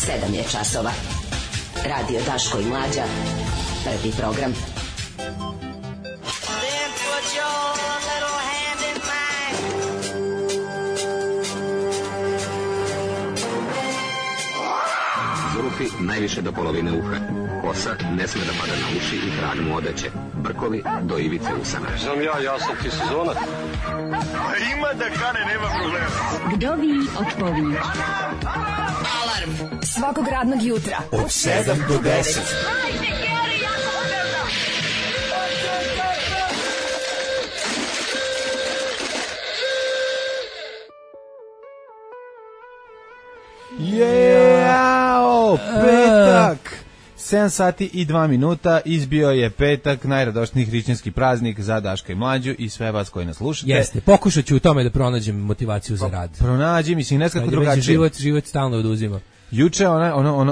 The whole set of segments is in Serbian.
7 je časova. Radio Daško i Mlađa. Prvi program. Zufi najviše do polovine uha. Kosa ne sme da pada na uši i trag mu odeće. Brkovi do ivice usana. Znam ja sam ti sezona. Ima da kane, nema problema. Vdovi odpovi. Alarm svakog radnog jutra od 7 do 10. Jeo, petak! 7 sati i 2 minuta, izbio je petak, najradošniji hrišćanski praznik za Daška i Mlađu i sve vas koji nas slušate. Jeste, pokušat ću u tome da pronađem motivaciju za rad. Pronađi, mislim, neskako drugačije. Život stalno oduzima. Juče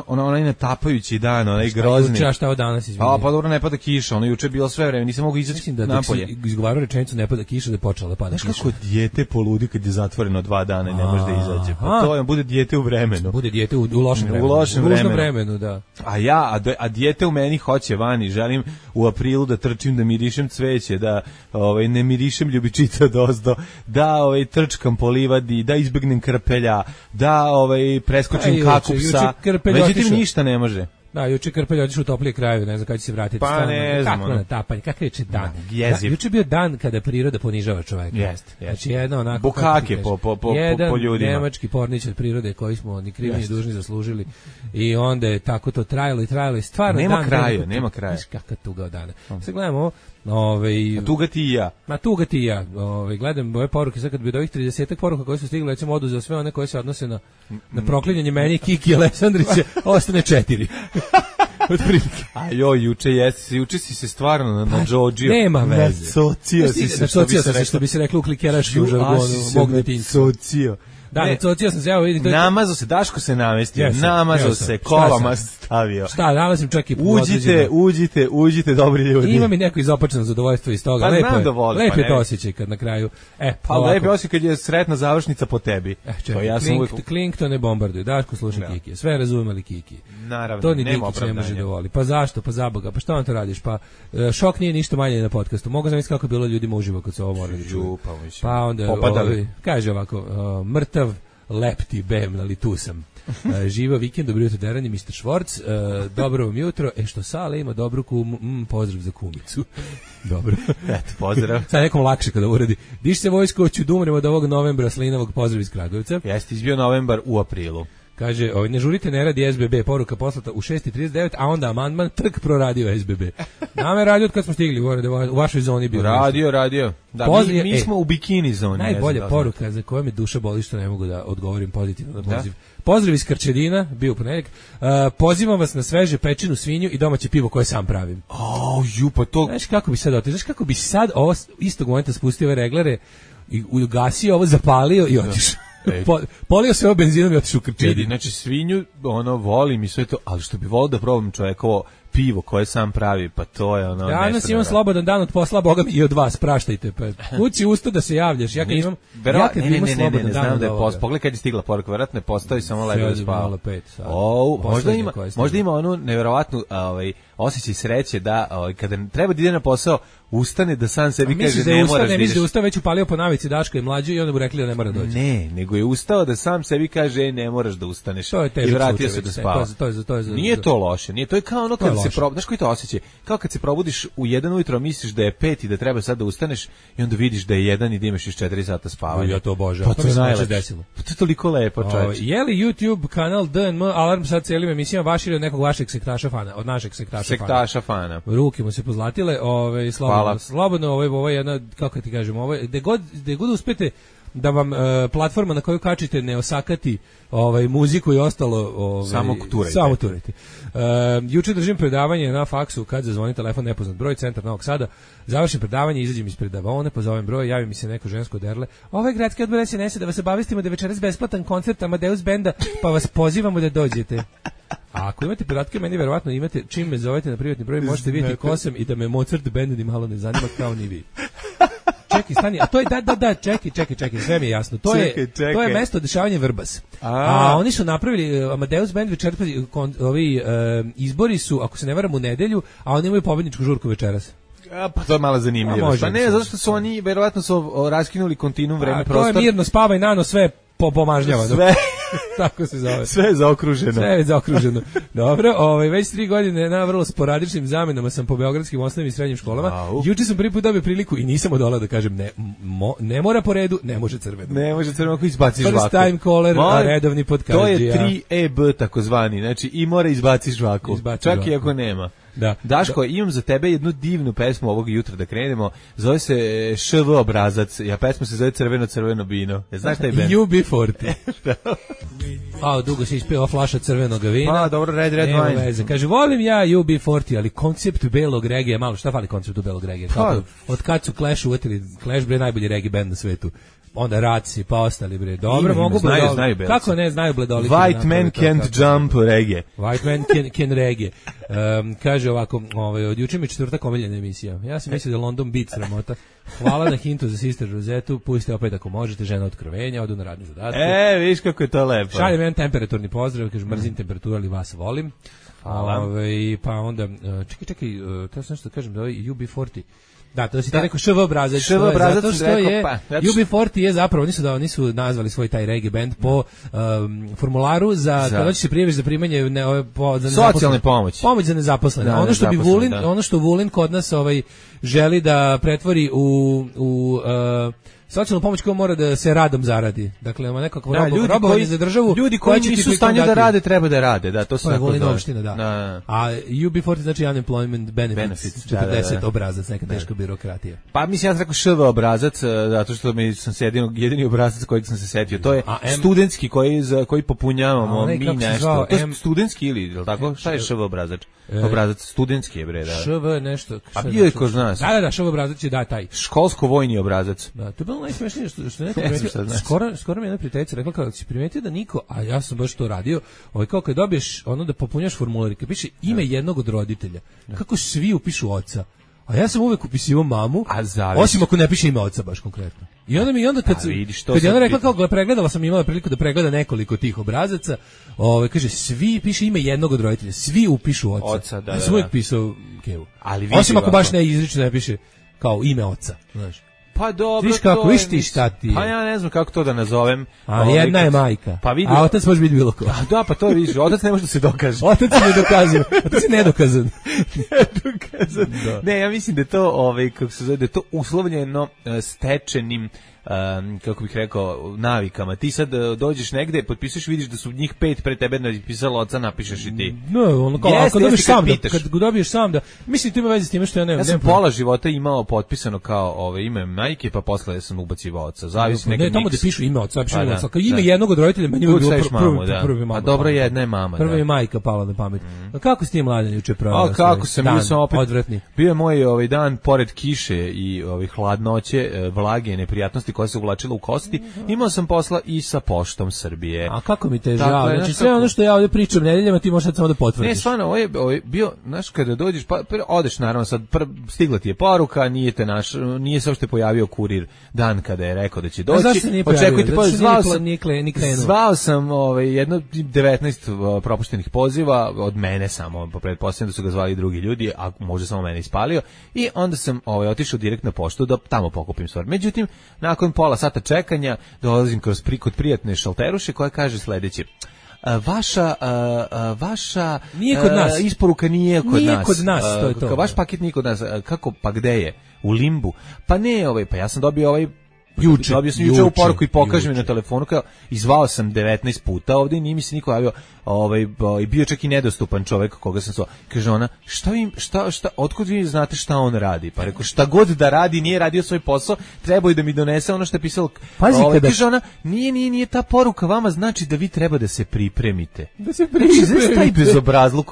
onaj natapajući dan, onaj grozni. Juče, a šta ovo danas, izvinite? Pa dobro, ne pada kiša, ono juče je bilo sve vreme, nisam mogu izaći napolje. Mislim da izgovarao rečenicu ne pada kiša, da je počela da pada kiša. Znaš kako dijete poludi kad je zatvoreno 2 dana i ne može da izađe? Pa to je, bude dijete u vremenu. Bude dijete u lošem vremenu. U lošem vremenu. Vremenu, da. A dijete u meni hoće vani, želim u aprilu da trčim, da mirišem cveće, da ne mirišem ljubičica dozdo, da trčkam po livadi, da izbegnem krpelja, da preskočim kakupsa. Međutim, ništa ne može. Da, juče Krpelj otišao u toplije krajeve, ne znam kada će se vratiti. Pa ne znam. Kako natapanje, kakav je dan? Jeziv. Juče je bio dan kada priroda ponižava čoveka. Jeste. Znači jedno onako... Bukake po ljudima. Jedan nemački pornić od prirode koji smo ni krivi ni dužni zaslužili. I onda je tako to trajalo i stvarno nema dan... kraja, nema kraja. Znaš kakav tuga od dana. Sad gledamo tuga ti i ja. Ma tuga ti i ja. Gledam ove poruke, sad kad bi od ovih 30 poruka koje su stigle, recimo oduzeo sve one koje se odnose na proklinjanje meni, Kiki i Aleksandrića, ostane 4. Juče si se stvarno na Džodžiju. Nema veze. Nacocio si se, što bi se reklo u klikeraškom žargonu, mog detinjstva. Nacocio. Da, nacocio sam se, evo vidim. Namazo se, Daško se namestio, namazo se, kolama stavio. Šta, nalazim čak i... Uđite, dobri ljudi. Ima mi neko izopačeno zadovoljstvo iz toga. Lepo je to osjećaj kad na kraju... Lepo je osjećaj kad je sretna završnica po tebi. Klink to ne bombarduju. Daško sluša Kiki. Sve razumem, ali Kiki. Naravno, to ni Dikić ne može da voli. Pa zašto? Pa za Boga. Pa šta vam to radiš? Pa šok nije ništa manje na podcastu. Mogu zamisliti kako je bilo ljudima uživo kad se ovo morali da čuju. Pa onda, kaže ovako, mrtav, lepti, bem, ali tu sam. Živa vikend, dobro jutro deranje, Mr. Švorc, dobro vam jutro, što Sale ima dobru kumu, pozdrav za kumicu. Dobro. Eto, pozdrav. Sad nekom lakše kada uradi. Diš se vojsko, hoću da umrem od ovog novembra slinavog, pozdrav iz Kragujevca. Jeste izbio novembar u aprilu. Kaže, ne žurite, ne radi SBB, poruka poslata u 6:39, a onda amandman trk proradio SBB. Nama je radio od kad smo stigli, u vašoj zoni bio. Radio. Da, mi smo u bikini zoni. Najbolja poruka za koju me duša boli što ne mogu da odgovorim pozitivno na poziv. Pozdrav iz Krčedina, bio u ponedeljak. Pozivam vas na sveže pečenu svinju i domaće pivo koje sam pravim. Pa to... Znaš kako bi sad otišao? Znaš kako bi sad ovo istog momenta spustio ove reglere i ugasio ovo, zapalio i otišao. Polio se ovo benzinom i otišao u Krčedin. Znači svinju, volim i sve to, ali što bi volio da probam čovekovo pivo koje sam pravi, pa to je ono... Danas imam slobodan dan od posla, Boga mi i od vas, praštajte, pa kući usto da se javljaš, ja kad imam slobodan dan od ovoga. Pogledaj kad je stigla poruka, verovatno ne postoji, samo lepo da spava. Možda ima onu neverovatnu osjećaj sreće da kada treba da ide na posao, ustane da sam sebi kaže ne moraš da ideš. Misli da ustao već upalio po navici Daška i Mlađu i onda mu rekli da ne mora doći. Ne, nego je ustao da sam sebi kaže ne moraš da ustaneš i vratio se da spava. Nije to loše, nije, to je kao ono kad se znaš koji to osjećaj, kao kad se probudiš u 1 ujutro, misliš da je 5 i da treba sad da ustaneš i onda vidiš da je 1 i da imaš još 4 sata spavanja. Ja to obožavam. Pa to je najlepše. Pa to je toliko lepo, čovječe. Je li YouTube kanal DNM Alarm sad cijelim emisijama vaš ili od nekog vašeg sektaša fana, od našeg sektaša fana? Ruke mu se pozlatile, slobodno, ovo je jedna, kako ti kažem, ovo je, gde god uspete da vam platforma na koju kačite ne osakati muziku i ostalo samo turajte. Juče držim predavanje na faksu kad zazvoni telefon nepoznat broj, centar Novog Sada, završim predavanje, izađem iz predavone, pozovem broj, javi mi se neko žensko derle, ovaj gradski odbor SNS da vas obavestimo da večeras besplatan koncert Amadeus benda, pa vas pozivamo da dođete. A ako imate podatke, meni verovatno imate, čim me zovete na privatni broj, možete vidjeti ko sam i da me Mozart bend ni malo ne zanima kao ni vi. čekaj, stani, a to je čekaj, sve mi je jasno. To je mesto dešavanja Vrbas. A oni su napravili Amadeus Band večeras, ovi izbori su, ako se ne varam, u nedelju, a oni imaju pobedničku žurku večeras. Pa to je malo zanimljivo. Pa ne, zato što su oni verovatno su raskinuli kontinuum vreme prostor. To je mirno spavaj nano sve pomažnjava. Sve. Tako se zove. Sve je zaokruženo. Sve je zaokruženo. Dobro, već 3 godine na vrlo sporadičnim zamenama sam po beogradskim osnovnim i srednjim školama. Juče sam prvi put dobio priliku i nisam odolao da kažem ne mora po redu, ne može crveno. Ne može crveno ako izbaciš žvaku. First time caller, a redovni podkaždžija. To je 3EB takozvani, znači i mora izbaciš žvaku. Čak i ako nema. Da. Daško, imam za tebe jednu divnu pesmu ovog jutra da krenemo. Zove se ŠV obrazac. Pesma se zove Crveno vino. Znaš taj band? UB40. Dugo se ispeva flaša crvenog vina. Pa, dobro, red wine. Kaže, volim ja UB40, ali koncept belog regije, malo šta fali konceptu belog regije? Od kad su Clash uvetili, Clash bre najbolji regije band na svetu. Onda Raci, pa ostali bre. Dobro, mogu znaju kako ne znaju bledoliti. White man can't jump reggae. White man can reggae. Kaže ovako, od juče mi 4. omiljena emisija. Ja sam mislio da London Beat sramota. Hvala na hintu za Sister Rosetu. Pustite opet ako možete, žena otkrovenja, odu na radni zadatak. Viš kako je to lepo. Šaljem jedan temperaturni pozdrav, kaže mrzim temperaturu, ali vas volim. Pa onda, čekaj, to sam nešto da kažem da ovaj UB40. Da, to si ti rekao ŠV obrazac. Zato što je UB40 je zapravo, oni su nazvali svoj taj reggae band po formularu za kada će se prijaviš za primanje socijalne pomoći. Pomoć za nezaposlene. Ono što Vulin kod nas želi da pretvori u socijalnu pomoć koja mora da se radom zaradi. Dakle, ima nekako robovanje za državu. Ljudi koji nisu u stanju da rade, treba da rade. Da, to se tako zove. Opština, da. A UB40 znači unemployment benefits. 40 obrazac, neka teška birokratija. Pa mislim, ja sam rekao ŠV obrazac, zato što sam se jedini obrazac kojeg sam se setio. To je studentski koji popunjavamo mi nešto. To je studentski ili, je li tako? Šta je ŠV obrazac? Obrazac studentski je bre, da. ŠV nešto. A bio je kod nas. Da, ŠV obrazac je taj. Školsko-vojni obrazac. Da, to je bilo najsmešnije što neko primetio. Skoro mi jedna prijateljica rekla kako si primetio da niko, a ja sam baš to radio, kao kad dobiješ da popunjaš formular i kad piše ime jednog od roditelja, kako svi upišu oca. A ja sam uvek upisivao mamu, osim ako ne piše ime oca baš konkretno. I onda kad je ona rekla kako pregledala, sam imala priliku da pregleda nekoliko tih obrazaca, kaže svi piše ime jednog od roditelja, svi upišu oca. Ja sam uvek pisao Kevu. Osim ako baš ne izrično ne piše kao ime oca, znaš. Pa dobro, viš kako, viš ti šta ti je. Pa ja ne znam kako to da nazovem. A jedna je majka, pa vidi, a otac može biti bilo ko. Da, pa to vidiš, otac ne može da se dokaže. Otac je nedokazan, otac je nedokazan. Ne, ja mislim da je to, kako se zove, da je to uslovljeno stečenim, kako bih rekao, navikama. Ti sad dođeš negde, potpisuješ, vidiš da su njih 5 pre tebe napisalo oca, napišeš i ti. No, ako dobiješ sam, kad dobiješ sam da, mislim to ima veze s time što ja nemam. Ja sam pola života imao potpisano kao ime majke, pa posle sam ubacivao oca. Zavisi neki. Ne, tamo da pišu ime oca, pišu oca. Kao ime jednog od roditelja, meni je bilo prvi mama. A dobro, jedna je mama. Prva je majka pala na pamet. Kako si ti mladen juče proveo? Kako sam, bio sam opet odvratni. Bio je moj dan pored kiše i hladnoće, vlage, neprijatnosti koja se uvlačila u kosti, imao sam posla i sa Poštom Srbije. A kako mi te žao, znači sve ono što ja ovdje pričam nedeljama ti možeš samo da potvrdiš. Ne, stvarno, ovo je bio, znaš, kada dođeš, pa odeš naravno, sad stigla ti je poruka, nije se uopšte pojavio kurir dan kada je rekao da će doći. Zašto se nije pojavio? Zvao sam jedno 19 propuštenih poziva, od mene samo, pretpostavljam da su ga zvali drugi ljudi, a možda samo mene ispalio, i onda sam otišao direkt na poštu da tamo pokupim stvar. Međutim, nakon pola sata čekanja dolazim kod prijatne šalteruše koja kaže sledeće: vaša nije kod nas. Isporuka nije kod nas. To je to. Vaš paket nije kod nas. Kako, pa gde je? U limbu? Pa ne, pa ja sam dobio juče u poruku i pokaže mi na telefonu, kao izvao sam 19 puta ovdje i nije mi se niko javio, i bio čak i nedostupan čovjek koga sam zvao. Kaže ona, šta, otkud vi znate šta on radi? Pa rekao, šta god da radi, nije radio svoj posao, trebao je da mi donese ono što je pisalo. Pazi, kaže ona, nije ta poruka vama, znači da vi treba da se pripremite. Da se pripremite. Znači, taj bezobrazluk,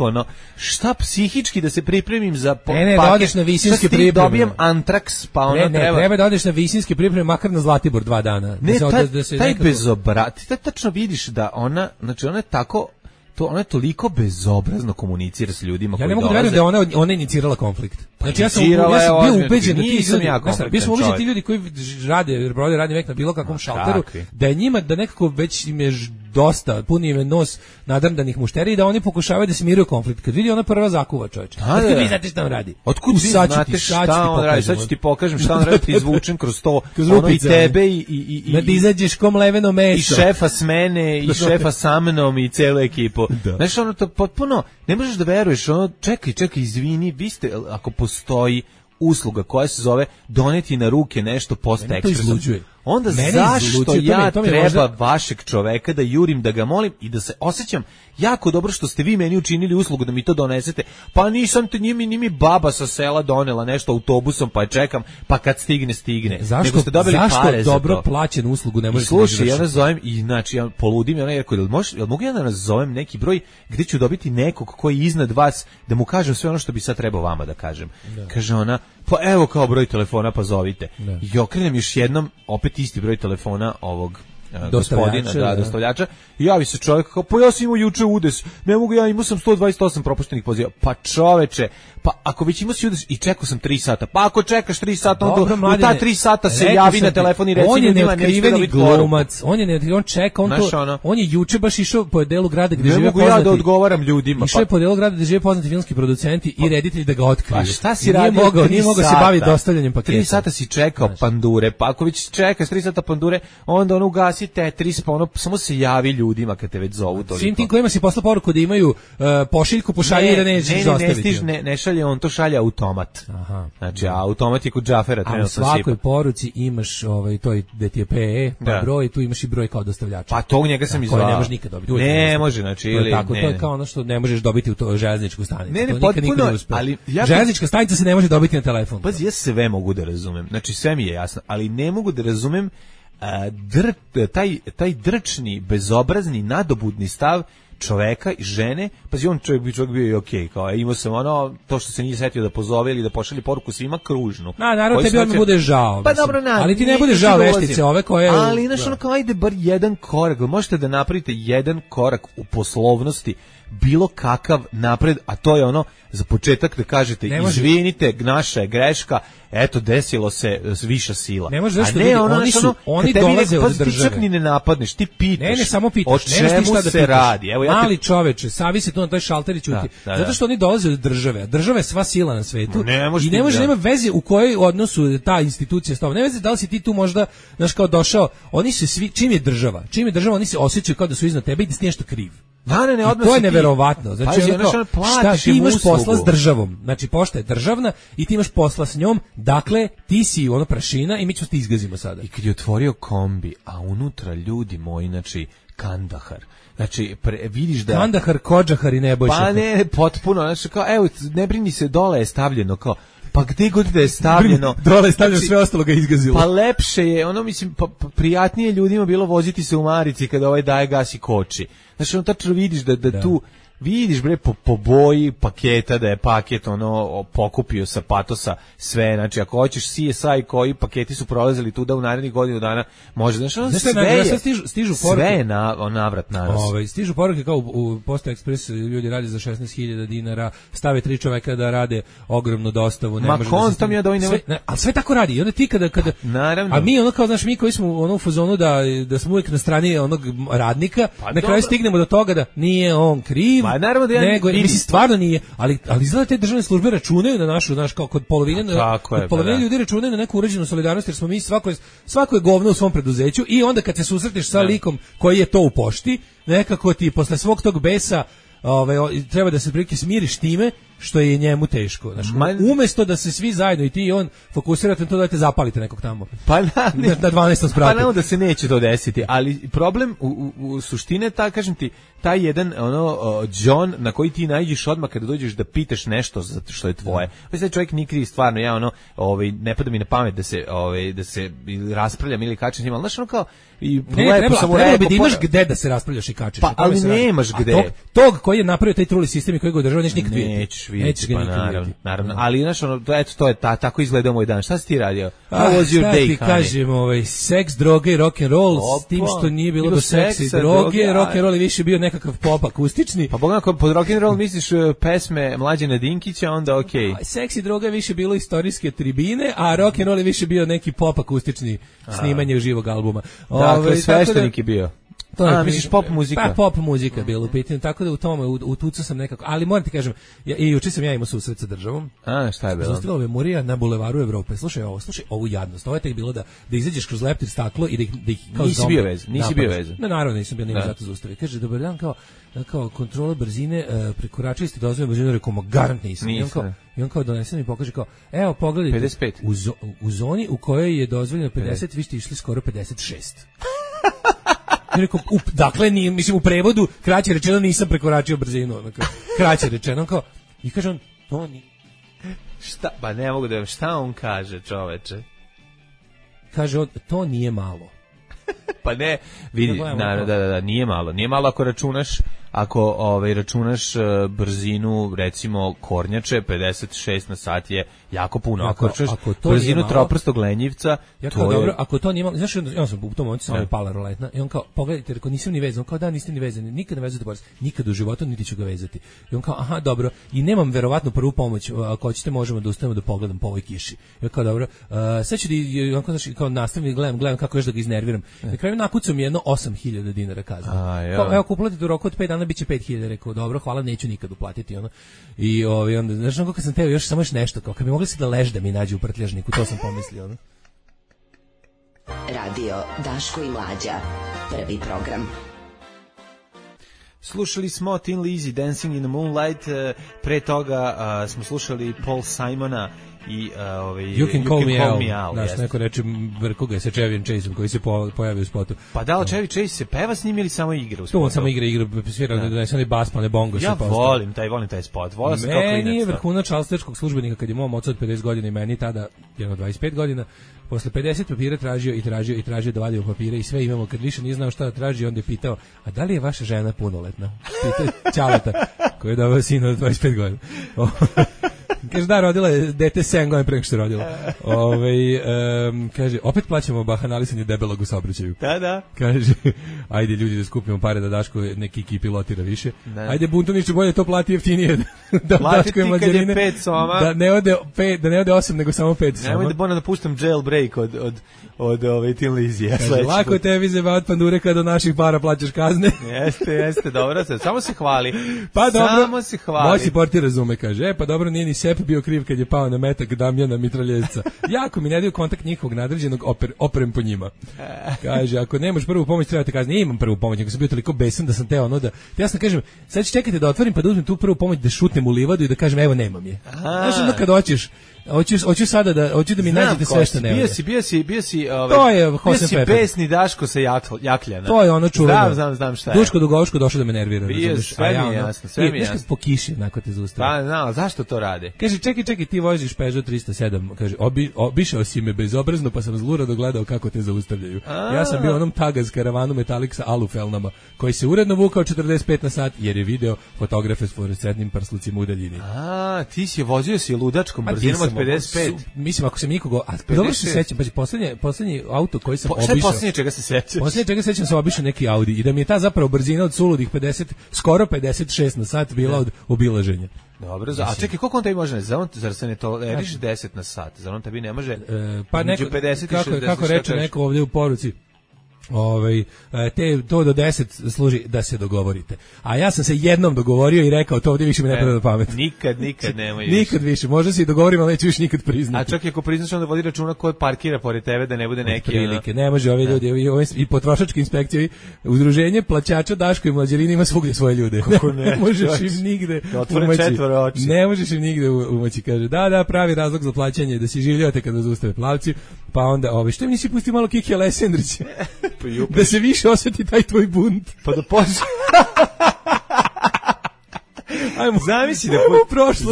šta psihički da se pripremim za paket? Ne, da odeš na visinske pripreme. Dobijem antraks, pa ona treba da odeš na visinske pripreme, makar na Zlatibor 2 dana. Ne, taj bezobrat, ti tačno vidiš da ona je tako ona je toliko bezobrazno komunicira s ljudima koji dolaze. Ja ne mogu da verujem da ona inicirala konflikt. Znači ja sam bio ubeđen da ti ljudi koji rade radni vek na bilo kakvom šalteru, da je njima da nekako već im je dosta, puni im je nos nadrndanih mušterija i da oni pokušavaju da smiruju konflikt. Kad vidi ona prva zakuva, čoveče. Otkud vi znate šta on radi? Otkud vi znate šta on radi? Sad ću ti pokažem šta on radi, ti izvučem kroz to, ono i tebe i da izađeš kom leveno meso. I šefa s mene, i šefa sa mnom, i celu ekipu. Znaš, ono to potpuno, ne možeš da veruješ, ono, čekaj, izvini, vi ste, ako postoji usluga koja se zove doneti na ruke nešto post-ekspresom, onda zašto ja treba vašeg čoveka da jurim, da ga molim i da se osjećam jako dobro što ste vi meni učinili uslugu da mi to donesete, pa nisam te ni mi baba sa sela donela nešto autobusom, pa je čekam, pa kad stigne. Nego ste dobili pare za to. Zašto dobro plaćenu uslugu ne možete? Slušaj, ja nazovem i znači ja poludim, ja rekao, jel mogu ja da nazovem neki broj gde ću dobiti nekog koji je iznad vas da mu kažem sve ono što bi sad trebao vama da kažem. Kaže ona, pa evo kao broj telefona, pa zovite. I okrenem još jednom, opet isti broj telefona ovog gospodina, dostavljača. I javi se čovjek kao, pa ja sam imao juče udes, ne mogu ja, imao sam 128 propuštenih poziva. Pa čoveče, pa ako već imao si udes i čekao sam 3 sata, pa ako čekaš 3 sata, onda u ta 3 sata se javi na telefon i reci on je neotkriveni glumac, on čeka, on je juče baš išao po delu grada gde žive poznati. Ne mogu ja da odgovaram ljudima. Išao je po delu grada gde žive poznati filmski producenti i reditelji da ga otkriju. Pa šta si radio? Nije mogao se baviti dostavljanjem paketa. 3 sata si čekao pandure, pa ako već čekaš 3 sata pandure, onda ono ugasi Tetris, pa ono samo se javi ljudima kad te već zovu toliko. Svim tim kojima si poslao poruku da imaju pošiljku, pošalje i da nećeš dostaviti. Ne šalje, on to šalje automat. Aha. Znači, automat je kod Džafera trenutno sipa. A u svakoj poruci imaš to gde ti je PE, pa broj, tu imaš i broj kao dostavljača. Pa to u njega sam izvao. Koje ne možeš nikad dobiti. Ne može, znači, ili... To je kao ono što ne možeš dobiti u to železničku stanicu. Ne, potpuno, ali... Železnička stanica se ne može dobiti na telefon. Pazi, ja sve mogu da razumem. Znači, sve mi je jasno, ali ne mogu da razumem taj drčni, bezobrazni, nadobudni stav čoveka i žene. Pazi, on čovjek bio i okej, kao imao sam ono, to što se nije setio da pozove ili da pošalje poruku svima kružnu. Naravno, tebi odmah bude žao. Pa dobro, ali ti ne bude žao veštice ove koje... Ali, znaš, ono kao, ajde bar jedan korak, možete da napravite jedan korak u poslovnosti, bilo kakav napred, a to je ono, za početak da kažete, izvinite, naša je greška, eto, desilo se viša sila. Ne može zašto vidi, oni dolaze od države. Ti čak ni ne napadneš, ti pitaš. Ne, samo pitaš. O čemu se radi? Evo, mali čoveče, savi se tu na taj šalter i ćuti. Zato što oni dolaze od države, a država je sva sila na svetu. I ne može, nema veze u kojoj odnosu ta institucija stava. Ne veze da li si ti tu možda, znaš, kao došao, oni se svi, čim je država, oni se osjećaju kao da su iznad tebe i da si nešto kriv. To je neverovatno. Znači, šta ti imaš posla s državom? Znači, pošta je državna i ti imaš posla s njom, dakle, ti si ono prašina i mi ćemo ti izgazimo sada. I kad je otvorio kombi, a unutra ljudi moji, znači, Kandahar. Znači, vidiš da... Kandahar, Kodžahar i Nebojša. Pa ne, potpuno, znači, kao, evo, ne brini se, dole je stavljeno, kao, pa gde god da je stavljeno, dole je stavljeno, sve ostalo ga izgazilo. Pa lepše je, ono mislim, prijatnije ljudima bilo voziti se u marici kada ovaj daje gas i koči. Znači, ono tačno vidiš da tu vidiš bre po boji paketa da je paket ono pokupio sa patosa sve, znači ako hoćeš CSI koji paketi su prolazili tu da u narednih godinu dana može, znači ono stižu poruke, sve je navrat nanos. Stižu poruke kao u Posta Ekspres, ljudi rade za 16.000 dinara, stave 3 čoveka da rade ogromnu dostavu, ne može ali sve tako radi. I onda ti kada naravno. A mi ono kao, znaš, mi koji smo u fazonu da smo uvijek na strani onog radnika, na kraju stignemo do toga da nije on kriv. Naravno da mislim, stvarno nije, ali izgleda te državne službe računaju na našu, kao kod polovine ljudi računaju na neku uređenu solidarnost, jer smo mi svako je govno u svom preduzeću i onda kad se susretneš sa likom koji je to u pošti, nekako ti posle svog tog besa treba da se prilike smiriš time što je njemu teško. Znači, umjesto da se svi zajedno i ti i on fokusirate na to da te zapalite nekog tamo. Pa na 12. spratu. Pa naravno da se neće to desiti, ali problem u suštine, kažem ti, taj jedan John na koji ti naiđeš odmah kada dođeš da pitaš nešto zato što je tvoje. Pa sad čovjek nije kriv, stvarno, ja ne pada mi na pamet da se raspravljam ili kačem s njima, ali znaš kao i trebalo bi da imaš gde da se raspravljaš i kačeš. Pa ali nemaš gde. koji je napravio taj truli sistem i koji ga održava, nećeš nikad vidjeti. Nećeš vidjeti, pa naravno. Ali znaš, ono, to je tako izgledao moj dan. Šta si ti radio? How was your day, ti kažem, seks, droge i rock and roll, s tim što nije bilo do seksa i droge, rock and roll je više bio nekakav pop akustični. Pa pogledam, ako pod rock and roll misliš pesme Mlađana Dinkića, onda okej. Seks i droga je više bilo istorijske tribine, a rock and roll je više bio neki pop akustični snimanje živog albuma. Dakle, sveštenik je bio. To misliš pop muzika? Pa pop muzika je bilo u pitanju, tako da u tome utucao sam nekako, ali moram ti kažem, i juče sam ja imao susret sa državom. Šta je bilo? Zaustavila me Murija na bulevaru Evrope. Slušaj ovu jadnost. Ovo je tek bilo da izađeš kroz leptir staklo i da ih kao nisi bio vezan. Ne, naravno nisam bio, nije zato zaustavio. Kaže, dobar dan, kao kontrola brzine, prekoračili ste dozvoljenu brzinu, rekao, garant nisam. I on kao donese mi pokaže kao, evo pogledajte, 55. U zoni u kojoj je dozvoljeno 50, vi ste išli skoro 56. Rekao, dakle, mislim, u prevodu kraće rečeno nisam prekoračio brzinu, kraće rečeno, kao, i kaže on, to ni... Šta, ba ne mogu da, šta on kaže, čoveče? Kaže on, to nije malo. Pa ne, vidi, da, nije malo ako računaš, računaš brzinu, recimo, kornjače, 56 na sat je jako puno. Ako računaš brzinu troprstog lenjivca, to je... Dobro, ako to nije malo, znaš, ja sam u tom momentu sam pala roletna, i on kao, pogledajte, rekao, nisam ni vezan, on kao, da, niste ni vezani, nikad ne vezate borac, nikad u životu, niti ću ga vezati. I on kao, aha, dobro, i nemam verovatno prvu pomoć, ako hoćete možemo da ustavimo da pogledam po ovoj kiši. I on kao, dobro, sad ću da, on kao, nastavim, gledam kako još da ga iznerviram. Na kraju nakucam jedno 8.000 dinara kazne. Evo, ako uplatite u roku od 5 dana, biće 5.000, rekao, dobro, hvala, neću nikad uplatiti, ono. I onda, znaš, kako sam teo još samo nešto, kao, kad bi mogli se da lež da mi nađe u prtljažniku, to sam pomislio, ono. Radio Daško i Mlađa, prvi program. Slušali smo Tin Lizzy, Dancing in the Moonlight, pre toga smo slušali Paul Simona i You Can Call Me Al. Znaš, neko reče vrkoga sa Chevy Chaseom koji se pojavio u spotu. Pa da li Chevy Chase se peva s njim ili samo igra u spotu? To on samo igra, svira da ne sani bas, pa ne bongo. Ja volim taj spot. Meni je vrhunac šalsterskog službenika kad je mom ocu od 50 godina i meni tada, jedno 25 godina, posle 50 papira tražio da vadimo papire i sve imamo. Kad više nije znao šta da traži, onda je pitao, a da li je vaša žena punoletna? Pitao Ćaleta, koji je doveo sina od 25 godina. Kaže, da, rodila je dete 7 godina pre nego što je rodila. Kaže, opet plaćamo bahanalisanje debelog u saobraćaju. Da. Kaže, ajde ljudi da skupimo pare da Daško neki ekip pilotira više. Da. Ajde Buntuniću, bolje to plati jeftinije da Daško i Mađarine. 5 soma. Da ne ode 8 nego samo 5 soma. Nemoj da bona da puštam jailbreak od Tin Lizzy. Kaže, lako tebi zeba od pandure kada do naših para plaćaš kazne. Jeste, dobro, samo se hvali. Pa dobro, samo se hvali. Moj si portir razume, kaže, pa dobro, nije ni Sep bio kriv kad je pao na metak Damjana mitraljevca. Jako mi ne daju kontakt njihovog nadređenog, oprem po njima. Kaže, ako nemaš prvu pomoć, trebate kazni. Imam prvu pomoć, ako sam bio toliko besan da sam teo ono da... Jasno kažem, sad ću čekati da otvorim pa da uzmem tu prvu pomoć, da šutnem u livadu i da kažem, evo, nemam je. Znaš, ono kad hoću sada da mi nađete sve što nema. Bio si to je Hosen Pepper. Besni Daško sa Jakljana. To je ono čuveno. Znam šta je. Duško Dugovško došao da me nervira. Sve mi je jasno. Po kiši, onako te zaustavi. Pa, zašto to rade? Kaže, čekaj, ti voziš Peugeot 307. Kaže, obišao si me bezobrazno, pa sam zlurado gledao kako te zaustavljaju. Ja sam bio onom tagaz karavanu Metalik sa alufelnama, koji se uredno vukao 45 na sat, jer je video fotografe s fluorescentnim prslucima u daljini. Ti si vozio ludačkom brzinom od 55. Mislim, ako sam nikoga... dobro se sećam, pa poslednji auto koji sam obišao... Šta je poslednje čega se sećaš? Poslednje čega se sećam sam obišao neki Audi i da mi je ta zapravo brzina od suludih 50, skoro 56 na sat bila od obilaženja. Dobro, a čekaj, koliko on tebi može? Zar se ne toleriš 10 na sat? Zar on tebi ne može? Pa neko, 50 i 60, kako reče neko ovdje u poruci, to do 10 služi da se dogovorite. A ja sam se jednom dogovorio i rekao, to ovdje više mi ne pada na pamet. Nikad nemoj. Nikad više. Možda se i dogovorimo, ali neću više nikad priznati. A čak i ako priznaš, onda vodi računa ko parkira pored tebe, da ne bude neki... Prilike. Ne može ovi ljudi, i potrošačke inspekcije, udruženje plaćača Daško i Mlađarini ima svugdje svoje ljude. Kako ne možeš im nigde umaći. Ne možeš im nigde umaći. Kaže, da, pravi razlog za plaćanje, da si življate kada zaustave plavci, pa onda, što mi nisi pustio malo Kiki Alessandrića? Da se više osjeti taj tvoj bunt. Pa da počne. Ajmo,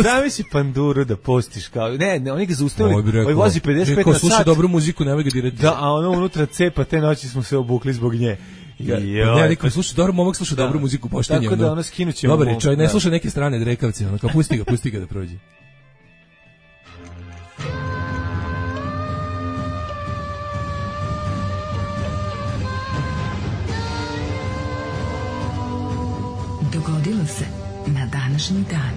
zamisli panduru da postiš kao... Ne, oni ga zaustavili, ovaj vozi 55 na sat. Sluša dobru muziku, nemoj ga dirati. Da, a ono unutra cepa, te noći smo se obukli zbog nje. Ne, niko sluša dobro, momak sluša dobru muziku, poštenje. Tako da ono skinućemo. Dobar je, čovjek ne sluša neke strane drekavce, ono kao pusti ga da prođe. Dogodilo se na današnji dan.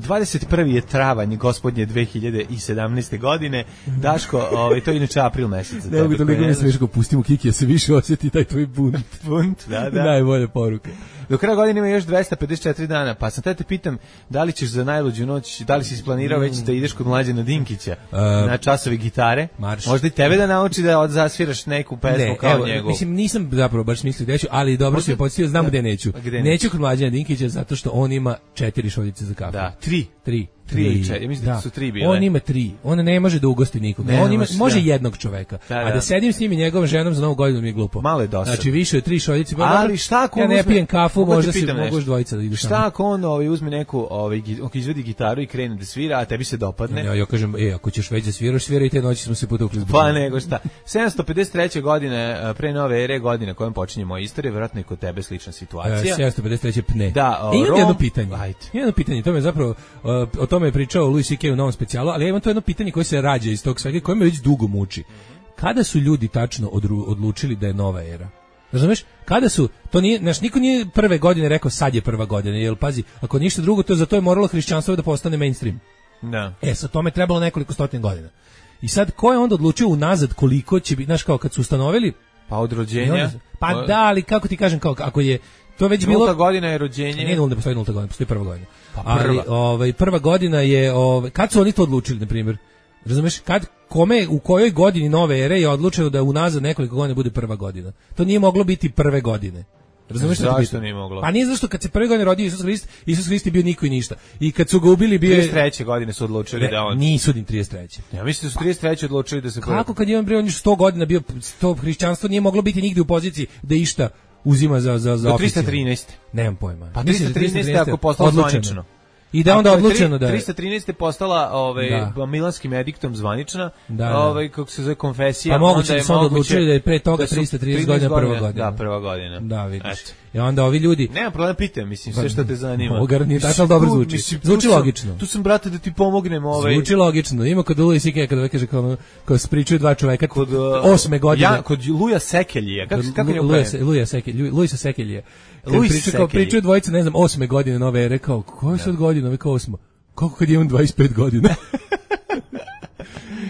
21. je travanj gospodnje 2017. godine. Daško, to je inače april mesec. Ne mogu toliko mi smiješ, pustimo Kiki, ja se više osjeti taj tvoj bunt. Bunt, da. Najbolje poruke. Do kraja godine ima još 254 dana, pa sam te pitam da li ćeš za najluđu noć, da li si isplanirao već da ideš kod Mlađana Dinkića na časovi gitare? Marš. Možda i tebe da nauči da zasviraš neku pesmu kao njegov. Mislim, nisam zapravo baš mislio gde ću, ali dobro si me podsjetio, znam gde neću. Neću kod Mlađana Dinkića zato što on ima 4 šoljice za kafu. Da, 3. 3. Ja mislim da su 3 bile. On ima 3. On ne može da ugosti nikoga. On ima, može jednog čoveka. A da sedim s njim i njegovom ženom za Novu godinu mi je glupo. Malo je dosadno. Znači više od 3 šoljice. Ali šta ako ja ne pijem kafu, možda se mogu dvojica da idu. Šta ako on uzme neku, izvedi gitaru i krene da svira, a tebi se dopadne? Ja kažem, ako ćeš već da sviraš, sviraj, te noći smo se potukli. Pa nego šta. 753. godine pre nove ere, godine kojom počinje moja istorija, verovatno i kod tebe slična situacija. 753. pne. Da, imam jedno pitanje. Jedno pitanje, to me zapravo o tome je pričao Louis C.K. u novom specijalu, ali ja imam to jedno pitanje koje se rađa iz tog svega, koje me već dugo muči. Kada su ljudi tačno odlučili da je nova era? Razumeš? Kada su, to nije, niko nije prve godine rekao sad je prva godina, jer pazi, ako ništa drugo, to za to je moralo hrišćanstvo da postane mainstream. Da. Sa tome trebalo nekoliko stotina godina. I sad, ko je onda odlučio unazad koliko će biti, znaš, kao kad su ustanovili? Pa od rođenja? Pa da, ali kako ti kažem, kao ako je to već bilo... Nulta godina je rođenje. Nije ne postoji nulta godina, postoji prva godina. Pa prva. Ali prva godina je, kad su oni to odlučili, na primjer? Razumeš, u kojoj godini nove ere je odlučeno da unazad nekoliko godina bude prva godina? To nije moglo biti prve godine. Razumeš što zašto nije moglo? Pa nije zašto kad se prve godine rodio Isus Hrist je bio niko i ništa. I kad su ga ubili bio je 33. godine su odlučili da on nisu ni 33. Ja mislim da su 33. odlučili da se kako kad je on bio 100 godina bio, to hrišćanstvo nije moglo biti nigde u poziciji da išta uzima za do 313. Nemam pojma. Pa 313 ako postalo zvanično. I da onda odlučeno da 313 je postala milanskim ediktom zvanična, kako se zove konfesija, pa moguće da su onda odlučili da je pre toga 330 godina prva godina. Da, prva godina. Da, vidiš. I onda ovi ljudi... Nema problema, pitam, mislim, sve što te zanima. Ogar nije tako dobro zvuči. Zvuči logično. Tu sam, brate, da ti pomognem. Zvuči logično. Ima kod Louis C.K. kada kaže kao spričuju dva čoveka kod 8. godine. Kod Luja Sekeljija. Kako je Luisa Sekeljija. Pričaju dvojice, ne znam, 8. godine nove ere, kao, koja je sad godina, ove kao 8. Kako kad imam 25 godina?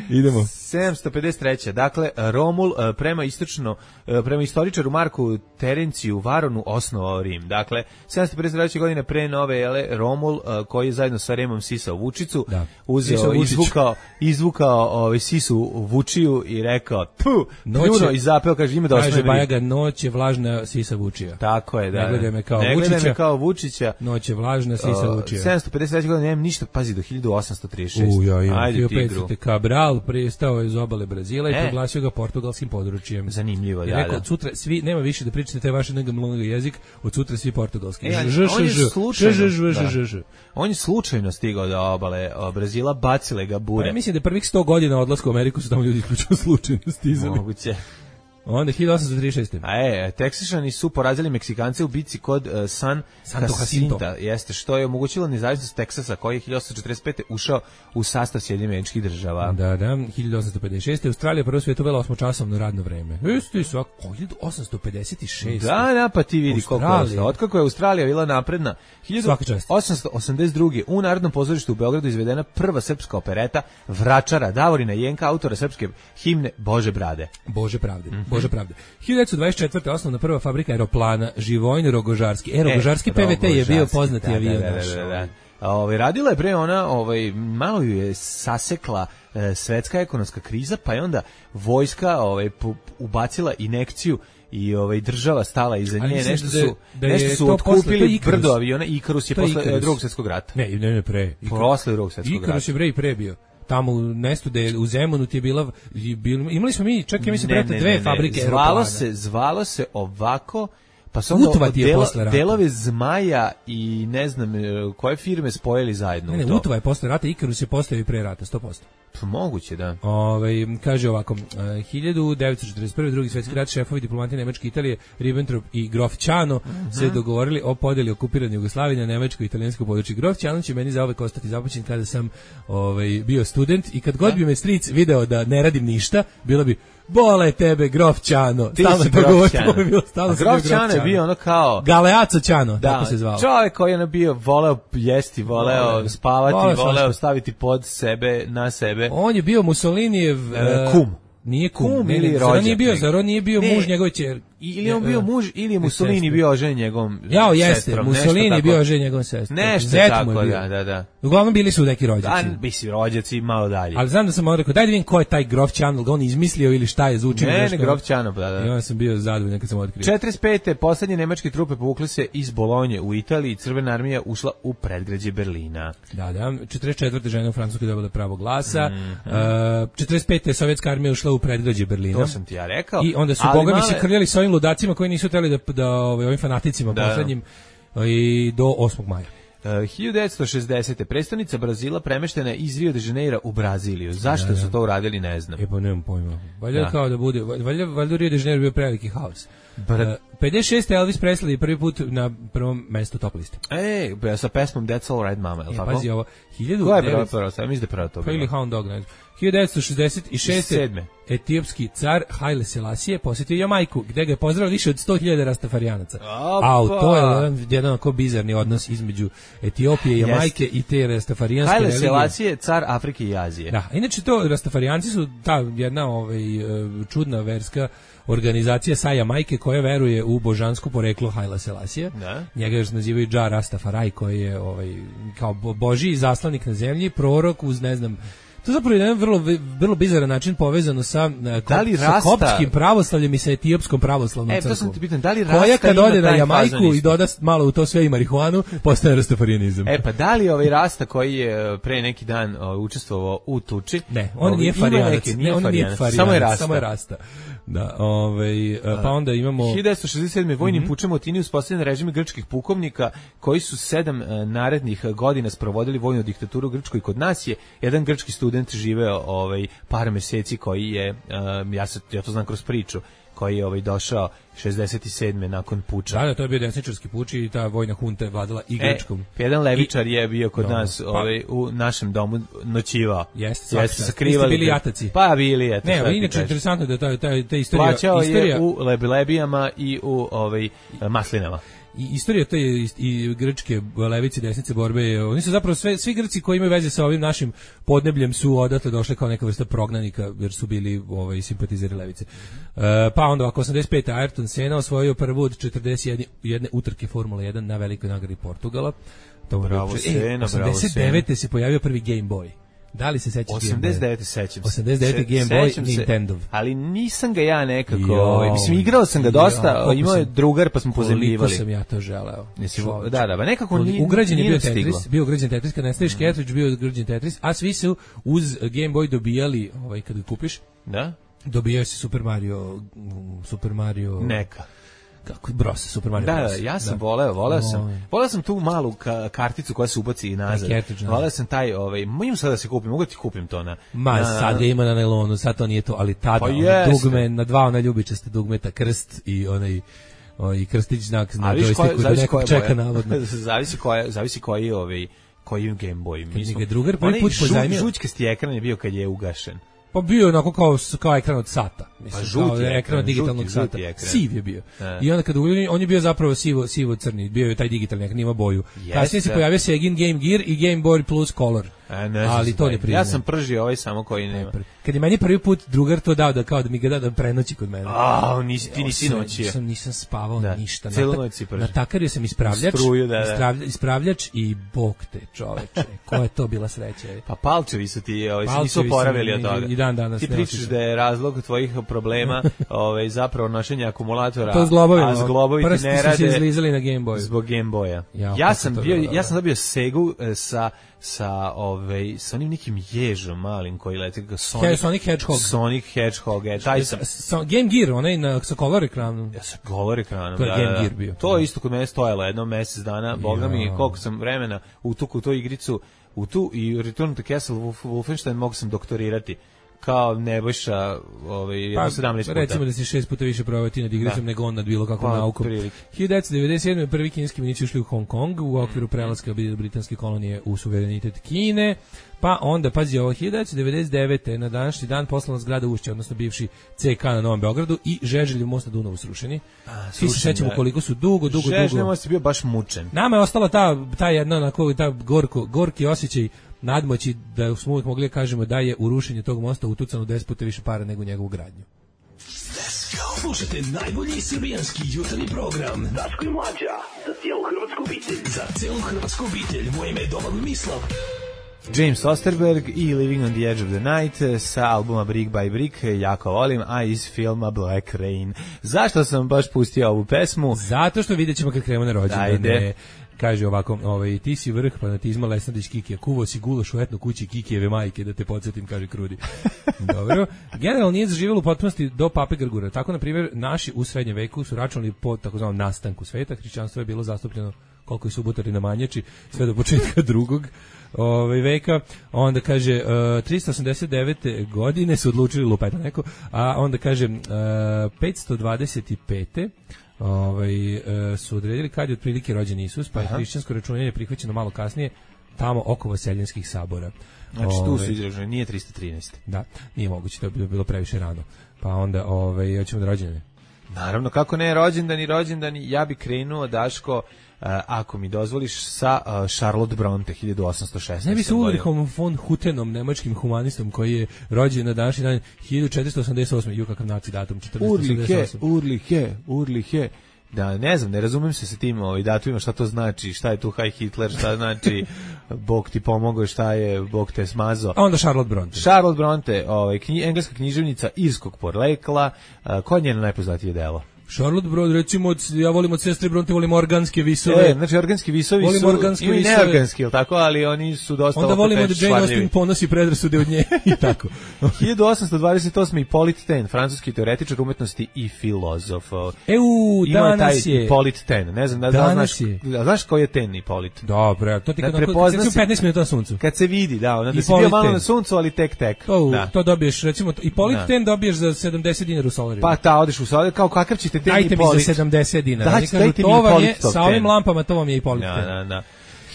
Idemo. 753. Dakle, Romul prema istoričaru Marku Terenciju Varonu osnovao Rim. Dakle, 753. godine pre nove ere Romul, koji je zajedno sa Remom sisao vučicu, uzeo, izvukao sisu vučiju i rekao, pljuno i zapeo, kaže, ima da osnovi Rim. Kaže Bajaga, noć je vlažna sisa vučija. Tako je, da. Ne gledaj me kao Vučića. Noć je vlažna sisa vučija. 753. godine, nemam ništa, pazi, do 1836. Ajde, tigru. Cabral pristao iz obale Brazila i proglasio ga portugalskim područjem. Zanimljivo, da. Rekao, od sutra svi, nema više da pričate taj vaš mnogo jezik, od sutra svi portugalski. On je slučajno stigao do obale Brazila, bacile ga bure. Ja mislim da prvih 100 godina odlaska u Ameriku su tamo ljudi isključivo slučajno stizali. Moguće. Onda 1836. Teksašani su porazili Meksikance u bici kod San Jacinta, jeste, što je omogućilo nezavisnost Teksasa, koji je 1845. ušao u sastav Sjedinjenih Američkih Država. Da, 1856. Australija prvo svijetu uvela 8-časovno radno vreme. Isto svako, 1856. Da, pa ti vidi koliko je. Otkako je Australija bila napredna, 1882. u Narodnom pozorištu u Beogradu izvedena prva srpska opereta Vračara Davorina Jenka, autora srpske himne Bože Brade. Bože pravde. 1924. osnovna prva fabrika aeroplana Živojin Rogožarski. Rogožarski PVT je bio poznati avion. Radila je pre ona, malo ju je sasekla svetska ekonomska kriza, pa je onda vojska ubacila injekciju i država stala iza nje, nešto su otkupili brdo aviona. Ikarus je posle Drugog svjetskog rata. Ne, pre. Posle Drugog svjetskog rata. Ikarus je pre bio. Tamo u mestu da je u Zemunu ti je bila imali smo mi čak ja mislim prete dve fabrike aeroplana. Zvalo se ovako, pa su onda delove Zmaja i ne znam koje firme spojili zajedno. Ne, Utva je posle rata, Ikarus je postao i pre rata 100%. Moguće, da. Kaže ovako, 1941. drugi svjetski rat, šefovi diplomatije Nemačke, Italije, Ribbentrop i Grof Ćano se dogovorili o podeli okupirane Jugoslavije na nemačko i italijansko područje. Grof Ćano će meni zauvek ostati započen kada sam bio student i kad god bi me stric video da ne radim ništa, bilo bi bole tebe, Grof Ćano. Stalno Grof Ćano. Grof Ćano je bio ono kao... Galeazzo Ćano, tako se zvao. Čovjek koji je bio, voleo jesti, voleo spavati, voleo staviti pod sebe, na sebe. On je bio Mussolinijev... kum. Nije kum, ili rođak. Zar on nije bio muž njegove ćerke? Ili on bio muž, ili je Mussolini bio ožen njegovom sestrom. Mussolini je bio ožen njegovom sestrom. Nešto tako, da. Uglavnom bili su neki rođaci. Bisi rođaci malo dalje. Ali znam da sam rekao, daj da vidim ko je taj Grof Ćano, ga on izmislio ili šta je zvučio. Ne, Grof Ćano, da. I onda sam bio zadovoljan kad sam otkrio. 45. poslednje nemačke trupe povukle se iz Bolonje u Italiji, Crvena armija ušla u predgrađe Berlina. Da. 44. žena u Francuskoj dobila pravo glasa. 45. sovjetska armija ušla u predgrađe Berlina. To sam ti ja rekao. I onda su bogami se krljali sa ovim ludacima koji nisu hteli da ovim fanaticima poslednjim i do 8. maja. 1960. predstavnica Brazila premeštena iz Rio de Janeiro u Braziliju. Zašto su to uradili, ne znam. Pa nemam pojma. Valjda kao da bude, valjda Rio de Janeiro bio preveliki haos. 56. Elvis Presley prvi put na prvom mestu top liste. Sa pesmom That's All Right Mama, je li tako? Pazi ovo. Ko je prvo? Sam mislim da prvo to. Pa ili Hound Dog, ne znam. 1966. etiopski car Haile Selassie posjetio Jamajku, gde ga je pozdravilo više od 100.000 rastafarijanaca. To je jedan onako bizarni odnos između Etiopije i Jamajke i te rastafarijanske religije. Haile Selassie, car Afrike i Azije. Da, inače to rastafarijanci su ta jedna čudna verska organizacija sa Jamajke koja veruje u božansko poreklo Haile Selassija. Njega još nazivaju Dža Rastafari, koji je kao božji zaslanik na zemlji, prorok uz ne znam. To je zapravo jedan vrlo bizaran način povezano sa koptskim pravoslavljem i sa etiopskom pravoslavnom crkvom. To sam ti pitan, da li Rasta koja kad ima ode na taj Jamajku i doda malo u to sve i marihuanu, postaje rastafarijanizam. Pa da li Rasta koji je pre neki dan učestvovao u tuči? Ne, on nije farijanac. Samo je Rasta. Da, pa onda imamo 1967. vojnim pučem u Atini uspostavljen režim grčkih pukovnika koji su 7 narednih godina sprovodili vojnu diktaturu u Grčkoj. Kod nas je jedan grčki student živeo par meseci koji je ja to znam kroz priču, koji je došao 67. nakon puča. Da, to je bio desničarski puč i ta vojna hunta je vladala i Grčkom. Jedan levičar je bio kod nas u našem domu noćivao. Jeste sakrivali. Bili jataci. Pa bili, eto. Ne, inače interesantno da ta istorija... Plaćao je u lebijama i u maslinama. I istorija te i grčke levice desnice borbe, oni su zapravo svi Grci koji imaju veze sa ovim našim podnebljem su odatle došli kao neka vrsta prognanika jer su bili simpatizeri levice. Pa onda ako 85. Ayrton Senna osvojio prvu od 41 utrke Formula 1 na velikoj nagradi Portugala. Bravo Senna, 89. se pojavio prvi Game Boy. Da li se sećaš? 89. sećam se. 89. Game Boy Nintendo. Ali nisam ga ja nekako... Mislim, igrao sam ga dosta, imao je drugar pa smo pozemljivali. Koliko sam ja to želeo. Da, nekako nije ugrađen je bio Tetris. Bio ugrađen Tetris, kad ne staviš cartridge, bio ugrađen Tetris, a svi su uz Game Boy dobijali, kad ga kupiš, dobijao si Super Mario... Neka. Kako Bros, Super Mario Bros. Da, ja sam voleo sam tu malu karticu koja se ubaci i nazad. Voleo sam taj, imam sad da se kupim, mogu ti kupim to na... sad ga ima na nailonu, sad to nije to, ali tada, dugme, na dva ona ljubičaste dugmeta, krst i onaj... i krstić znak na joystiku da nekog čeka navodno. Zavisi koji Game Boy. Kad ga drugar prvi put pozajmio... Žućkasti ekran je bio kad je ugašen. Pa bio onako kao ekran od sata. Mislim, žuti ekran od digitalnog sata. Siv je bio. I onda kada on je bio zapravo sivo-crni, bio je taj digitalni ekran, ima boju. Kasnije se pojavio Segin Game Gear i Game Boy Plus Color. Ali to ne priznaje. Ja sam pržio samo koji nema. Kad je meni prvi put drugar to dao da kao da mi ga da prenoći kod mene. Ti nisi noćio. Nisam spavao ništa. Celu noć si pržio. Natakario sam ispravljač i bog te čoveče. Koja je to bila sreća. Pa palčevi su ti, nisu oporavili od toga. I dan danas. Ti pričaš da je razlog tvojih problema zapravo nošenje akumulatora. To zglobovi. A zglobovi ti ne rade. Se izlizali na Game Boy. Zbog Game Boya. Ja sam dobio Segu sa sa onim nekim ježom malim koji leti kao Sonic Hedgehog. Sonic Hedgehog, taj sam... Game Gear, onaj sa color ekranom. Ja sa color ekranom, to je Game Gear bio. To je isto kod mene stojalo jedno mesec dana, boga mi, koliko sam vremena utuku tu igricu, u tu i Return to Castle Wolfenstein mogu sam doktorirati kao Nebojša 17 puta. Recimo da si 6 puta više provao ti nad igricom nego on nad bilo kakvom naukom. 1997. prvi kineski vojnici ušli u Hong Kong u okviru prelaska britanske kolonije u suverenitet Kine. Pa onda, pazi ovo, 1999. na današnji dan poslovna zgrada Ušća, odnosno bivši CK na Novom Beogradu i Žeželjev most na Dunavu srušeni. Svi se sećamo koliko su dugo. Žeželjev most je bio baš mučen. Nama je ostala ta jedna, ta gorki osjećaj nadmoći da smo uvijek mogli kažemo da je u rušenje tog mosta utucano 10 puta više para nego njegovu gradnju. Slušajte najbolji srbijanski jutarnji program Daško i Mlađa za cijelu hrvatsku obitelj. Za cijelu hrvatsku obitelj. Moje ime je Domagoj Mislav. James Osterberg i Living on the Edge of the Night sa albuma Brick by Brick, jako volim, a iz filma Black Rain. Zašto sam baš pustio ovu pesmu? Zato što vidjet ćemo kad krenemo na rođendane. Kaže ovako, ti si vrh fanatizma Lesnadić Kikija, kuvo si gulaš u etno kući Kikijeve majke, da te podsjetim, kaže Krudi. Dobro. Generalno nije zaživjelo u potpunosti do Pape Grgura. Tako, na primjer, naši u srednjem veku su računali po takozvanom nastanku sveta. Hrišćanstvo je bilo zastupljeno koliko je subotari na Manjači, sve do početka drugog veka. Onda kaže 389. godine su odlučili lupeta neko, a onda kaže 525. Su odredili kad je otprilike rođen Isus, pa je hrišćansko računanje prihvaćeno malo kasnije tamo oko Vaseljenskih sabora. Znači tu su izraženi, nije 313. Da, nije moguće, to je bilo previše rano. Pa onda, hoćemo da rođendane. Naravno, kako ne, rođendani, ja bi krenuo, Daško, ako mi dozvoliš, sa Charlotte Bronte, 1816. Ne bi se Ulrichom von Hutenom, nemačkim humanistom, koji je rođen na današnji dan 1488. Ju, kakav naci datum, 1488. Urlihe. Da, ne znam, ne razumem se sa tim datumima, šta to znači, šta je tu Heil Hitler, šta znači Bog ti pomogao, šta je Bog te smazao. A onda Charlotte Bronte. Charlotte Bronte, engleska književnica irskog porekla, koja je njeno najpoznatije delo? Charlotte Bronte, recimo, ja volim od sestre Bronte, volim organske visove. Znači organski visovi su i neorganski, ili tako, ali oni su dosta... Onda volimo da Jane Austen ponosi predrasude od nje i tako. 1828. Hippolyte Taine, francuski teoretičar umetnosti i filozof. Danas je. Hippolyte Taine, ne znam znaš ko je Taine Hippolyte? Dobro, to ti kad si 15 minuta na suncu. Kad se vidi, da si bio malo na suncu, ali tek. To dobiješ, recimo, Hippolyte Taine dobiješ za 70 dinara u Solariju. Pa odeš u Solariju, kao kakav ćete dajte mi za 70 dinara. Dajte mi Hippolyte. Sa ovim lampama to vam je Hippolyte. Da.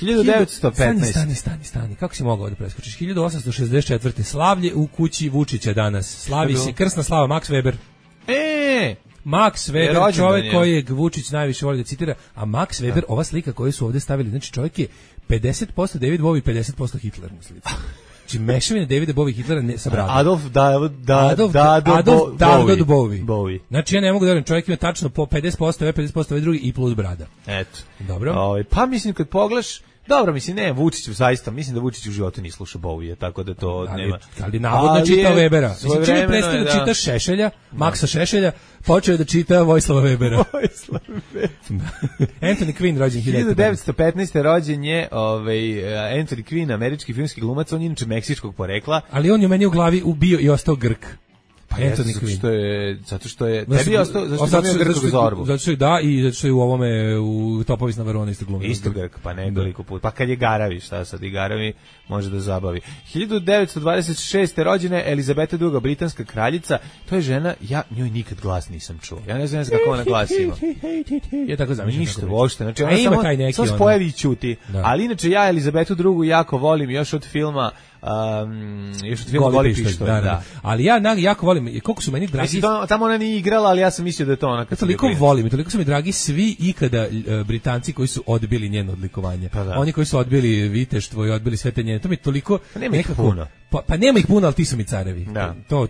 1915. Stani. Kako si mogao da preskočiš? 1864. Slavlje u kući Vučića danas. Slavi se krsna slava Max Weber. Max Weber, čovjek kojeg Vučić najviše voli da citira, a Max Weber, ova slika koju su ovdje stavili, znači čovjek je 50% David Bowie, 50% Hitler na slici. Znači mešavine Davida Bowie i Hitlera sa bradom. Adolf Bowie. Znači ja ne mogu da verujem, čovjek ima tačno po 50%, 50% drugi i plus brada. Eto. Dobro. Pa mislim kad pogledaš, dobro, mislim, ne, Vučić zaista, mislim da Vučić u životu nije slušao Bowie, tako da to nema. Ali navodno čitao Webera. Mislim, čim je prestao da čita Šešelja, Maksa Šešelja, počeo je da čita Vojislava Webera. Anthony Quinn, rođen 1915. rođen je Anthony Quinn, američki filmski glumac, on je inače meksičkog porekla. Ali on je meni u glavi ubio i ostao Grk. Pa zato što je tebi je ostao, zato što je Grk Zorbu. Zato što je zato što je u ovome u Topovi na Varone isto glumio. Isto Grk, pa nekoliko puta. Pa kad je Garavi, šta sad i Garavi može da zabavi. 1926. rođena je Elizabeta II, britanska kraljica. To je žena, ja njoj nikad glas nisam čuo. Ja ne znam kako ona glas ima. Je tako zamišljeno. Ništa uopšte, znači ona samo spojevi i ćuti. Ali inače ja Elizabetu II jako volim još od filma Goli pištolj, da. Ali ja jako volim, koliko su meni dragi... Mislim, tamo ona nije igrala, ali ja sam mislio da je to ona. Toliko volim, toliko su mi dragi svi ikada Britanci koji su odbili njeno odlikovanje. Oni koji su odbili viteštvo i odbili sve te njene, to mi je toliko... Pa nema ih puno. Pa nema ih puno, ali ti su mi carevi.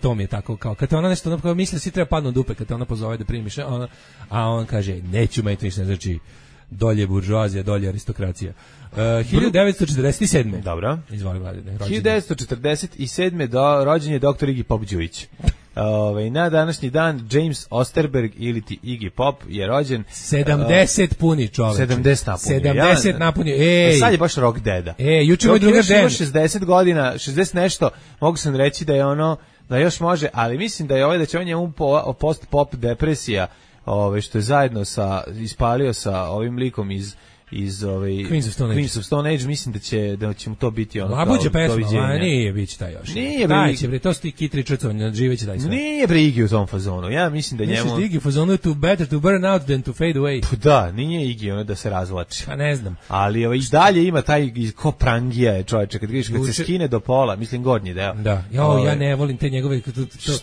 To mi je tako, kao kad te ona nešto, kao misle, svi treba padnu od dupe, kad te ona pozove da primiš, a on kaže, neću me to ništa, znači, dolje buržoazija, dolje aristokracija. 1947. Dobro. Izvoli Vladine. 1947. rođen je dr. Igi Pop Đujić. Na današnji dan James Osterberg ili ti Iggy Pop je rođen 70 puni čovek. 70 napunio. 70 napunio. Ej. Sad je baš rock deda. Juče moj drugar Dan 60 godina, 60 nešto, mogu sam reći da je ono da još može, ali mislim da je da će on njemu post-pop depresija, što je zajedno ispalio sa ovim likom iz Queens of Stone Age, mislim da će mu to biti ono Labuđa pesma, nije biće taj još. Nije bre, to su ti Kit Richardson, živeće taj sve. Nije bre Iggy u tom fazonu. Ja mislim da njemu. Misliš da Iggy u fazonu to better to burn out than to fade away. Pa da, nije Iggy ono da se razvlači. Pa ne znam. Ali i dalje ima taj ko prangija je čoveče, kad vidiš kad se skine do pola, mislim gornji deo. Da. Ja ne volim te njegove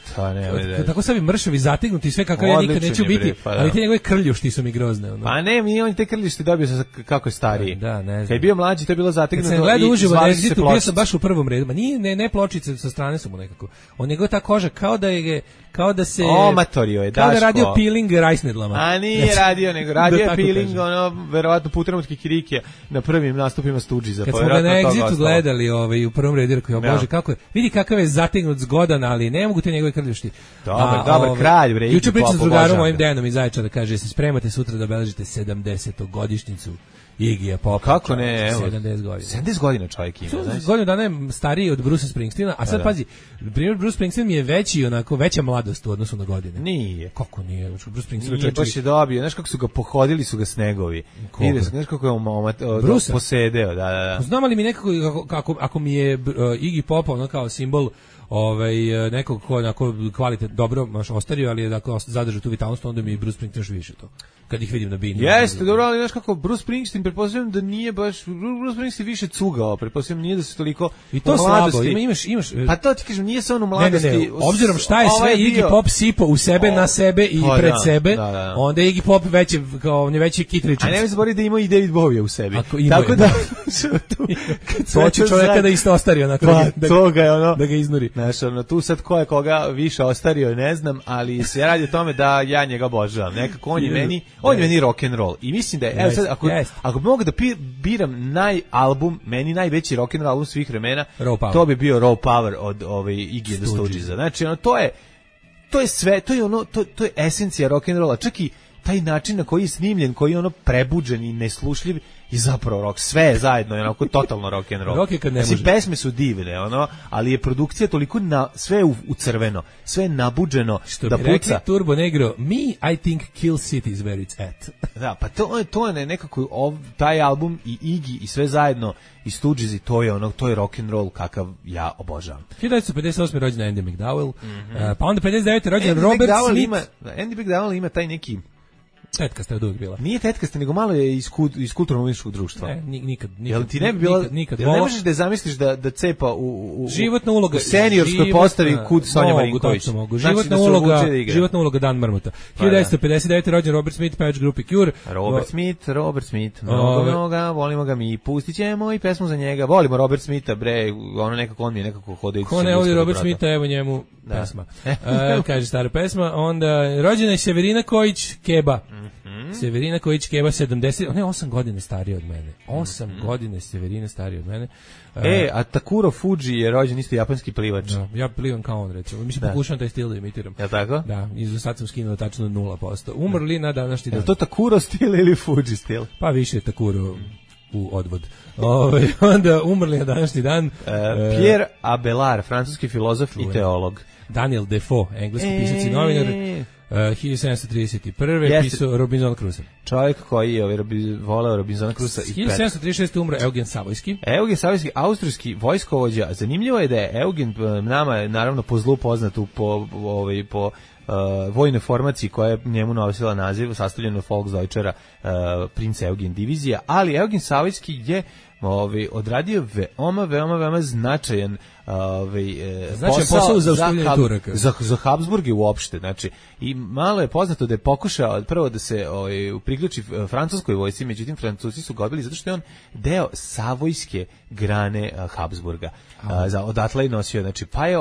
šta ne. Tako savi mršavi zategnuti sve kako ja nikad neću biti, ali te njegove krljušti su mi grozne. Pa ne, on te krljušti dobio sa kako je stariji. Da, ne znam. Kad je bio mlađi, to je bilo zategnuto. Kad sam gledao uživo na Exitu, bio sam baš u prvom redu. Ma nije, ne pločice, sa strane su mu nekako. On njegova ta koža, kao da se... Omatorio je, Daško. Kao da radio peeling rajsnedlama. A nije radio, nego radio je peeling, verovatno putem od kikirike na prvim nastupima Stooges-a. Kad smo ga na Exitu gledali u prvom redu, rekao, bože, kako je, vidi kakav je zategnut zgodan, ali ne mogu te njegove krljušti. Dobar kralj, bre. Juče pričam s drugarom mojim Dejanom iz Zaječara, kaže, se spremate sutra da obeležite 70. godišnjicu Iggyja Popa. Kako ne, evo. 70 godina. 70 godina čovjek ima, znaš. Godinu dana je stariji od Brucea Springsteena, a sad pazi, primjer Bruce Springsteen mi je veća mladost u odnosu na godine. Nije. Kako nije? Bruce Springsteen nije, baš je dobio. Znaš kako su ga pohodili, su ga snegovi. Znaš kako je posedeo, da. Znam li mi nekako, ako mi je Iggy Pop ono kao simbol nekog ko onako kvalitetno dobro ostario, ali je dakle zadržao tu vitalnost, onda mi je Bruce Springsteen još više to. Kad ih vidim na bini. Jeste, dobro, ali znaš kako Bruce Springsteen, pretpostavljam da nije baš Bruce Springsteen više cugao, pretpostavljam nije da se toliko i to slabo, imaš. Pa to ti kažem, nije se on u mladosti. Ne, obzirom šta je sve Iggy Pop sipo u sebe, na sebe i pred sebe, onda je Iggy Pop on je veći Kit Richards. A ne mi zaboraviti da ima i David Bowie u sebi. Tako da to će čovjeka da isto ostario na kraju, da ga iznuri. Znaš, tu sad ko je koga više ostario, ne znam, ali se radi o tome da ja njega obožavam. Nekako on je meni rock and roll. I mislim da je, evo sad, ako bi mogu da biram meni najveći rock and roll album svih vremena, to bi bio Raw Power od Iggy the Stooges-a. Znači, to je sve, to je esencija rock and rolla. Čak i taj način na koji je snimljen, koji je prebuđen i neslušljiv, i zapravo rock, sve zajedno je onako totalno rock and roll. Rock je kad ne može. Pesme su divne, ali je produkcija toliko sve u crveno, sve je nabuđeno što da bi puca. Rekli Turbo Negro, I think Kill City is where it's at. Da, pa to je nekako taj album i Iggy i sve zajedno i Stooges, to je rock and roll kakav ja obožavam. 1958. rođen Andy McDowell, pa onda 59. rođen Robert Smith. Andy McDowell ima taj neki tetkasta je uvijek bila. Nije tetkasta, nego malo je iz kulturno-umetničkog društva. Nikad. Jel ti ne bi bila, ne možeš da zamisliš da cepa životna uloga, u seniorskoj postavi kud Sonja Marinković. Životna uloga Dan Marmota. 1959. rođen Robert Smith, pevač grupe Cure. Robert Smith, mnoga, volimo ga mi, pustit ćemo i pesmu za njega. Volimo Robert Smitha, bre, on mi je nekako hodajući. Ko ne voli Robert Smitha, evo njemu pesma. Kaže stara pesma. Onda rođena je Severina Kojić Keba. Severina Kojić Keba 70, ona je 8 godina starija od mene. 8 godina Severina starija od mene. A Takuro Fuji je rođen isto japanski plivač. Da, ja plivam kao on, recimo. Mislim, pokušam taj stil da imitiram. Je tako? Da, sad sam skinuo tačno 0%. Umrli na današnji dan. Je to Takuro stil ili Fuji stil? Pa više je Takuro u odvod. Onda umrli na današnji dan. Pierre Abelard, francuski filozof i teolog. Daniel Defoe, engleski pisac i novinar. 1731. pisao Robinson Crusoe. Čovjek koji je voleo Robinsona Crusoea i 1736. umre Eugen Savojski. Eugen Savojski, austrijski vojskovođa. Zanimljivo je da je Eugen nama naravno po zlu poznat po vojnoj formaciji koja je njemu nosila naziv, sastavljeno Volksdeutschera Prince Eugen divizija, ali Eugen Savojski je odradio veoma značajan posao za ustavljanje Turaka. Za Habsburge uopšte, znači, i malo je poznato da je pokušao prvo da se priključi francuskoj vojsci, međutim Francuzi su ga odbili zato što je on deo savojske grane Habsburga. Odatle je nosio, znači, pa je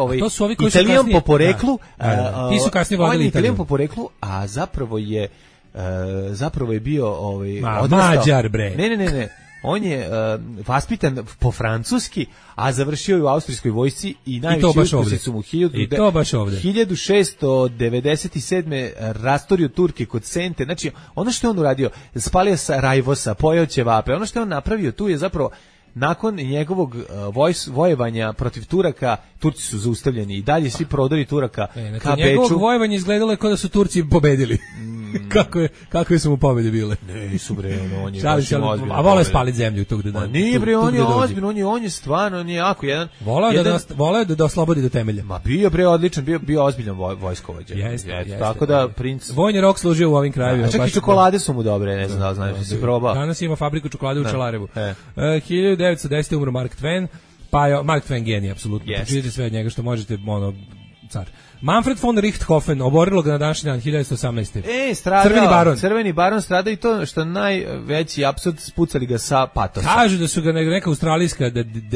Italijan po poreklu, ti su kasnije vladali Italijan po poreklu, a zapravo je bio Mađar, bre. Ne. On je vaspitan po francuski, a završio je u austrijskoj vojsci i najveći uspjesi su mu 1697. rastorio Turke kod Sente. Znači, ono što je on uradio, spalio Sarajevosa, pojeo ćevape, ono što je on napravio tu je zapravo nakon njegovog vojevanja protiv Turaka, Turci su zaustavljeni i dalje svi prodori Turaka ka Beču. Njegovog vojevanja izgledalo je kao da su Turci pobedili. Kakve su mu pobede bile? Nisu bre, on je baš ozbiljno. A vole spaliti zemlju tog dana. Nije bre, on je ozbiljno, on je stvarno, on je jako jedan. Voleo da oslobodi do temelja. Ma bio bre odličan, bio ozbiljan vojskovođa. Jeste. Tako da princ vojni rok služio u ovim krajevima. Čak i čokolade su mu dobre, ne znam da li znaš, si probao. Danas ima fabriku čokolade u Čelarevu. 1910. umro Mark Twain, pa Mark Twain genij apsolutno. Pročitajte sve od njega što možete, car. Manfred von Richthofen, oborilo ga na današnji dan 1918. Stradao, Crveni baron stradao i to što najveći apsurd, spucali ga sa patosa. Kažu da su ga neka australijska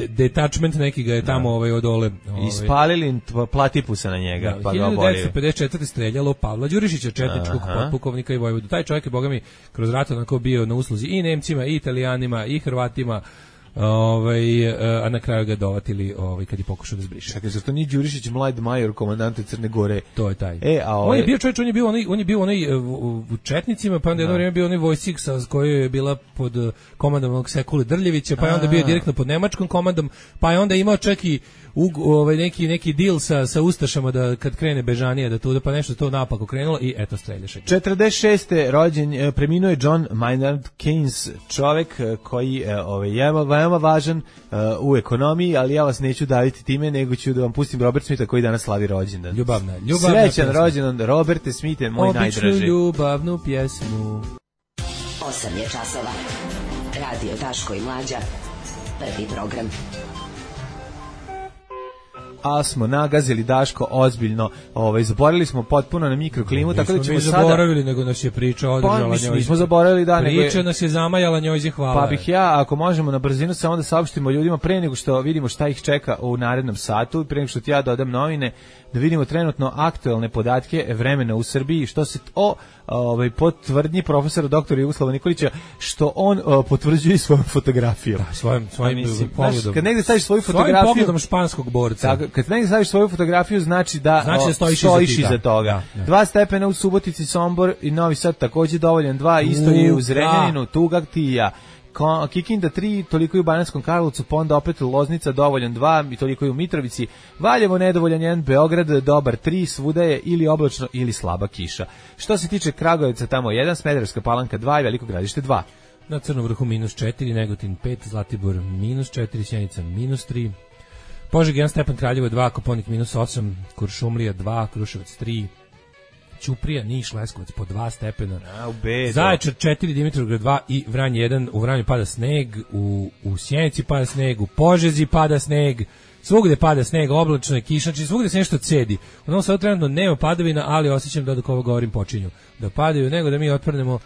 detachment neki ga je tamo odole. Ispalili platipusa na njega, pa ga oborili. 1954. streljalo Pavla Đurišića, četničkog potpukovnika i vojvodu. Taj čovjek je, boga mi, kroz rat onako bio na usluzi i Nemcima, i Italijanima, i Hrvatima, a na kraju ga dovatili kad je pokušao da zbriše. Čekaj, zato nije Đurišić mlad major komandante Crne Gore? To je taj. On je bio čovječ, on je bio onaj u četnicima, pa onda jedno vrijeme bio onaj vojsik sa kojoj je bila pod komandom onog Sekule Drljevića, pa je onda bio direktno pod nemačkom komandom, pa je onda imao čak i neki deal sa ustašama da kad krene bežanije da tu pa nešto to napako krenulo i eto streljaše. 46. rođen preminuo je John Maynard Keynes, čovjek koji je veoma važan u ekonomiji, ali ja vas neću daviti time, nego ću da vam pustim Robert Smitha koji danas slavi rođendan. Ljubavna srećan rođendan Roberte Smith, moj najdraži. Običnu ljubavnu pjesmu. 8 je časova. Radio Daško i Mlađa. Prvi program. A smo nagazili Daško ozbiljno, zaboravili smo potpuno na mikroklimu, tako da ćemo sada... zaboravili, nego nas je priča održala njoj. Nismo zaboravili, da, priča nas je zamajala njoj, hvala. Pa bih ja, ako možemo na brzinu samo da saopštimo ljudima pre nego što vidimo šta ih čeka u narednom satu, pre nego što ti ja dodam novine, da vidimo trenutno aktuelne podatke vremena u Srbiji, što se po tvrdnji profesora doktora Jugoslava Nikolića, što on potvrđuje svojom fotografijom. Da, svojim pogledom. Kad negde staviš svoju fotografiju... Svojim pogledom španskog borca. Kad negde staviš svoju fotografiju, znači da stojiš iza toga. 2 stepena u Subotici, Sombor i Novi Sad takođe dovoljan, 2, isto je u Zrenjaninu, Tugak, Tija. Kikinda 3, toliko je u Bananskom Karlovcu, pa onda opet Loznica dovoljan 2 i toliko je u Mitrovici, Valjevo nedovoljan 1, Beograd dobar 3, svuda je ili oblačno ili slaba kiša. Što se tiče Kragujevca, tamo 1, Smederevska Palanka 2 i Veliko Gradište 2. Na Crnom Vrhu -4, Negotin 5, Zlatibor -4, Sjenica -3, Požeg 1 stepen, Kraljevo 2, Koponik -8, Kuršumlija 2, Kruševac 3, Ćuprija, Niš, Leskovac po 2 stepena. Zaječar 4, Dimitrovgrad 2 i Vranje 1. U Vranju pada sneg, u Sjenici pada sneg, u Požezi pada sneg, svugde pada sneg, oblačno je kiša, znači svugde se nešto cedi. U Novom Sadu trenutno nema padavina, ali osjećam da dok ovo govorim počinju da padaju, nego da mi otprnemo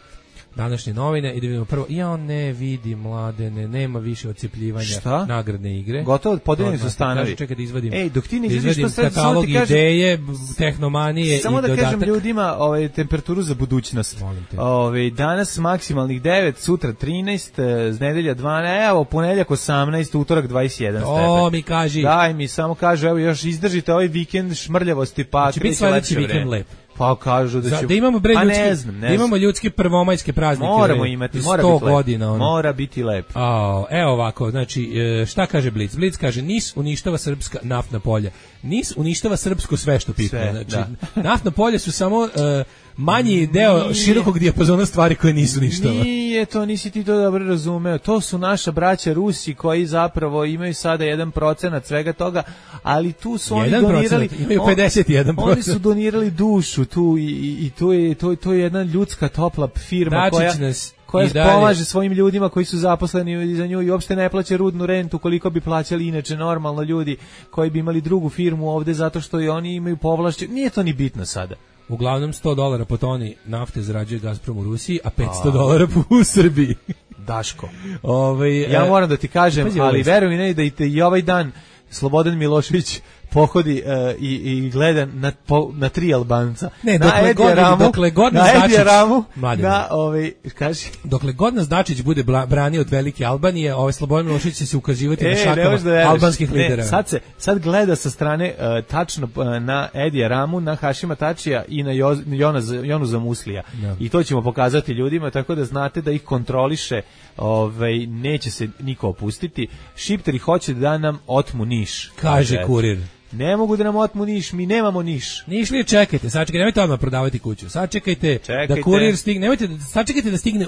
današnje novine i da vidimo prvo, ja ne vidi Mladene, nema više odsjepljivanja nagradne igre. Gotovo, podeljeni su stanovi. Čekaj da izvadim. Dok ti ne izvadiš to sve, katalog ideje, tehnomanije i dodatak. Samo da kažem ljudima temperaturu za budućnost. Danas maksimalnih 9, sutra 13, nedelja 12, evo ponedeljak 18, utorak 21 stepen. Mi kaži. Daj mi, samo kažu, evo još izdržite ovaj vikend šmrljavosti, pa će biti sledeći vikend lep. Pa kažu da će... Da imamo da imamo ljudske prvomajske praznike. Moramo imati, mora biti godina, mora biti lep. Evo ovako, znači, šta kaže Blic? Blic kaže, NIS uništava srpska naftna polja. NIS uništava srpsko sve što pipne. Znači, naftna polja su samo manji deo širokog dijapazona stvari koje nisu ništava. Nije to, nisi ti to dobro razumeo. To su naša braća Rusi koji zapravo imaju sada 1% svega toga, ali tu su oni donirali... Imaju 51%. Oni su donirali dušu tu i to je jedna ljudska topla firma koja pomaže svojim ljudima koji su zaposleni za nju i uopšte ne plaća rudnu rentu koliko bi plaćali inače normalno ljudi koji bi imali drugu firmu ovde zato što i oni imaju povlašćenje. Nije to ni bitno sada. Uglavnom $100 po toni nafte zarađuje Gazprom u Rusiji, a $500 u Srbiji. Daško. Ja moram da ti kažem, ali veruj mi da i ovaj dan Slobodan Milošević pohodi i gleda na tri Albanca. Ne, dokle god nas dokle god nas Dačić bude branio od velike Albanije, Slobodan Milošević će se ukazivati na šakama albanskih lidera. Sad gleda sa strane tačno na Edija Ramu, na Hašima Tačija i na Jonu Zamuslija. No. I to ćemo pokazati ljudima, tako da znate da ih kontroliše, neće se niko opustiti. Šipteri hoće da nam otmu Niš. Kaže Kurir. Ne mogu da nam otmu Niš, mi nemamo Niš. Niš li čekajte, sačekajte, nemojte odmah prodavati kuću. Sačekajte da kurir stigne, sačekajte da stigne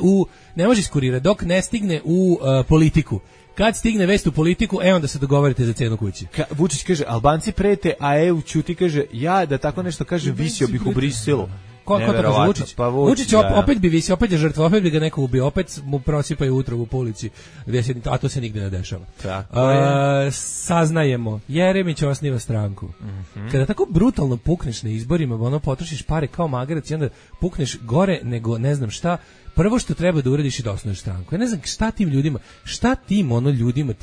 ne može iz kurira, dok ne stigne u politiku. Kad stigne vest u politiku, onda se dogovorite za cenu kući. Vučić kaže, Albanci prete, a EU ćuti, kaže, ja da tako nešto kažem, visio bih u Briselu. Ko to kaže Vučić? Pa Vučić opet bi visio, opet je žrtva, opet bi ga neko ubio, opet mu prosipaju utrobu po ulici, a to se nigde ne dešava. Saznajemo, Jeremić osniva stranku. Kada tako brutalno pukneš na izborima, potrošiš pare kao magarac i onda pukneš gore nego ne znam šta, prvo što treba da uradiš i da osnuješ stranku. Ja ne znam šta tim ljudima,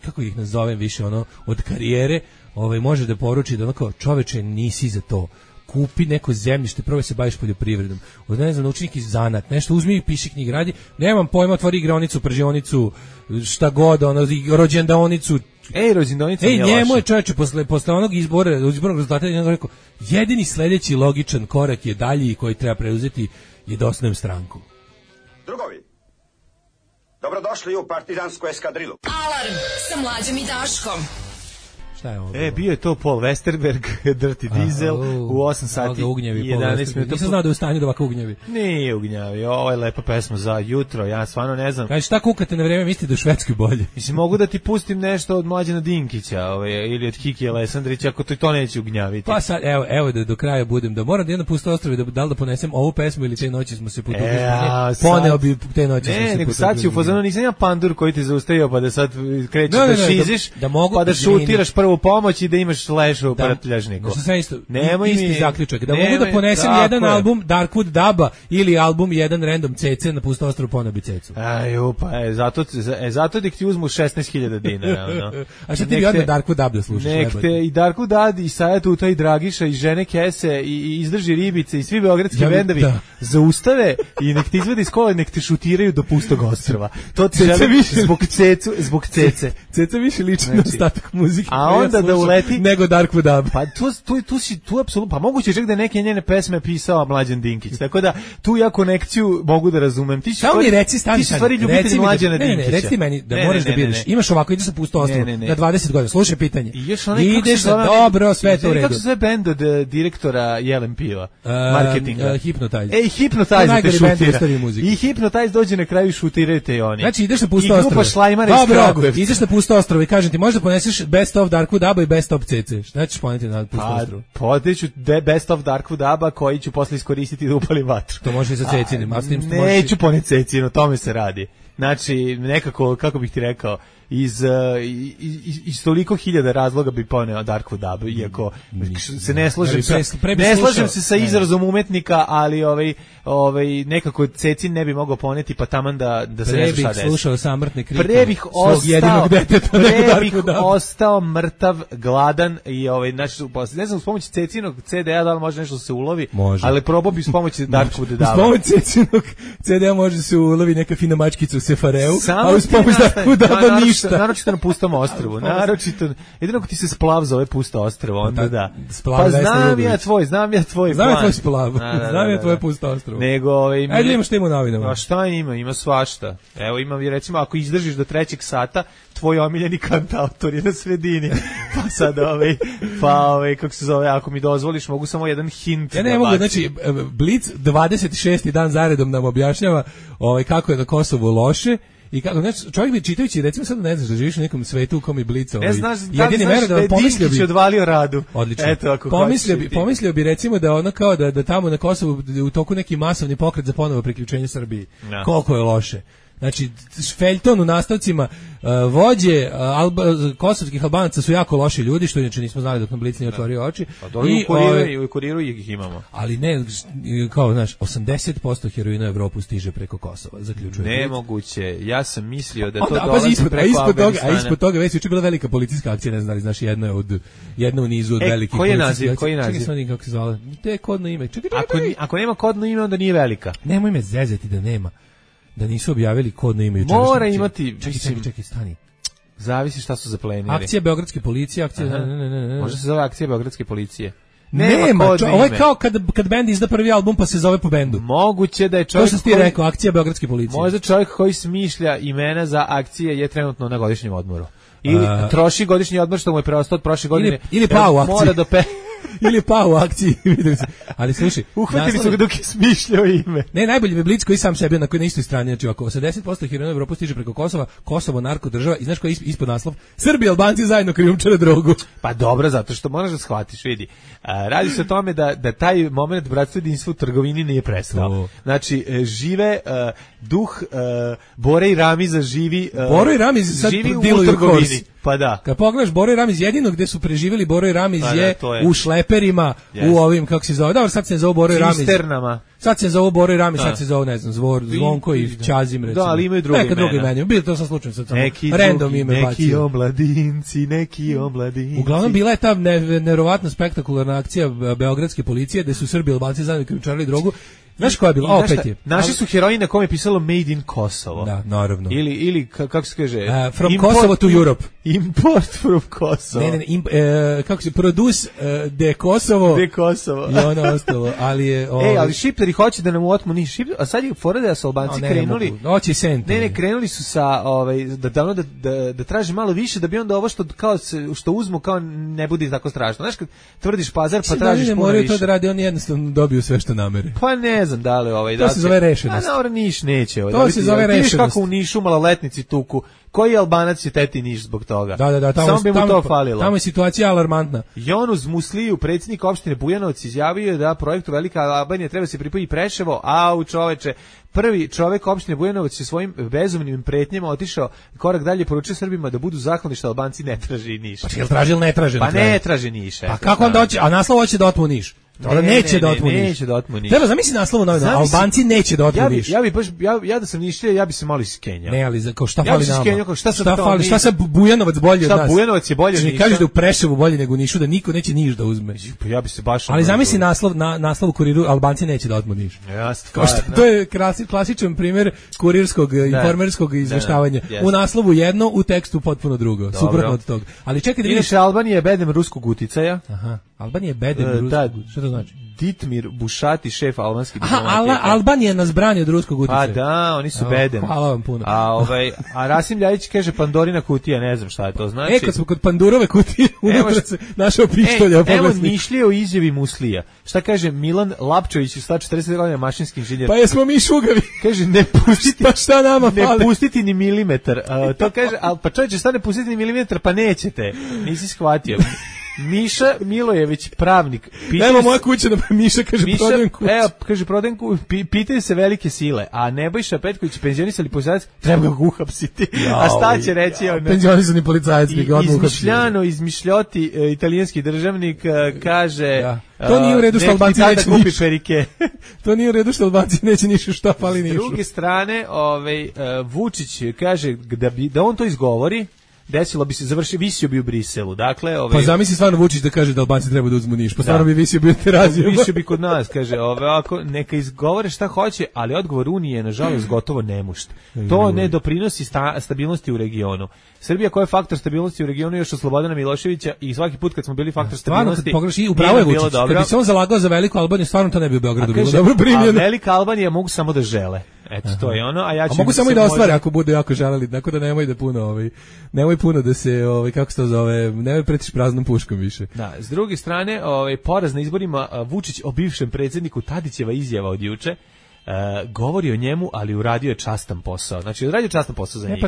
kako ih nazovem više, od karijere, može da poruči da kao čoveče nisi za to. Kupi neko zemljište, probaj se baviš poljoprivredom. Ne znam, nauči neki zanat, nešto, uzmi i piši knjige, radi. Nemam pojma, otvori igraonicu, pržionicu, šta god, rođendaonicu. Rođendaonica nije loša. Njemu je čoveče posle onog izbornog rezultata rekao, jedini sledeći logičan korak je dalji koji treba preuzeti je da osnujem stranku. Drugovi, dobrodošli u partizansku eskadrilu. Alarm sa Mlađom i Daškom. Bio je to Paul Westerberg, Dirty Diesel, u 8 sati i 11 minuta. Nisam znao da je u stanju da ovako ugnjavi. Nije ugnjavi, ovo je lepa pesma za jutro, ja stvarno ne znam. Kaži, šta kukate na vreme, mislite da u Švedskoj bolje? Mislim, mogu da ti pustim nešto od Mlađana Dinkića, ili od Kiki Alessandrića, ako to neće ugnjaviti. Pa sad, evo da do kraja budem, da moram da jedno pusto ostrove, da li da ponesem ovu pesmu ili te noći smo se potopili. Poneo bi te noći smo se potopili. Nego sad si u fazonu, nisam ja pandur koji te zaustavio pa da sad krećeš da šiziš, pa da šutiraš prvu pomoć i da imaš lešu u prtljažniku. Nemoj isti zaključak. Da mogu da ponesem jedan album Darkwood Daba ili album jedan Random CC na pusto ostrvu ponabi cecu. Zato da ti uzmu 16.000 dinara. A šta ti bi odmah Darkwood Dab da slušaš? Nek te i Darkwood Dab i Sajat Uta i Dragiša i Žene Kese i Izdrži ribice i svi beogradski bendovi zaustave i nek te izvede iz kola i nek te šutiraju do pustog ostrva. To ti želim zbog cece. Ceca više liči na ostatak muzike. A onda da uleti nego Darkwood Dab. Pa tu apsolutno, pa moguće čak da neke njene pesme pisao Mlađan Dinkić. Tako da tu ja konekciju mogu da razumem. Ti stvari ljubitelj Mlađana Dinkića. Ne, reci meni da moraš da biraš. Imaš ovako, ideš sa pusto ostrvo na 20 godina. Slušaj pitanje. Ideš dobro, sve to u redu. Kako se zove bend od direktora Jelen Piva? Marketinga. Hypnotize. Hypnotize te šutira. I Hypnotize dođe na kraju i šutirajte i oni. Znači ideš na pusto ostrvo. I grupa Šlajmara iz Kragujevca. Ideš na pusto ostrvo i kažem ti, možda poneseš Best of Darkwood Daba i Best of CC. Šta ćeš poneti na pusto ostrvo? Podeću Best of Darkwood Daba koji ću posle iskoristiti da upalim vatru. To može i sa cecinim. Neću poneti cecinu, o tome se radi. Znači, nekako, kako bih ti rekao, iz toliko hiljada razloga bi poneo Darkwood Dab, iako se ne slažem se sa izrazom umetnika, ali nekako Cecin ne bi mogao poneti, pa taman da se ne šta desi. Slušao samrtne krike. Pre bih ostao mrtav, gladan i znači, ne znam, s pomoći Cecinog CD-a da li može nešto se ulovi, ali probao bi s pomoći Darkwood Daba. S pomoći Cecinog CD-a može se ulovi neka fina mačkica u Sefareu, a uz pomoć Darkwood Daba ništa. Naročito na pustom ostrvu. Jedino ako ti se splav za ove pusto ostrvo, onda da. Pa znam ja tvoj plan. Znam ja tvoj splav. Znam ja tvoje pusto ostrvo. Ajde imaš temu novinama. A šta ima svašta. Evo imam, recimo, ako izdržiš do 3. sata, tvoj omiljeni kantautor je na sredini. Pa sad kako se zove, ako mi dozvoliš, mogu samo jedan hint. Ja ne mogu, znači, Blic 26. dan zaredom nam objašnjava kako je na Kosovu loše. I kako, znači, čovjek bi čitajući, recimo sad ne znaš da živiš u nekom svetu u kom je Blic ne znaš da je Dinkić odvalio Radu. Odlično. Eto, pomislio bi recimo da ono kao da tamo na Kosovu u toku neki masovni pokret za ponovo priključenje Srbiji. Koliko je loše. Znači, feljton u nastavcima, vođe kosovskih Albanaca su jako loši ljudi, što inače nismo znali dok nam Blic nije otvorio oči. I u kuriru ih imamo. Ali ne, kao, znaš, 80% heroina u Evropu stiže preko Kosova, zaključuje. Nemoguće, ja sam mislio da to dolazi preko Afganistana. A ispod toga već juče bila velika policijska akcija, ne znam, znaš, jedna u nizu od velikih policijskih akcija. Koji naziv? Čekaj, kako se zvala. To je kodno ime. Čekaj. Ako nema kodno ime, onda nije velika. Nemoj me zezati da nema. Da nisu objavili kodno ime juče. Mora imati, čekaj, stani. Zavisi šta su zaplenili. Akcija beogradske policije, Može se zove akcija beogradske policije. Nema, ovo je kao kad bend izda prvi album pa se zove po bendu. Moguće da je čovjek to što ti rekao, akcija beogradske policije. Možda čovjek koji smišlja imena za akcije je trenutno na godišnjem odmoru. Ili troši godišnji odmor što mu je preostao od prošle godine. Ili pa u akciji. Mora ili pa u akciji, vidim se. Ali slušaj, uhvatili su ga dok je smišljao ime. Ne, najbolji je Blic koji sam sebi na kojoj istoj strani, znači ako 80% heroina u Evropu stiže preko Kosova, Kosovo narko država i znaš koji je ispod naslov? Srbi i Albanci zajedno krijumčare drogu. Pa dobro, zato što moraš da shvatiš, vidi. Radi se o tome da taj moment bratstva i jedinstva u trgovini nije prestao. Znači, žive duh Bore i Ramiza živi Boro i Ramiz sad u trgovini. Pa da. Kad pogledaš Boro i Ramiz, jedino gde su preživjeli Boro i Ramiz je u šleperima, u ovim, kako se zove, dobro, sad se zove Boro i Ramiz. Cisternama. Sad se zove Boro i Ramiz, sad se zove, ne znam, Zvonko i Ćazim, recimo. Da, ali imaju drugi imena. Neka drugi imena. Bilo to sam slučajno sad samo random ime bacio. Neki omladinci. Uglavnom bila je ta neverovatno spektakularna akcija beogradske policije, gde su Srbi i Albanci zajedno krijumčarili drogu. Znaš koja je bila? Opet je. Naši su heroji na kome je pisalo Made in Kosovo. Da, naravno. Ili kako se kaže? From Kosovo to Europe. Import from Kosovo. Ne, kako se produce de Kosovo. De Kosovo. I ono ostalo, ali je... ali šipteri hoće da nam otmu ni šip, a sad je fora da su Albanci krenuli. Hoće sente. Ne, krenuli su sa da traže malo više da bi onda ovo što uzmu kao ne bude tako strašno. Znaš kad tvrdiš pazar pa tražiš puno više. Moraju to da radi, oni jednostavno dobiju sve što namere. Pa ne znam da li to se zove rešenost. A Niš neće. To se zove rešenost. Kako u Nišu maloletnici tuku. Koji Albanac će teti Niš zbog toga? Da, samo bi mu to falilo. Tamo je situacija alarmantna. Jonuz Musliju, predsjednik opštine Bujanovac, izjavio da projektu Velika Albanija treba se pripoji Preševo, a u čoveče, prvi čovek opštine Bujanovac je svojim bezumnim pretnjama otišao korak dalje, poručio Srbima da budu zahvalni što Albanci ne traže Niš. Pa jel traži ili ne traže? Pa ne traže Niš. Pa kako onda hoće, a naslov hoće da otmu Niš? Neće da otmu Niš. Treba zamisli naslovu novina, Albanci neće da otmu Niš. Ja da sam Nišlija, ja bi se malo iskenjao. Ne, ali kao šta fali nama? Šta fali? Šta sad Bujanovac bolje od nas? Šta Bujanovac je bolje od Niša? Kažeš da u Preševu bolje nego u Nišu, da niko neće Niš da uzme. Pa ja bi se baš. Ali zamisli naslov u Kuriru, Albanci neće da otmu Niš. To je klasičan primjer kurirskog informerskog izveštavanja. U naslovu jedno, u tekstu potpuno drugo. Suprotno od toga. Ali čekaj da vidiš, Albanija je bedem ruskog uticaja. Aha. Albanija je bedem ruskog. Šta to znači? Ditmir Bušati, šef albanski diplomatije. Aha, Albanija nas brani od ruskog uticaja. Pa da, oni su bedem. Hvala vam puno. A Rasim Ljajić kaže Pandorina kutija, ne znam šta je to znači. Kad smo kod Pandurove kutije, unutra se našao pištolja. Evo mišlje o izjavi Muslija. Šta kaže Milan Lapčević, 140 godina mašinski inženjer. Pa jesmo mi šugavi. Kaže ne pustiti. Pa šta nama fali? Ne pustiti ni milimetar. To kaže, pa čovječe, šta ne pustiti ni milimetar, pa nećete. Nisi shvatio. Miša Milojević, pravnik. Evo moja kuća, Miša kaže prodajem kuću. Evo, kaže prodajem kuću, pitaju se velike sile, a Nebojša Petković, penzionisali policajac, treba ga uhapsiti. A šta će reći? Penzionisani policajac bi ga odmah uhapsiti. Izmišljoti italijanski državnik kaže... To nije u redu što Albanci neće kupi perike. To nije u redu što Albanci neće Nišu, šta fali Nišu. S druge strane, Vučić kaže da on to izgovori, desilo bi se, visio bi u Briselu. Dakle, pa zamisli stvarno Vučić da kaže da Albanci treba da uzmu Niš, pa stvarno bi visio bio Terazijom. Visio bi kod nas, kaže, ovako, neka izgovore šta hoće, ali odgovor Unije je nažalost gotovo nemušt. To ne doprinosi stabilnosti u regionu. Srbija koja je faktor stabilnosti u regionu još od Slobodana Miloševića i svaki put kad smo bili faktor stabilnosti, upravo je Vučić. Kad bi se on zalagao za Veliku Albaniju, stvarno to ne bi u Beogradu bilo dobro primljeno. A Velika Albanija mogu samo da žele. Eto, to je ono, a ja ću... A mogu samo i da ostvare ako budu jako želeli, tako da nemoj da puno, nemoj puno da se, kako se to zove, nemoj pretiš praznom puškom više. Da, s druge strane, poraz na izborima, Vučić o bivšem predsjedniku, Tadićeva izjava od juče, govori o njemu, ali uradio je častan posao. Znači, uradio je častan posao za njih.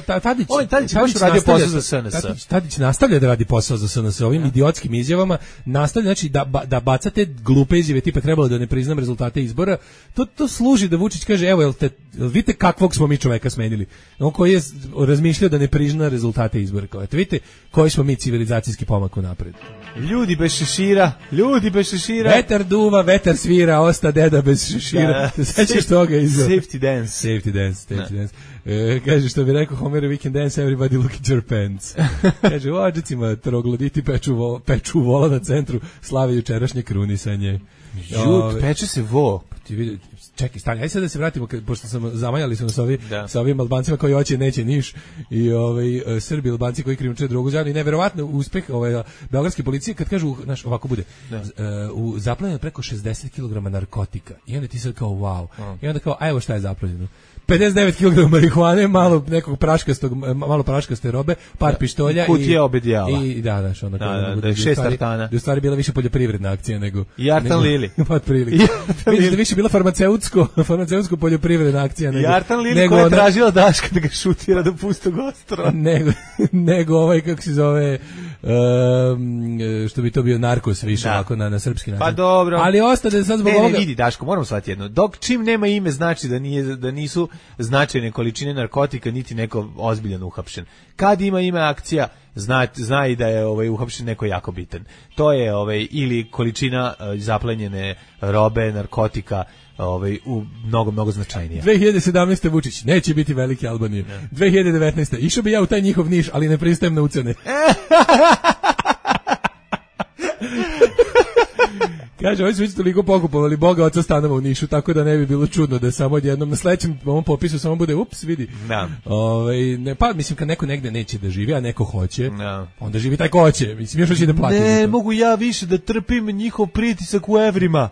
Tadić je baš uradio posao za SNS. Tadić nastavlja da radi posao za SNS ovim idiotskim izjavama, nastavlja, znači da bacate glupe izjave tipa trebalo da ne priznam rezultate izbora. To služi da Vučić kaže, evo, vidite kakvog smo mi čoveka smenili. On koji je razmišljao da ne prizna rezultate izbora. Eto, vidite koji smo mi civilizacijski pomak unapred. Ljudi bez šešira. Vetar duva, vetar svira, osta deda bez šešira. Sećaš toga izgleda? Safety dance. Kaže, što bi rekao Homer, we can dance, everybody look at your pants. Kaže, u Adžicima trogloditi peču vola na centru, slave jučerašnje krunisanje. Peče se vo. Čekaj, stani, ajde sad da se vratimo, pošto sam zamajali smo sa ovim Albancima koji hoće neće Niš i Srbi Albanci koji krijumčare drogu zajedno i neverovatno uspeh beogradske policije kad kažu, znaš, ovako bude, zaplenjeno preko 60 kg narkotika i onda ti sad kao wow, i onda kao, a evo šta je zaplenjeno. 59 kg marihuane, malo praškaste robe, par pištolja i kutije obedjala. I da, ono da je 6 tartana. U stvari bila više poljoprivredna akcija nego i Artan Lili. Pa otprilike. Vidiš da više bila farmaceutsko poljoprivredna akcija nego. I Artan Lili koja je tražila Daška da ga šutira do pustog ostrva. Nego ovaj kako se zove što bi to bio narkos više ovako na srpski način. Pa dobro. Ali ostade sad zbog ovoga. Ne, vidi Daško, moramo shvatiti jedno. Dok čim nema ime znači da nisu značajne količine narkotika niti neko ozbiljan uhapšen. Kad ima ime akcija, zna i da je uhapšen neko jako bitan. To je ili količina zaplenjene robe, narkotika, u mnogo značajnija. 2017. Vučić neće biti veliki Albanije. 2019. Išao bi ja u taj njihov Niš, ali ne pristajem na ucene. Kaže, oni su već toliko pokupovali Boga oca stanova u Nišu, tako da ne bi bilo čudno da samo odjednom na sledećem ovom popisu samo bude ups, vidi. Da. Pa mislim kad neko negde neće da živi, a neko hoće, onda živi taj ko hoće. Mislim još hoće da plati. Ne, mogu ja više da trpim njihov pritisak u evrima.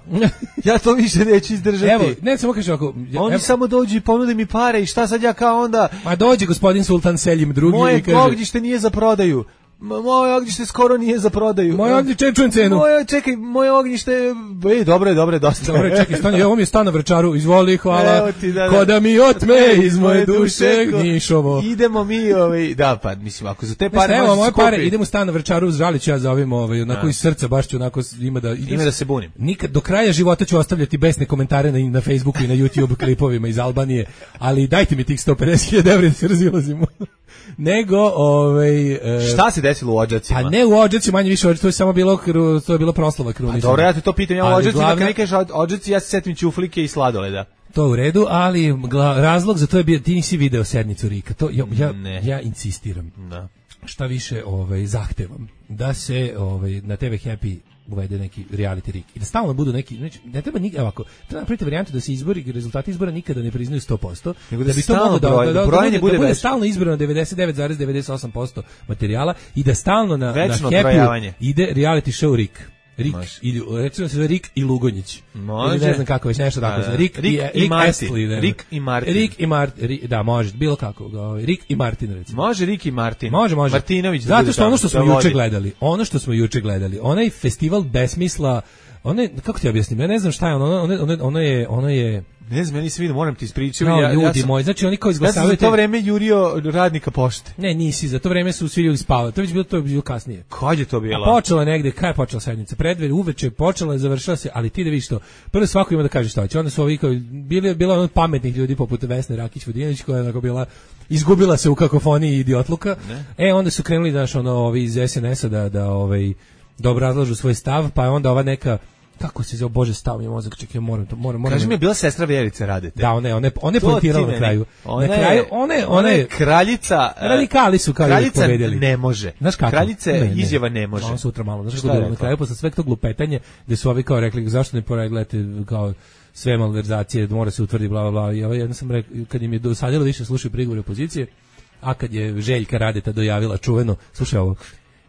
Ja to više neću izdržati. Evo, ne samo kaže ovako. Oni samo dođu i ponude mi pare i šta sad ja kao onda? Ma dođe gospodin Sultan Selim drugi i kaže. Moje ognjište nije za prodaju. Moje ognjište skoro nije za prodaju. Moje ognjište čujem cenu. Moje ognjište, dobro je, dosta. Dobro, čekaj, stani, ovo mi je stan na Vrčaru, izvoli, hvala. Ko da mi otme iz moje duše Nišovo. Idemo mi, pa mislim, ako za te pare možeš moje pare, idemo stan na Vrčaru, žalit ću ja za ovim, onako iz srca, baš ću onako, ima da se bunim. Nikad, do kraja života ću ostavljati besne komentare na Facebooku i na YouTube klipovima iz Albanije, ali dajte mi tih 150.000 evra da se razilazimo. Nego, šta se desilo u Odžacima? A ne u Odžacima, manje više, to je samo bilo proslava krunisanja. Dobro, ja te to pitam, ja u Odžacima, kad ne kažeš Odžaci, ja se setim ćuflike i sladoleda. To u redu, ali razlog za to je bio, ti nisi video sednicu Rika, to ja insistiram. Da. Šta više zahtevam da se na TV Happy uvede neki reality Rik i da stalno budu neki, znači ne treba ovako, treba napraviti varijantu da se rezultati izbora nikada ne priznaju 100%, nego da bi to moglo da bude stalno izbrano 99,98% materijala i da stalno na Happy ide reality show Rik. Recimo se zove Rik i Lugonjić. Može. Ne znam kako već nešto tako. Rik i Martin. Da, može, bilo kako. Rik i Martin, recimo. Može Rik i Martin. Može. Martinović. Zato što ono što smo juče gledali, onaj festival besmisla, kako ti objasnim, ja ne znam šta je ono je ne znam, ja nisam vidio, moram ti ispričati. Ljudi moji, znači oni kao izglasavaju. Ja sam za to vreme jurio radnika pošte. Ne, nisi, za to vreme su svi ljudi spavali. To je bilo kasnije. Kad je to bilo? Počela negde, kad je počela sednica? Predvečer, uveče počela, završila se, ali ti da vidiš to. Prvo svako ima da kaže šta hoće. Onda su ovi kao bila ono pametnih ljudi poput Vesne Rakić-Vodinović koja je bila izgubila se u kakofoniji idiotluka. Onda su krenuli ovi iz SNS-a da obrazlažu svoj stav, pa je onda ova neka kako se zove, Bože, stav mi je mozak, čekaj, moram. Kaži mi, je bila sestra Vjerice Radete. Da, ona je pointirala na kraju. Ona je kraljica. Radikali su kao uvijek pobedili. Kraljica ne može. Znaš kako? Kraljica izjava ne može. On sutra malo. Znaš kako na kraju, posle sveg tog lupetanje, gde su ovi kao rekli, zašto ne poregledate kao sve malverzacije, mora se utvrdi, bla, bla, bla. I jedno sam rekao, kad im je dosadilo više slušaju prigovore opozicije, a kad je Željka Radeta dojavila čuveno, slušaj ovo,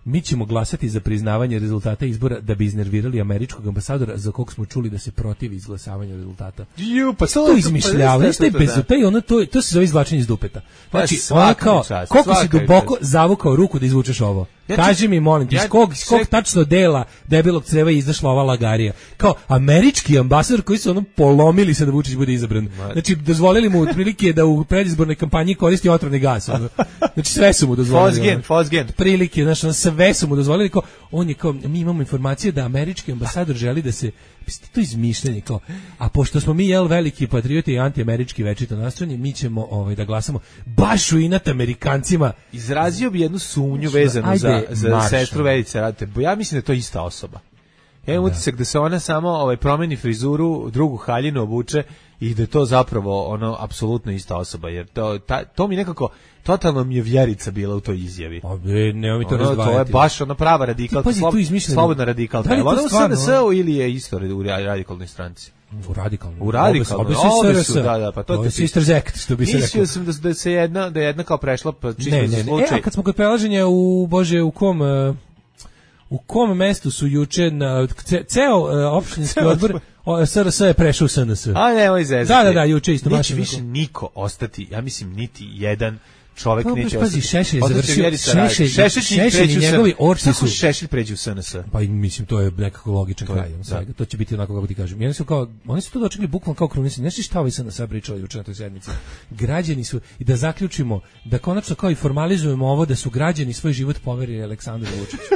mi ćemo glasati za priznavanje rezultata izbora da bi iznervirali američkog ambasadora za kog smo čuli da se protivi izglasavanju rezultata. Pa to izmišljavanje, to se zove izvlačenje iz dupeta. Znači, ona kao, koliko si duboko zavukao ruku da izvučeš ovo. Kaži mi, molim ti, iz kog tačno dela debelog creva je izašla ova lagarija? Kao američki ambasador koji su ono polomili se da Vučić bude izabran. Znači, dozvolili mu otprilike da u predizbornoj kampanji koristi otrovni gas. Znači, sve su mu dozvolili. Fosgen. Prilike, znači, sve su mu dozvolili. Kao, on je kao, mi imamo informacije da američki ambasador želi da se, to izmišljanje, kao, a pošto smo mi, veliki patrioti i antiamerički večito nastrojeni, mi ćemo da glasamo baš u inat Amerikancima. Izrazio bi jednu sumnju vezanu za sestru Verice Radete. Ja mislim da je to ista osoba. Ja imam utisak da se ona samo promeni frizuru, drugu haljinu obuče i da je to zapravo apsolutno ista osoba. Jer to mi nekako, totalno mi je Vjerica bila u toj izjavi. Nemoj mi to razdvajati. To je baš prava radikalka, slobodna radikalka. Da li ona to u SNS-u ili je isto u radikalnoj stranci? U radikalnoj. Obe su, da, pa to je Sister Zect, što bi se rekao. Mislio sam da je jedna kao prešla, pa čisto za slučaj. A kad smo kod prelaženja u kom mestu su juče ceo opštinski odbor SRS je prešao u SNS. A nemoj zezati. Da, juče isto. Neće više niko ostati, ja mislim niti jedan čovjek neće ostati. Šešelj je završio. Šešelj i njegovi orci su... Šešelj pređu u SNS? Pa mislim, to je nekako logičan kraj. To će biti onako kako ti kažem. Oni su to dočekali bukvalno kao krunisani. Nešto šta ovaj SNS pričali juče na toj sednici. Građani su, i da zaključimo, da konačno kao i formalizujemo ovo, da su građani svoj život poverili Aleksandru Vučiću.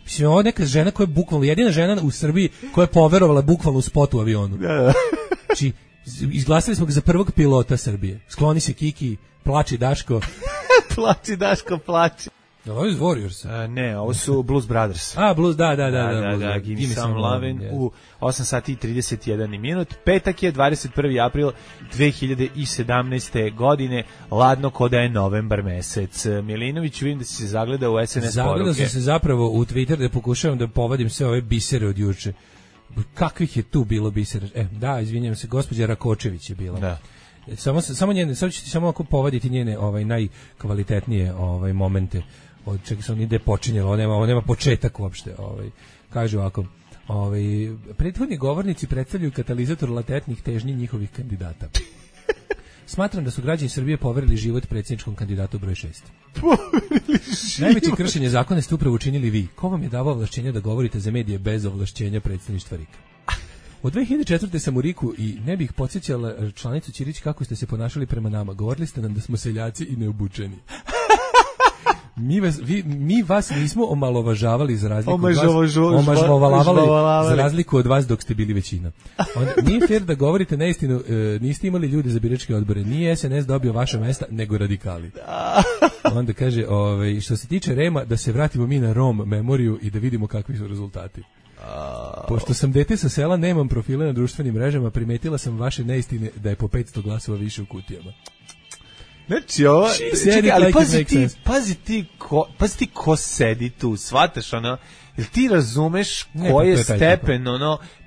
Mislim, ovo je neka žena koja je bukvalno, jedina žena u Srbiji koja je poverovala bukvalno u spotu u avionu. Znači, izglasali smo ga za prvog pilota Srbije. Skloni se Kiki, plači Daško. Plači Daško, plači. Ovo je Warriors. Ne, ovo su Blues Brothers. Blues, da. Give me some lovin' u 8 sati i 31 minut. Petak je 21. april 2017. godine, ladno ko da je novembar mesec. Milinović, vidim da si se zagleda u SNS poruke. Zagledao sam se zapravo u Twitter da pokušavam da povadim sve ove bisere od juče. Kakvih je tu bilo bisera? Da, izvinjam se, gospođa Rakočević je bila. Da. Samo njene, sad ću ti samo ako povaditi njene najkvalitetnije momente. Od čega se on ide počinjelo, ovo nema početak uopšte. Kaže ovako, prethodni govornici predstavljaju katalizator latentnih težnji njihovih kandidata. Smatram da su građani Srbije poverili život predsjedničkom kandidatu broj 6. Najveće kršenje zakona ste upravo učinili vi. Ko vam je davao ovlašćenja da govorite za medije bez ovlašćenja predsjedništva RIK? Od 2004. sam u Riku i ne bih podsjećala članicu Ćirić kako ste se ponašali prema nama. Govorili ste nam da smo seljaci i neobučeni. Mi vas nismo omalovažavali za razliku za razliku od vas dok ste bili većina. Nije fair da govorite neistinu, niste imali ljude za biračke odbore. Nije SNS dobio vaša mesta, nego radikali. Onda kaže, što se tiče Rema, da se vratimo mi na Rom memoriju i da vidimo kakvi su rezultati. Pošto sam dete sa sela, nemam profile na društvenim mrežama, primetila sam vaše neistine da je po 500 glasova više u kutijama. Znači ovo, čekaj, ali pazi ti ko sedi tu, shvataš jel ti razumeš koji je stepen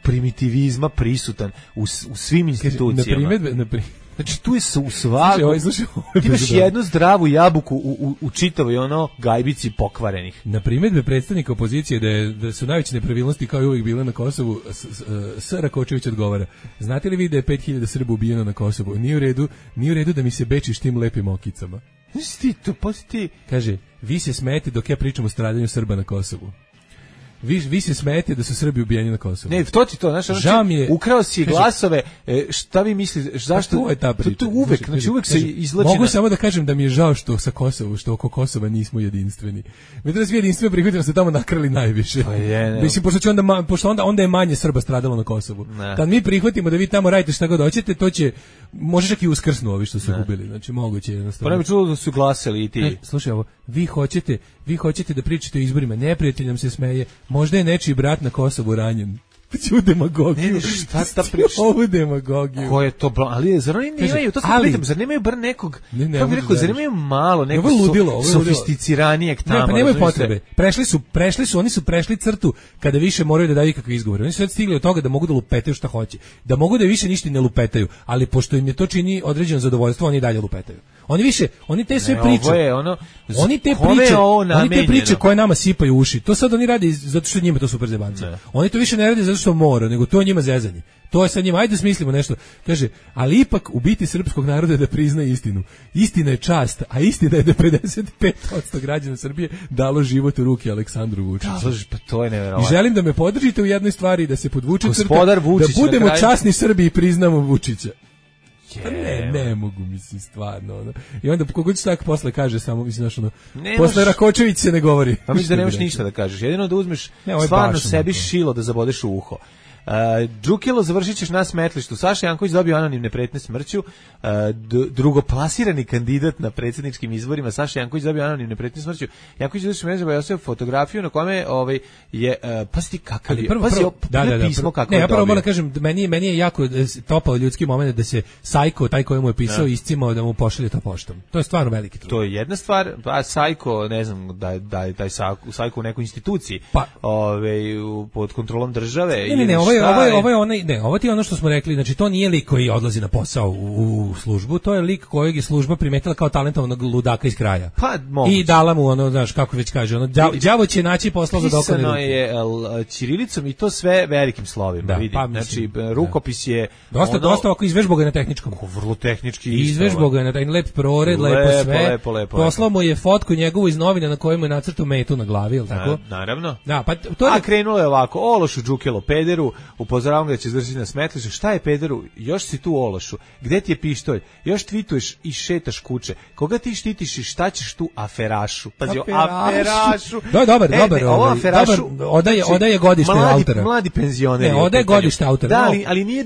primitivizma prisutan u svim institucijama? Znači tu je u svaku, ti imaš jednu zdravu jabuku u čitavoj gajbici pokvarenih. Na primjedbe predstavnika opozicije da su najveće nepravilnosti kao i uvijek bile na Kosovu, S. Rakočević odgovara: znate li vi da je 5000 Srba ubijeno na Kosovu? Nije u redu da mi se bečiš tim lepim okicama. Kaže, vi se smijete dok ja pričam o stradanju Srba na Kosovu. Vi se smijete da su Srbi ubijeni na Kosovu. Ne, to ti to, znaš, ukrao si glasove, šta vi mislite, zašto? To je ta priča. To uvek, znači uvek se izlači. Mogu samo da kažem da mi je žao što sa Kosovu, što oko Kosova nismo jedinstveni. Mi da svi jedinstveni prihvatimo se tamo nakrali najviše. Pa je, mislim, pošto onda je manje Srba stradalo na Kosovu. Kad mi prihvatimo da vi tamo radite šta god hoćete, to će, može čak i uskrsnu ovi što su gubili. Znači, moguće jednostavno. Pa ne bi čulo da su glasali i ti. Slušaj ovo, vi hoćete da pričate o izborima, neprijatelj nam se smeje. Možda je nečiji brat na Kosovu ranjen. U demagogiju. Ne, šta ta priča? Ovu demagogiju. Ko je to? Ali zar oni nemaju, to se pitam, zar nemaju bar nekog, kako bi rekao, zar nemaju malo nekog sofisticiranijeg tamo? Ne, pa nemaju potrebe. Oni su prešli crtu kada više moraju da daju kakve izgovore. Oni su sad stigli od toga da mogu da lupetaju šta hoće. Da mogu da više ništa ne lupetaju, ali pošto im je to čini određeno zadovoljstvo, oni dalje lupetaju. Oni te sve priče. Oni te priče koje nama sipaju uši. To sad oni rade zato što njima to super zebanci. Oni to više ne rade zato što mora, nego to je njima zezanje. To je sad njima, ajde smislimo nešto. Kaže, ali ipak u biti srpskog naroda je da prizna istinu. Istina je čast, a istina je da 55% građana Srbije dalo život u ruke Aleksandru Vučiću. Pa to je neverovatno. I želim da me podržite u jednoj stvari, da se podvuče crta, da budemo časni Srbi i priznamo Vučića. Ne mogu, mislim, stvarno. I onda kogod se tako posle kaže, samo mislim, posle Rakočević se ne govori. Pa mislim da nemaš ništa da kažeš, jedino da uzmeš stvarno sebi šilo da zabodeš u uho. Džukilo, završit ćeš na smetlištu. Saša Janković dobio anonimne pretnje smrću. Drugoplasirani kandidat na predsjedničkim izborima Saša Janković dobio anonimne pretnje smrću. Janković došao mreža i fotografiju na kome je pasti kakav je. Pismo kako je. Ja prvo moram kažem, meni je jako topao ljudski moment da se Sajko, taj koji mu je pisao, iscimao da mu pošalje to poštom. To je stvarno veliki trud. To je jedna stvar, a Sajko, ne znam, da je taj Sajko u nekoj instituciji, pod kontrolom države. Ovo ti je ono što smo rekli, znači to nije lik koji odlazi na posao u službu, to je lik kojeg je služba primetila kao talentovanog ludaka iz kraja. Pa, moguće. I dala mu ono, znaš, kako već kaže, đavo će naći posla za dokone ruke. Pisano je ćirilicom i to sve velikim slovima, vidi. Pa, znači, rukopis je dosta ovako izvežbao ga na tehničkom. Vrlo tehnički. Izvežbao ga na taj lep prored, lepo sve. Poslao mu je fotku njegovu iz novina na kojoj mu je nacrtao metu na glavi, je li tako? Naravno. Da, pa to je... A krenulo je ovako, Ološu, Džukelo, pederu, upozoravam ga da će završiti na smetlištu. Šta je pederu? Još si tu, Ološu. Gde ti je pištolj? Još tvituješ i šetaš kuće. Koga ti štitiš i šta ćeš tu, aferašu? Pazi, aferašu. Dobar. Ovo aferašu. Odaje godište autora. Mladi penzioneri. Ne, odaje godište autora. Da, ali nije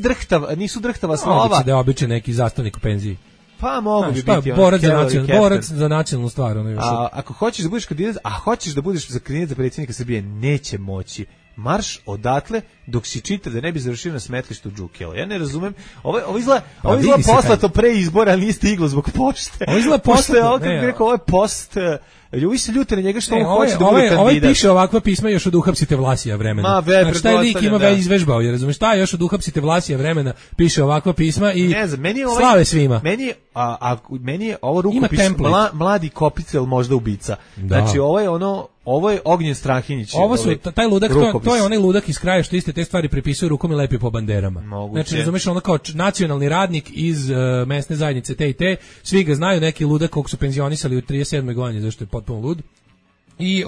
nisu drhtava slova. Moguće da je običan neki zastavnik u penziji. Pa mogu bi biti borac za nacionalnu stvar. Ako hoćeš da budeš kandidat, hoćeš da budeš kandidat za predsjednika Srbije, neće moći. Marš odatle dok si čita da ne bi završio na smetlištu Džukela. Ja ne razumem. Ovo izgleda poslato pre izbora, ali nije stiglo zbog pošte. Ovo izgleda poslato. Ovo je post... Ljudi se ljute na njega što on hoće da bude kandidat. Ovaj piše ovakva pisma još od uhapsite Vlasija vremena. Znači, taj lik ima već izvežbao, jer razumiješ, šta još od uhapsite Vlasija vremena piše ovakva pisma i slave svima. Meni je ovo rukopis mladi kopicel možda ubica. Znači, ovo je Ognjen Strahinjić. Ovo su, taj ludak, to je onaj ludak iz kraja što iste te stvari prepisuje rukom i lepi po banderama. Znači, razumiješ, ono kao nacionalni radnik iz mesne zajednice te i te, svi ga znaju, neki ludak kog su penzionisali u 37. godini, zašto je potpuno lud. I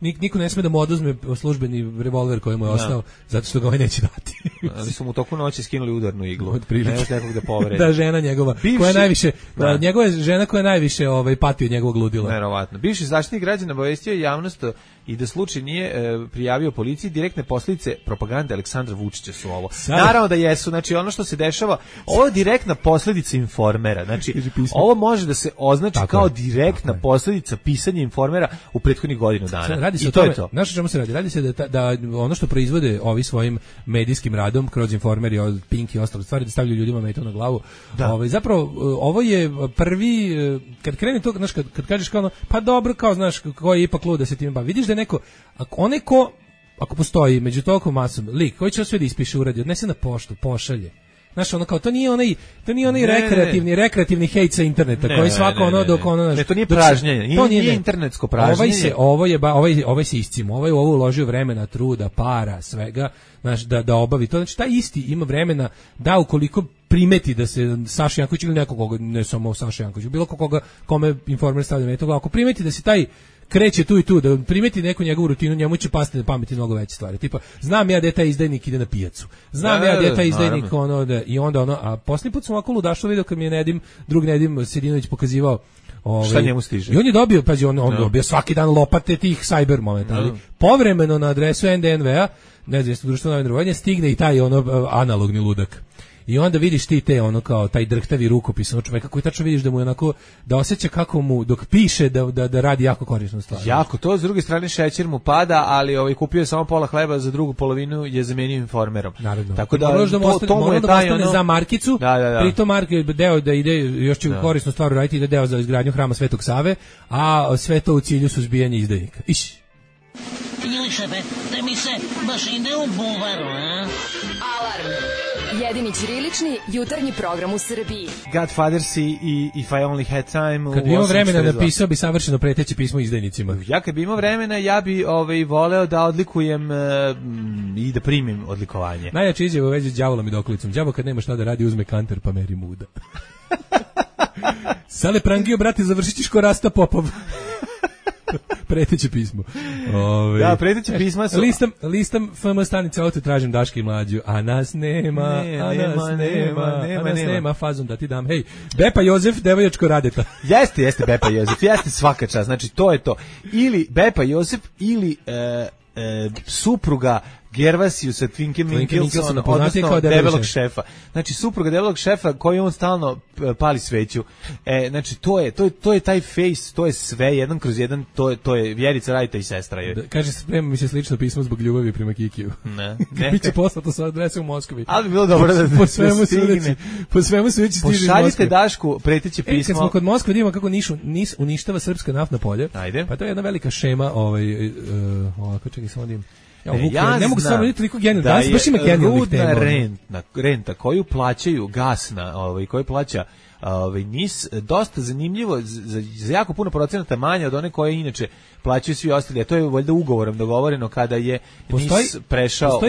niko ne sme da mu oduzme službeni revolver koji mu je ostao, zato što ga ovaj neće dati. Ali su mu toku noći skinuli udarnu iglu. Ne može nekog da povredi. Da, žena njegova, koja najviše, njegova žena koja najviše pati od njegovog ludila. Verovatno. Bivši zaštitnik građana obavestio javnost i da slučaj nije prijavio policiji, direktne posljedice propagande Aleksandra Vučića su ovo. Naravno da jesu, znači ono što se dešava, ovo je direktna posljedica Informera. Znači, ovo može da se označi kao direktna posljedica pisanja Informera u prethodnih godinu dana. Radi se o tome, znaš o čemu se radi? Radi se da ono što proizvode ovi svojim medijskim radom kroz Informer i od Pink i ostale stvari, da stavljaju ljudima metu na glavu. Zapravo, ovo je prvi, kad krene to, znaš, kad kažeš kao ono, pa dobro, kao, znaš, ko je ipak lud da se time bavi. Vidiš da je neko, ako postoji među toliko masom lik koji će sve da ispiše, uradi, odnese na poštu, pošalje. Znaš, ono kao, to nije onaj rekreativni hejt sa interneta, koji svako ono dok ono... Ne, to nije pražnjenje, nije internetsko pražnjenje. Ovaj se iscimo, ovaj u ovo uložio vremena, truda, para, svega, znaš, da obavi to. Znači, taj isti ima vremena da ukoliko primeti da se Saša Janković ili nekoga, ne samo Saša Janković, bilo kome Informer stavlja metu, ako primeti da se taj kreće tu i tu, da primeti neku njegovu rutinu, njemu će pasti na pameti mnogo veće stvari. Tipa, znam ja da je taj izdajnik ide na pijacu. Znam ja da je taj izdajnik i onda a posljednji put sam ovako ludaštvo vidio kad mi je drug Nedim Sedinović pokazivao šta njemu stiže. I on je dobio, pazi, on dobio svaki dan lopate tih cyber momenta, ali povremeno na adresu NDNV-a, ne znam, društveno navedrovanje, stigne i taj analogni ludak. I onda vidiš ti te kao taj drhtavi rukopis čoveka koji tačno vidiš da mu je onako, da osjeća kako mu dok piše da radi jako korisnu stvar. Jako, to s druge strane šećer mu pada, ali kupio je samo pola hleba, za drugu polovinu je zamenio Informerom. Naravno. Tako da to mu je taj za markicu, pritom deo da ide još će korisnu stvar raditi, ide deo za izgradnju hrama Svetog Save, a sve to u cilju suzbijanja izdajnika. Ili šefe, da mi se baš ide u buvaru, a? Alarm. Jedini ćirilični jutarnji program u Srbiji. Godfathers i If I Only Had Time. Kad bi imao vremena napisao bi savršeno preteće pismo izdajnicima. Ja kad bi imao vremena, ja bi voleo da odlikujem i da primim odlikovanje. Najjači izjava u vezi s đavolom i dokolicom. Đavo kad nema šta da radi, uzme kanter pa meri muda. Sale prangio, brate, završit ćeš ko Rasta Popov. Preteće pismo. Da, preteće pisma su... Listam FM stanice auto, tražim Daška i Mlađu, a nas nema, nema, fazom da ti dam. Hej, Bepa Jozef, devojačko Radeta. Jeste Bepa Jozef, jeste svaka čast, znači to je to. Ili Bepa Jozef, ili supruga Gervasiusa Twinke Minkelsona, odnosno debelog šefa. Znači, supruga debelog šefa koji on stalno pali sveću. Znači, to je taj face, to je sve, jedan kroz jedan, to je Vjerica Radeta i sestra je. Kaže, sprema mi se slično pismo zbog ljubavi prema Kikiju. Ne. Biće poslato sa adrese u Moskvi. Ali bi bilo dobro da po svemu sudeći stiže iz Moskve. Pošaljite Dašku preteće pismo. Kad smo kod Moskve, vidimo kako NIS uništava srpska naftna polja. Ajde. Pa to je jedna velika šema, ovako, čekaj, samo da im... ne mogu samo vidjeti toliko genijalno. Danas baš ima genijalnih tema. Renta koju plaćaju gasna, koju plaća NIS, dosta zanimljivo, za jako puno procenata manje od one koje inače plaćaju svi ostali, a to je valjda ugovorom dogovoreno kada je NIS prešao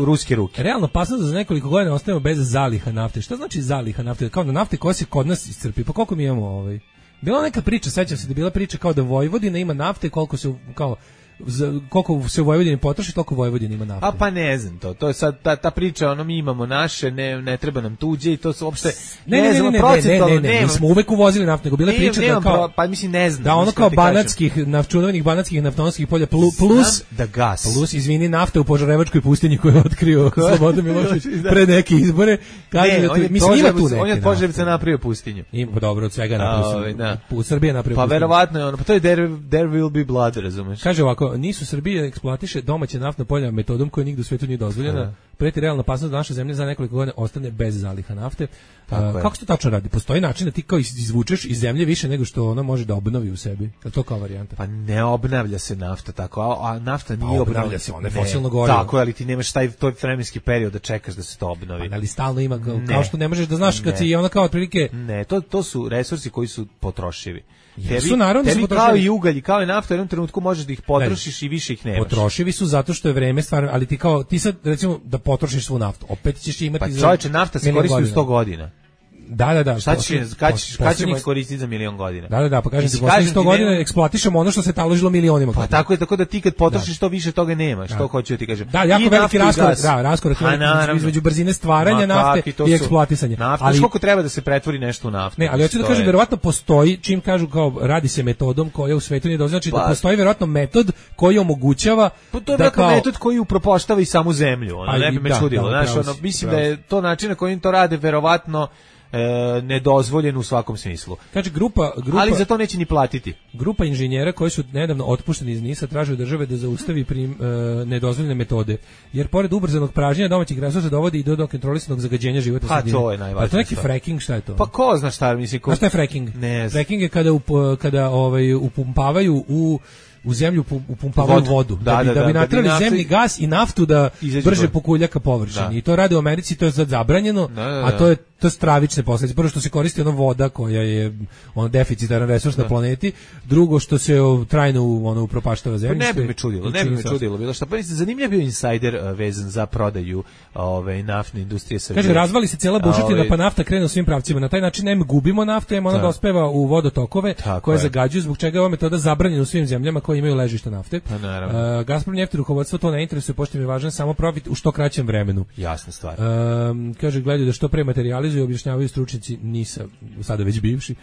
u ruske ruke. Realno opasnost da za nekoliko godina ostajemo bez zaliha nafte. Šta znači zaliha nafte? Kao da nafte koja se kod nas iscrpi. Pa koliko mi imamo Bila neka priča, sećam se da je bila priča kao da Vojvodina ima nafte, koliko se u Vojvodini potroši, toliko Vojvodina ima nafte. Pa ne znam to je sad ta priča, mi imamo naše, ne treba nam tuđe i to se uopšte ne, mi smo uvek uvozili naftu, nego bila priča da kao, pa mislim ne znam. Da ono kao čuvenih banatskih naftonosskih polja plus da gas. Plus, izvini, nafta u Požarevačkoj pustinji koju je otkrio Slobodan Milošević pre neke izbore. On je od Požarevca napravio pustinju. Ima dobro od svega napravio. U Srbiji je napravio pustinju. Pa verovatno je ono, pa to je there will be blood, razumeš? Kaže ovako, NIS u Srbiji eksploatiše domaće naftna polja metodom koja nigde u svetu nije dozvoljena. Preti realna opasnost da naša zemlja za nekoliko godina ostane bez zaliha nafte. Kako se to tačno radi? Postoji način da ti kao izvučeš iz zemlje više nego što ona može da obnovi u sebi? Je to kao varijanta? Pa ne obnavlja se nafta tako, a nafta nije obnavlja se, ona je fosilno gorivo. Tako je, ali ti nemaš taj vremenski period da čekaš da se to obnovi. Ali stalno ima, kao što ne možeš da znaš kad si ona kao otprilike... Ne, to su resursi koji su potrošivi. Tebi kao i ugalj, kao i nafta, u jednom trenutku možeš da ih potrošiš i više ih nemaš. Potrošivi su zato što je vreme stvarno, ali ti sad recimo da potrošiš svu naftu, opet ćeš imati... Pa čovječe, nafta se koristi u 100 godina. Da. Kad ćemo je koristiti za milion godina? Da, pa kažem ti, poslednjih 100 godina eksploatišemo ono što se taložilo milionima godina. Pa tako da ti kad potrošiš to više toga nemaš, to hoću ti kažem. Da, jako veliki raskorak između brzine stvaranja nafte i eksploatisanja. Ali koliko treba da se pretvori nešto u naftu? Ne, ali hoću da kažem, verovatno postoji, čim kažu kao radi se metodom koja u svetu nije dozvoljena, znači da postoji verovatno metod koji omogućava to je verovatno metod koji upropaštava i samu zemlju, ne bi me čudilo, znači mislim da je to način na koji to rade verovatno nedozvoljen u svakom smislu. Kaže grupa, ali za to neće ni platiti. Grupa inženjera koji su nedavno otpušteni iz NIS-a traže od države da zaustavi nedozvoljene metode, jer pored ubrzanog pražnjenja domaćih resursa dovodi i do kontrolisanog zagađenja životne sredine. Pa to je najvažnije. Pa to neki fracking, šta je to? Pa ko zna šta mislim? Šta je fracking? Ne. Fracking je kada upumpavaju u zemlju upumpavaju vodu da bi natrali zemni gas i naftu da brže pokulja ka površini. I to rade u Americi, to je sad zabranjeno, a to je stravične posljedice. Prvo što se koristi ona voda koja je deficitaran resurs na planeti, drugo što se trajno upropaštava zemljište. Ne bi me čudilo, bilo šta. Pa zanimljiv bio insider vezan za prodaju naftne industrije Srbije. Kaže, razvali se cijela bušotina, pa nafta krene u svim pravcima. Na taj način gubimo naftu, ona dospeva u vodotokove koje zagađuju, zbog čega je ova metoda zabranjena u svim zemljama koje imaju ležišta nafte. Gazprom neft rukovodstvo to ne interesuje, pošto im je važan samo profit u što kraćem vremenu. Jasna stvar. Kaže, gledaju da što pre materializuju, objašnjavaju stručnjaci NIS-a, sada već bivši.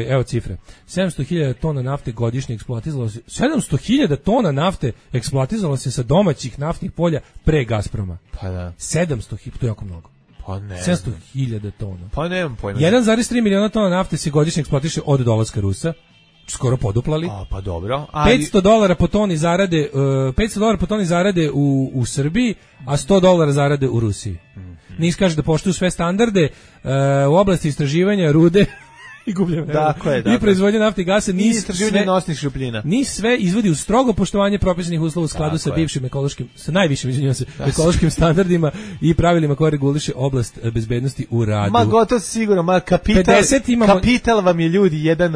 Evo cifre. 700.000 tona nafte godišnje eksploatizalo se. 700.000 tona nafte eksploatizalo se sa domaćih naftnih polja pre Gazproma. Pa da. 700.000, to je jako mnogo. Pa ne. 700.000 tona. Pa nemam pojma. 1,3 miliona tona nafte se godišnje eksploatiše od dolaska Rusa. Skoro poduplali. Pa dobro. $500 po toni zarade, $500 po toni zarade u Srbiji, a $100 zarade u Rusiji. NIS kaže da poštuju sve standarde u oblasti istraživanja rude i gubljenje vremena. Dakle. I proizvodnja nafte i gasa i istraživanje nosnih šupljina. Ni sve izvodi u strogo poštovanje propisanih uslova u skladu sa bivšim ekološkim, sa najvišim, izvinjavam se, ekološkim standardima i pravilima koje reguliše oblast bezbednosti u radu. Ma gotovo sigurno, kapital vam je ljudi jedna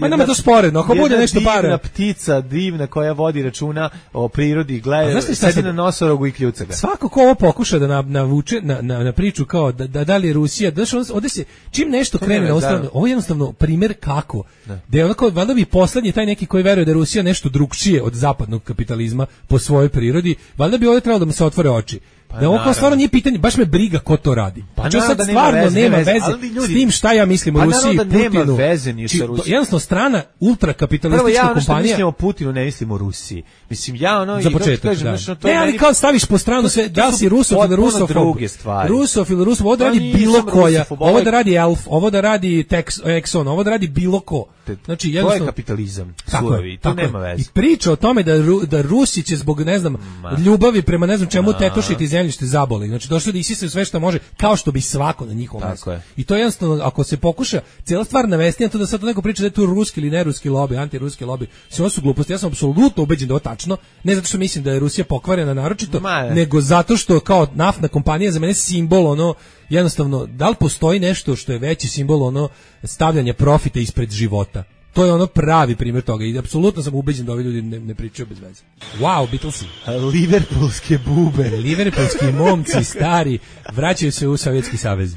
nama to sporedno, ako bude nešto para. Divna ptica, divna koja vodi računa o prirodi, gleda, sedi na nosorogu i kljuca ga. Svako ko ovo pokuša da navuče na priču kao da li je Rusija, ovde se čim nešto krene na ostranu, ovo je jednostavno primjer kako. Da je onako, valjda bi poslednji taj neki koji veruje da je Rusija nešto drugčije od zapadnog kapitalizma po svojoj prirodi, valjda bi ovdje trebalo da mu se otvore oči. Da ovo kao stvarno nije pitanje, baš me briga ko to radi. Znači sad stvarno nema veze s tim šta ja mislim o Rusiji, Putinu. Nema veze ni sa Rusijom. Jednostavno strana ultrakapitalistička kompanija. Prvo ja mislim o Putinu, ne mislim o Rusiji. Mislim ja za početak, da. Ne, ali kao staviš po stranu sve, da si Rusof ili Rusofob. Rusof ili Rusofob, ovo da radi bilo koja. Ovo da radi Elf, ovo da radi Exxon, ovo da radi bilo ko. Znači jednostavno to je kapitalizam. Surovi, to nema veze. I priča o tome da Rusi će zbog ne znam ljubavi prema ne znam čemu tetošiti zemljište zaboli. Znači došlo da isisaju sve što može, kao što bi svako na njihovom mjestu. I to je jednostavno, ako se pokuša cijela stvar navesti na to da sad to neko priča da je tu ruski ili neruski lobby, antiruski lobby, sve ovo su gluposti. Ja sam apsolutno ubeđen da je ovo tačno, ne zato što mislim da je Rusija pokvarena naročito, nego zato što kao naftna kompanija za mene simbol ono, jednostavno, da li postoji nešto što je veći simbol ono stavljanja profita ispred života? To je ono pravi primjer toga i apsolutno sam ubeđen da ovi ljudi ne pričaju bez veze. Wow, Beatlesi. Liverpoolske bube. Liverpoolski momci stari vraćaju se u Sovjetski savez.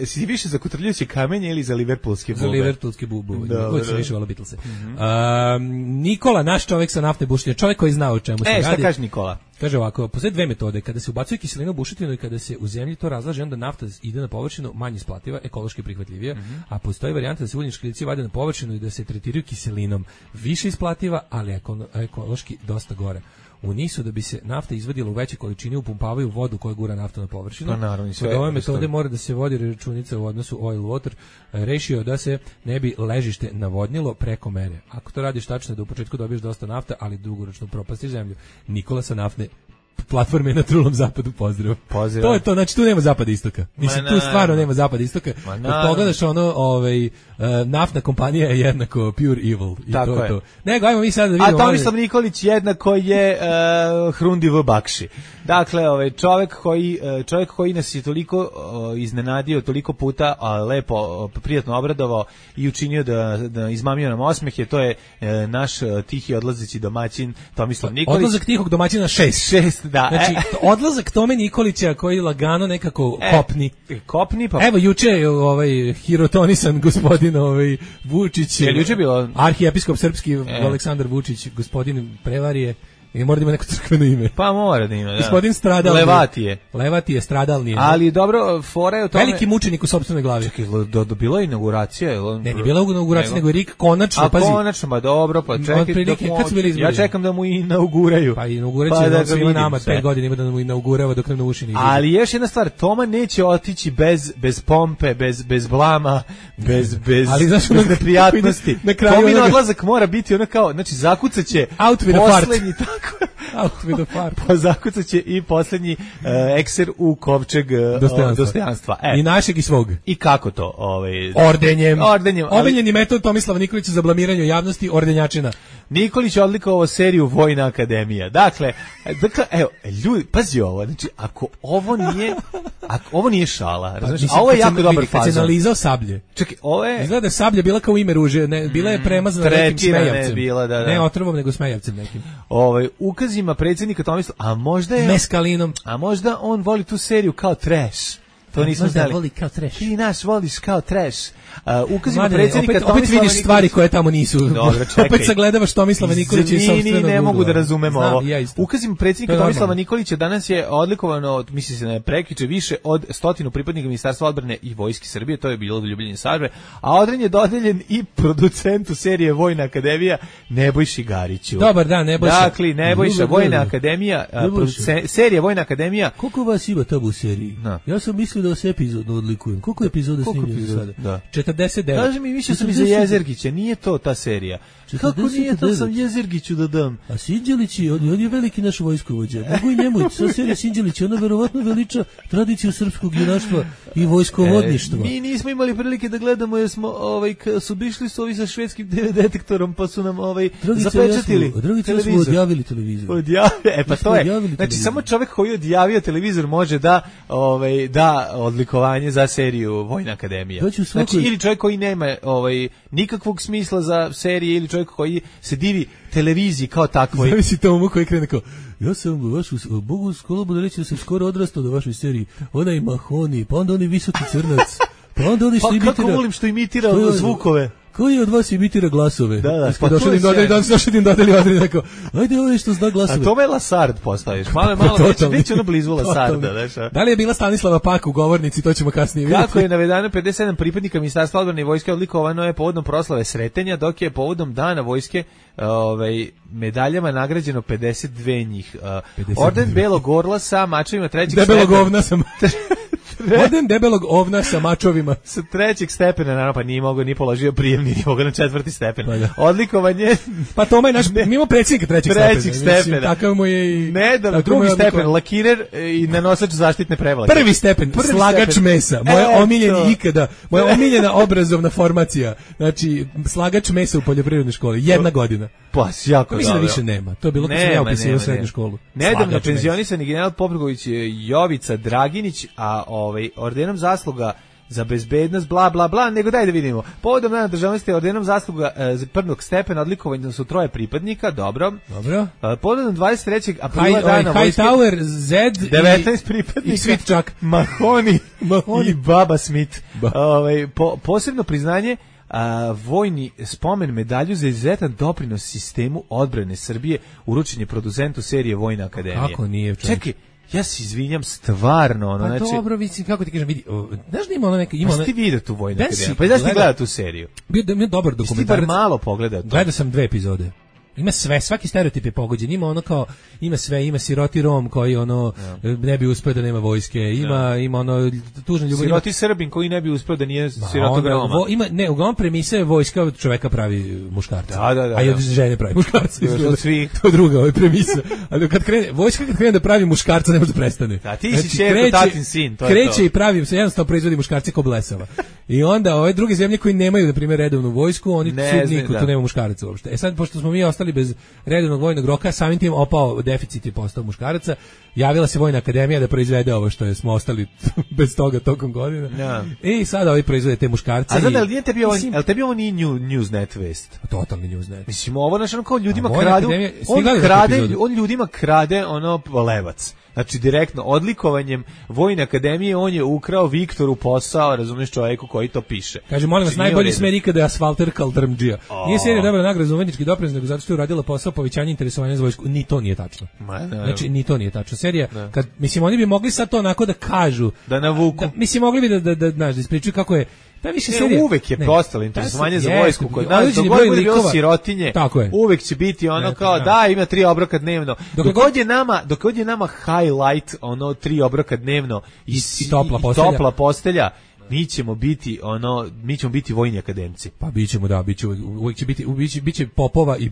Si više za kotrljajuće kamenje ili za liverpoolske bube? Za liverpoolske bube. Uvijek sam više volao Beatlese. Nikola, naš čovjek sa naftne bušotine, čovjek koji zna o čemu se radi. Šta kaže Nikola? Kaže ovako, postoje dve metode, kada se ubacuje kiselina u bušotinu i kada se u zemlji to razlaže, onda nafta ide na površinu, manje isplativa, ekološki prihvatljivija, a postoji varijanta da se uljni škriljci vade na površinu i da se tretiraju kiselinom, više isplativa, ali ekološki dosta gore. U nisu da bi se nafta izvadila u veće količine upumpavaju vodu koja gura naftu na površinu. Pa naravno, kod ove metode mora da se vodi računica u odnosu oil-water, rešio da se ne bi ležište navodnilo preko mere. Ako to radiš tačno da u početku dobiješ dosta nafta, ali dugoročno propastiš zemlju. Nikola sa naftne platforme na trulom zapadu, pozdrav. To je to, znači tu nema zapada istoka. Mislim, tu stvarno nema zapada istoka. Kad pogledaš ono, naftna kompanija je jednako pure evil. I tako to. Nego, ajmo mi sad da vidimo. A Tomislav Nikolić jednako je Hrundi v Bakši. Dakle, čovjek koji nas je toliko iznenadio, toliko puta lepo, prijatno obradovao i učinio da izmamio nam osmehe, to je naš tihi odlazeći domaćin Tomislav Nikolić. Odlazak tihog domaćina 6. Da. Znači, odlazak Tome Nikolića koji lagano nekako kopni. Pa. Evo, juče je hirotonisan gospodin Vučić. Je juče bilo? Arhijepiskop srpski Aleksandar Vučić, gospodin prevarije. I mora da ima neko crkveno ime. Pa mora da ima, da. Gospodin stradalni. Levati je stradalni. Ali dobro, fora je o tome. Veliki mučenik u sopstvenoj glavi. Čekaj, bilo je inauguracija? Ne, nije bila inauguracija, nego je Rik konačno, pazi. A konačno, ba dobro, pa čekaj. Kad su bili izbori? Ja čekam da mu inauguraju. Pa inauguracija je svima nama, 5 godina ima da mu inaugurava dok nam na uši ne izađe. Ali još jedna stvar, Toma neće otići bez pompe, bez blama, bez neprijatnosti. Tomin odlazak mora biti ono kao, znači zakucaće poslednji tako. Pa zakucaće i posljednji ekser u kovčeg dostojanstva. I našeg i svog. I kako to? Ordenjem. Omiljeni metod Tomislava Nikolića za blamiranje javnosti, ordenjačina. Nikolić je odlikovao seriju Vojna akademija. Dakle, evo, ljudi, pazi ovo, znači, ako ovo nije šala, razumiješ, a ovo je jako dobar fazon. Kad se nalizao sablje. Čekaj, ovo je... Izgleda da je sablja bila kao ime ruže, bila je premazana nekim smejavcem. Ne otrovom, nego smejavcem nekim. Ukazima predsjednika Tomislava, a možda je... Meskalinom. A možda on voli tu seriju kao trash. To nismo znali. Možda voli kao trash. Ti naš voliš kao trash. Ukazima predsjednika Tomislava opet vidiš stvari koje tamo nisu. Dobro, čekaj. Opet sagledavaš Tomislava Nikolića iz sopstvenog ugla. Ne mogu da razumem ovo. Ukazima predsjednika Tomislava Nikolića danas je odlikovano, misli se na prekjuče, više od 100 pripadnika Ministarstva odbrane i Vojske Srbije, to je bilo ljubljenje Sarve, a odren je dodeljen i producentu serije Vojna akademija Nebojši Gariću. Dobar dan, Nebojša. Dakle, Nebojša, Vojna akademija, serija Vojna akademija. Koliko vas ima tamo u seriji? Ja sam mislio da vas epizodno odlikujem. Koliko epizoda snimljeno za sada? Da. 49. Kaži mi, mislio sam i za Jezergića, nije to ta serija. Kako nije to, sam Jezergiću da dam. A Sinđelić, on je veliki naš vojskovođa. Mogu i njemu, sa serija Sinđelić, ona verovatno veliča tradiciju srpskog junaštva i vojskovodništva. Mi nismo imali prilike da gledamo, jer smo, su bišli su ovi sa švedskim detektorom, pa su nam zapečatili televizor. Smo odjavili televizor. Pa to je. Znači, samo čovjek koji je odjavio televizor može da odlikovanje za seriju Vojna akademija. Znači, ili čovjek koji nema nikakvog smisla za serije, ili čovjek koji se divi televiziji kao takvoj. Zavisi tomu koji krene kao, ja sam vašu, Bogu skolo da reći da sam skoro odrastao do vašoj seriji, onaj Mahoni, pa onda onaj visoki crnac, pa onda onaj što imitira. Pa kako volim što imitira zvukove. Koji od vas imitira glasove? Da, pa došli im dodali odred, rekao, ajde ovo što zna glasove. A to me Lasard postaviš, malo, već ono blizu Lasarda. Da li je bila Stanislava Pak u govornici, to ćemo kasnije vidjeti. Kako je navedeno, 57 pripadnika Ministarstva odbrane i vojske odlikovano je povodom proslave Sretenja, dok je povodom Dana vojske medaljama nagrađeno 52 njih. Orden Belog orla sa mačevima trećeg stepena. Debelog ovna sam. Orden debelog ovna sa mačovima. Sa trećeg stepena, naravno, pa nije mogao ni položio prijemni, nije mogao na 4. stepen. Odlikovanje... Pa to je naš, mimo predsjednika trećeg stepena. Mislim, takav mu je i... Ne, drugi stepen, lakirer i nanosač zaštitne prevlake. Prvi stepen, slagač mesa. Moja omiljena ikada, moja omiljena obrazovna formacija. Znači, slagač mesa u poljoprivrednoj školi. 1 godina. Pa, jako mislim da više nema. To je bilo kad sam ja upisao srednju školu. Nedavno penzionisani general Popović Jovica Draginić, a ordenom zasluga za bezbednost, bla, bla, bla, nego daj da vidimo. Povodom dana državnosti ordenom zasluga prvog stepena odlikovanja su 3 pripadnika, dobro. Povodom 23. aprila dana vojske... Hightower, Zed 19 pripadnika. I Svitčak. Mahoni i Baba Smith. Posebno priznanje vojni spomen medalju za izuzetan doprinos sistemu odbrane Srbije uručen je producentu serije Vojna akademija. Kako nije, čovječ? Čekaj, ja se izvinjam stvarno, pa znači dobro, mislim, kako ti kažem, vidi, znaš da ima ono neka, ima ona... Ti vidio tu Vojnu akademiju, pa da si ti gledao tu seriju? Bio dobar dokumentarac. Ti bar malo pogledao to. Gledao sam 2 epizode. Ima sve, svaki stereotip je pogođen. Ima ono kao, ima sve, ima siroti Rom koji ono ne bi uspeo da nema vojske. Ima ono tužna ljubav. Siroti Srbin koji ne bi uspeo da nije sirotog Roma. Uglavnom premisa je vojska od čoveka pravi muškarca. Da. A i od žene pravi muškarca. To je druga premisa. Ali kad krene da pravi muškarca, ne može da prestane. Da, ti si čerko, tatin sin, to je to. Kreće i pravi se, jednostavno proizvodi muškarce ko blesava. I onda ove druge zemlje koji nemaju, na primjer, redovnu vojsku, oni niko tu nema muškaraca uopšte. E sad, pošto smo mi ostali bez redovnog vojnog roka, samim tim opao deficit i postao muškaraca, javila se Vojna akademija da proizvede ovo što smo ostali bez toga tokom godina. I sada ovi proizvode te muškarce. A znate, ali tebi ovo nije Newsnet vest? Totalni Newsnet. Mislim, ovo naš kao ljudima kradu, on ljudima krade ono levac. Znači, direktno, odlikovanjem Vojne akademije on je ukrao Viktoru posao, razumiješ, čovjeku koji to piše. Kaže, molim vas, najbolji smer ikada je Asfalter Kaldrmdžija. Nije serija dobila nagradu za umetnički doprinos, nego zato što je uradila posao povećanja interesovanja za vojsku. Ni to nije tačno. Znači, ni to nije tačno. Serija, kad, mislim, oni bi mogli sad to onako da kažu. Da navuku. Mislim, mogli bi da ispričaju kako je. Pa više serija. Uvek je postalo interesovanje za vojsku. Kod nas, dok god bude bilo sirotinje, uvek će biti ono kao, da, ima 3 obroka dnevno. Dok god je nama highlight, ono 3 obroka dnevno i topla postelja, mi ćemo biti vojni akademci. Pa bićemo, uvek će biće popova i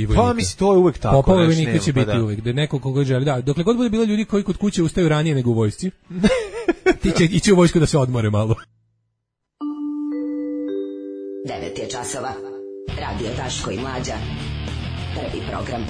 vojnika. Pa mislim, to je uvek tako. Popova i vojnika će biti uvek, da neko koga želi, da, dokle god bude bilo ljudi koji kod kuće ustaju ranije nego u vojsci, ti će ići u vojsku da se odmore malo. 9 je časova. Radio Daško i Mlađa. Prvi program.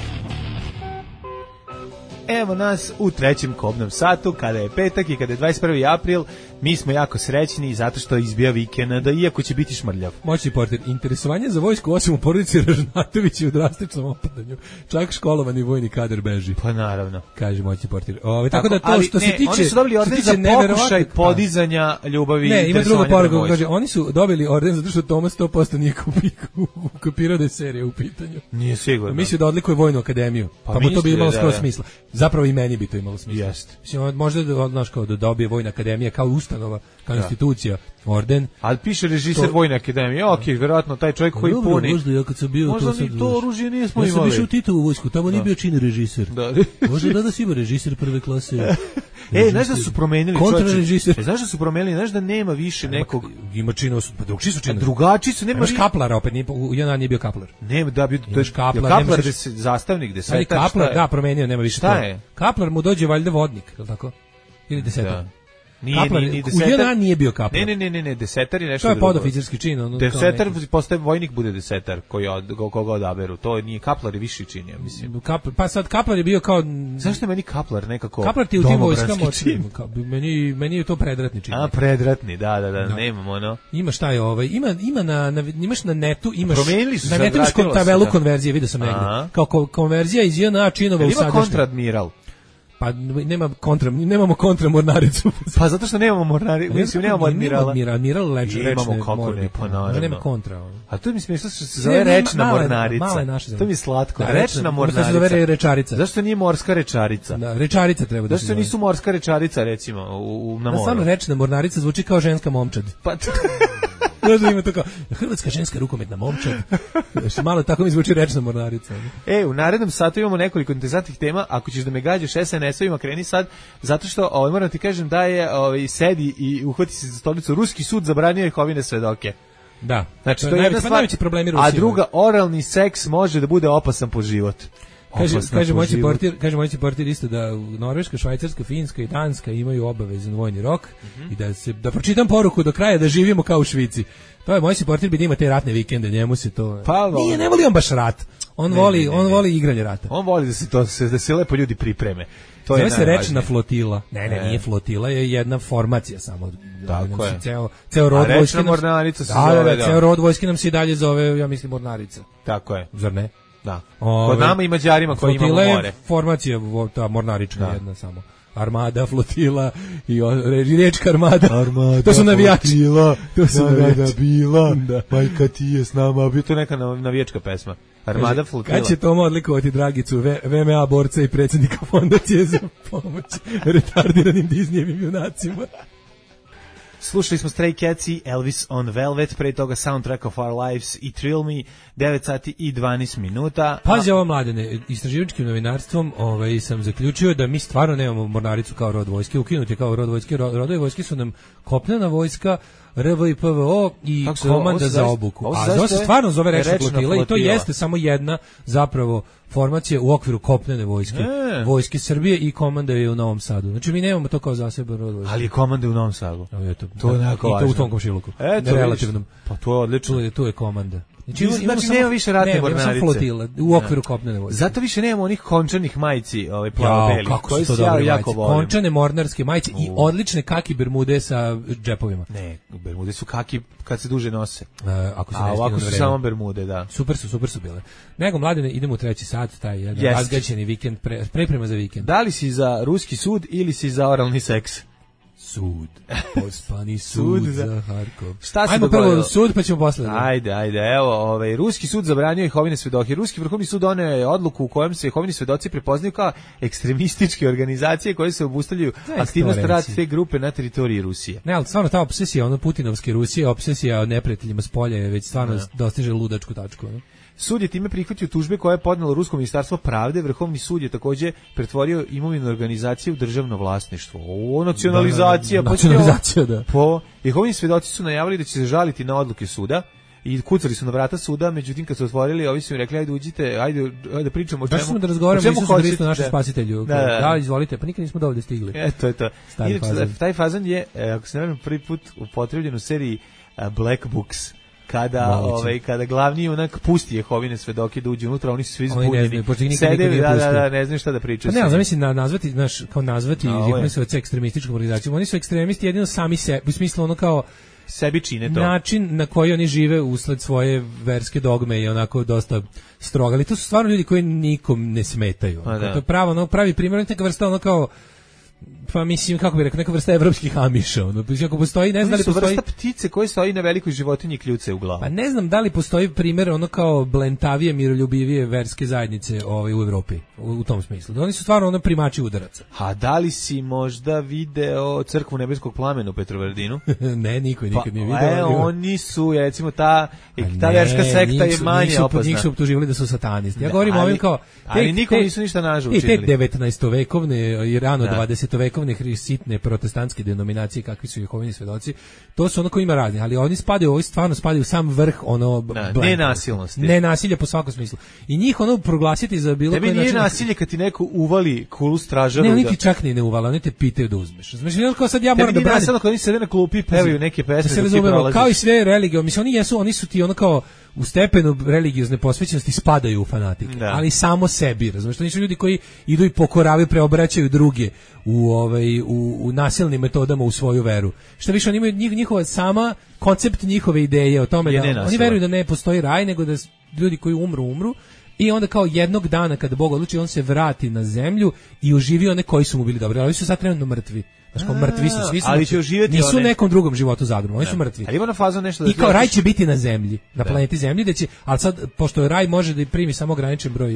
Evo nas u 3. kobnom satu, kada je petak i kada je 21. april. Mi smo jako srećni zato što izbija vikend, iako će biti šmrljav. Moćni portir, interesovanje za vojsku osim u porodici Ražnatović u drastičnom opadanju. Čak školovani vojni kadar beži. Pa naravno. Kaže moćni portir. Tako da to što se tiče... Oni su dobili orden za pokušaj podizanja ljubavi. Ne, ima druga poruka. Kaže, oni su dobili orden zato što Tomas 100% nije kopirao da je serija u pitanju. Nije sigurno. Mislio da odlikuje Vojnu akademiju. Pa mu to bi imalo skoro smisla. Zapravo i meni bi to imalo smisla. Jeste. Mislim, možda da dobije Vojna akademija kao ustanova, kao institucija, orden. Ali piše režiser Vojne akademije. Okej, vjerojatno taj čovjek koji puni. Možda ja kad sam bio možda to oružje nismo imali. Ja sam išao u Titovu vojsku, tamo nije bio čini režiser. Možda da si ima režiser prve klase. Znaš da su promenili čovječe? Znaš da su promenili, znaš da nema više nekog... Ima činu, pa drugčiji su činu. Drugačiji su, nema... Imaš Kaplara opet, u JNA nije bio Kaplar. Nema, da, to je Kaplar zastavnik, desetar, Kaplar, da, promenio, nema više to. Šta je? Kaplar mu dođe valjda vodnik, je li tako? Ili desetar? Nije u JNA nije bio Kaplar. Ne, desetar je nešto drugo. To je drugo. podoficirski čin. Desetar postaje vojnik, bude desetar, koga odaberu. To nije Kaplar je viši čin, ja mislim. Pa sad Kaplar je bio kao... Zašto je meni Kaplar nekako Kaplar ti u tim vojskama... Meni je to predratni čin. Predratni, da, nemamo ono. Ima šta je imaš na netu, na netu imaš tabelu konverzije, vidio sam negde. Kao konverzija iz JNA činova u sadašnje. Ima kontradmiral. Pa nemamo kontra mornaricu. Pa zato što nemamo mornaricu, mislim nemamo admirala. Admiral rečne mornarice. Pa naravno. Nema kontra. A to mi smiješno što se zove rečna mornarica. To mi je slatko. Rečna mornarica. To se zove rečarica. Zašto nije morska rečarica? Da, rečarica treba da se zove. Zašto nisu morska rečarica, recimo, na moru? Samo rečna mornarica zvuči kao ženska momčad. Pa Znaš da ima to kao hrvatska ženska rukometna momčad. Malo tako mi zvuči rečna mornarica. U narednom satu imamo nekoliko interesantnih tema. Ako ćeš da me gađaš SNS-ovima, kreni sad. Zato što moram ti kažem da je sedi i uhvati se za stolicu. Ruski sud zabranio Jehovine svedoke. Da. Znači, to je jedna stvar. A druga, oralni seks može da bude opasan po život. Kaže moj portir isto da Norveška, Švajcarska, Finska i Danska imaju obavezan vojni rok i da pročitam poruku do kraja da živimo kao u Švici. To je moj portir bi da ima te ratne vikende, njemu se to... ne voli on baš rat. On voli igranje rata. On voli da se lepo ljudi pripreme. Zove se rečna flotila. Ne, nije flotila, je jedna formacija samo. Tako je. Ceo rod vojske. Rečna mornarica se zove. Ceo rod vojske nam se i dalje zove, ja mislim, mornarica. Tako je. Zar ne? Da. Kod nama i Mađarima koji imamo more. Flotila je formacija, ta mornarička jedna samo. Armada, flotila i riječka armada. To su navijači. To su bila. Majka ti je s nama. Bio to neka navijačka pesma. Armada, flotila. Kad će Toma odlikovati Dragicu, VMA borca i predsjednika fondacije za pomoć retardiranim Disneyevim junacima? Slušali smo Stray Cats i Elvis on Velvet, pre toga Soundtrack of Our Lives i Thrill Me, 9 sati i 12 minuta. Pazi ovo, Mladene, istraživačkim novinarstvom sam zaključio da mi stvarno nemamo mornaricu kao rod vojske, ukinuti kao rod vojske. Rodovi vojske su nam kopnena vojska, RV i PVO i komanda za obuku. A to se stvarno zove rečna flotila i to jeste samo jedna zapravo formacija u okviru kopnene vojske. Vojske Srbije i komanda je u Novom Sadu. Znači mi nemamo to kao zaseban rod vojske. Ali je komanda u Novom Sadu. To je jako važno. I to u tom komšiluku. Relativnom. Pa to je odlično. Tu je komanda. Znači nema više ratne mornarice. Nema flotila u okviru kopnene vojske. Zato više nemamo onih končanih majici, plavo-beli. Kako su to dobre majice. Končane mornarske majice i odlične kaki bermude sa džepovima. Ne, bermude su kaki kad se duže nose. Ako se a ovako su samo bermude, da. Super su bile. Nego, Mladene, idemo u treći sat, taj jedan razgaćeni vikend, priprema za vikend. Da li si za ruski sud ili si za oralni seks? Sud. Pospani sud za Harkov. Šta se Ajmo dogodilo? Prvo sud, pa ćemo posle. Ajde, evo, ruski sud zabranio Jehovine svedoke. Ruski vrhovni sud doneo je odluku u kojem se Jehovini svedoci prepoznaju kao ekstremističke organizacije koje se obustavljaju aktivnost rad te grupe na teritoriji Rusije. Ne, ali stvarno ta obsesija, putinovske Rusije, obsesija o neprijateljima s polja je već stvarno dostiže ludačku tačku. Ne? Sud je time prihvatio tužbe koje je podnelo Rusko ministarstvo pravde. Vrhovni sud je takođe pretvorio imovinu organizacije u državno vlasništvo. Nacionalizacija. Nacionalizacija, da. Jehovini svedoci su najavili da će se žaliti na odluke suda i kucali su na vrata suda, međutim kad su otvorili, ovi su im rekli ajde uđite, ajde da pričamo o čemu. Smo da razgovaramo Isusu Hristu, našem spasitelju. Da, izvolite, pa nikad nismo dovoljno stigli. To je to. Taj fazan je, ako se ne varam, prvi put upotrebljen u seriji Black Books. Kada glavni junak pusti Jehovine svedoke da uđe unutra, oni su svi zbunjeni. Sedevi, ne znaju šta da pričaju. Pa ne, zamislim nazvati Jehovine svedoce ekstremističkom organizacijom. Oni su ekstremisti jedino sami sebi, u smislu ono kao sebi čine to. Način na koji oni žive usled svoje verske dogme je onako dosta strog, ali to su stvarno ljudi koji nikom ne smetaju. To je pravi primjer, neka vrsta kao pa mislim, kako bih rekao, neka vrsta evropskih amiša. Ako postoji, ne znam da li postoji... vrsta ptice koje stoji na velikoj životinji kljuce u glavu. Pa ne znam da li postoji primjer kao blentavije, miroljubivije verske zajednice u Evropi, u tom smislu. Oni su stvarno primači udaraca. A da li si možda video crkvu nebeskog plamena u Petrovaradinu? Ne, niko nikad nije video. Oni su, recimo, ta verska sekta je manje opasna. Njih su optuživali da su satanisti. Ja govorim ovim kao... Ali nikom nisu ništa nažu učinili. Te 19. vekovne i rano 20. 20-vekovne sitne protestantske denominacije kakvi su Jehovini svedoci, to su ono koji ima raznih, ali oni stvarno spadaju u sam vrh ono nenasilnosti. Nenasilje po svakom smislu. I njih ono proglasiti za bilo koji način. Tebi nije nasilje kad ti neko uvali kulu stražaru. Ne, oni ti čak ni ne uvale, oni te pitaju da uzmeš. Znači, kao sad ja moram da branim. Tebi kad oni sede na klupi i pevaju neke pesme da ti prolaziš. Kao i sve religije, mislim oni su ti ono kao u stepenu religiozne posvećenosti spadaju u fanatike, ali samo sebi, razumiješ, to nisu ljudi koji idu i pokoravaju, preobraćaju druge u nasilnim metodama u svoju veru. Šta više, oni imaju njihova sama koncept njihove ideje o tome da oni veruju da ne postoji raj, nego da ljudi koji umru i onda kao jednog dana kada Bog odluči, on se vrati na zemlju i oživi one koji su mu bili dobri, ali oni su sad trenutno mrtvi. Znači kao mrtvi su, svi su ali će uživjeti nisu u nekom drugom životu zagroma, oni su mrtvi. Ali ima na fazu nešto da i kao raj će biti na zemlji, na planeti Zemlji, da će, ali sad pošto raj može da primi samo ograničen broj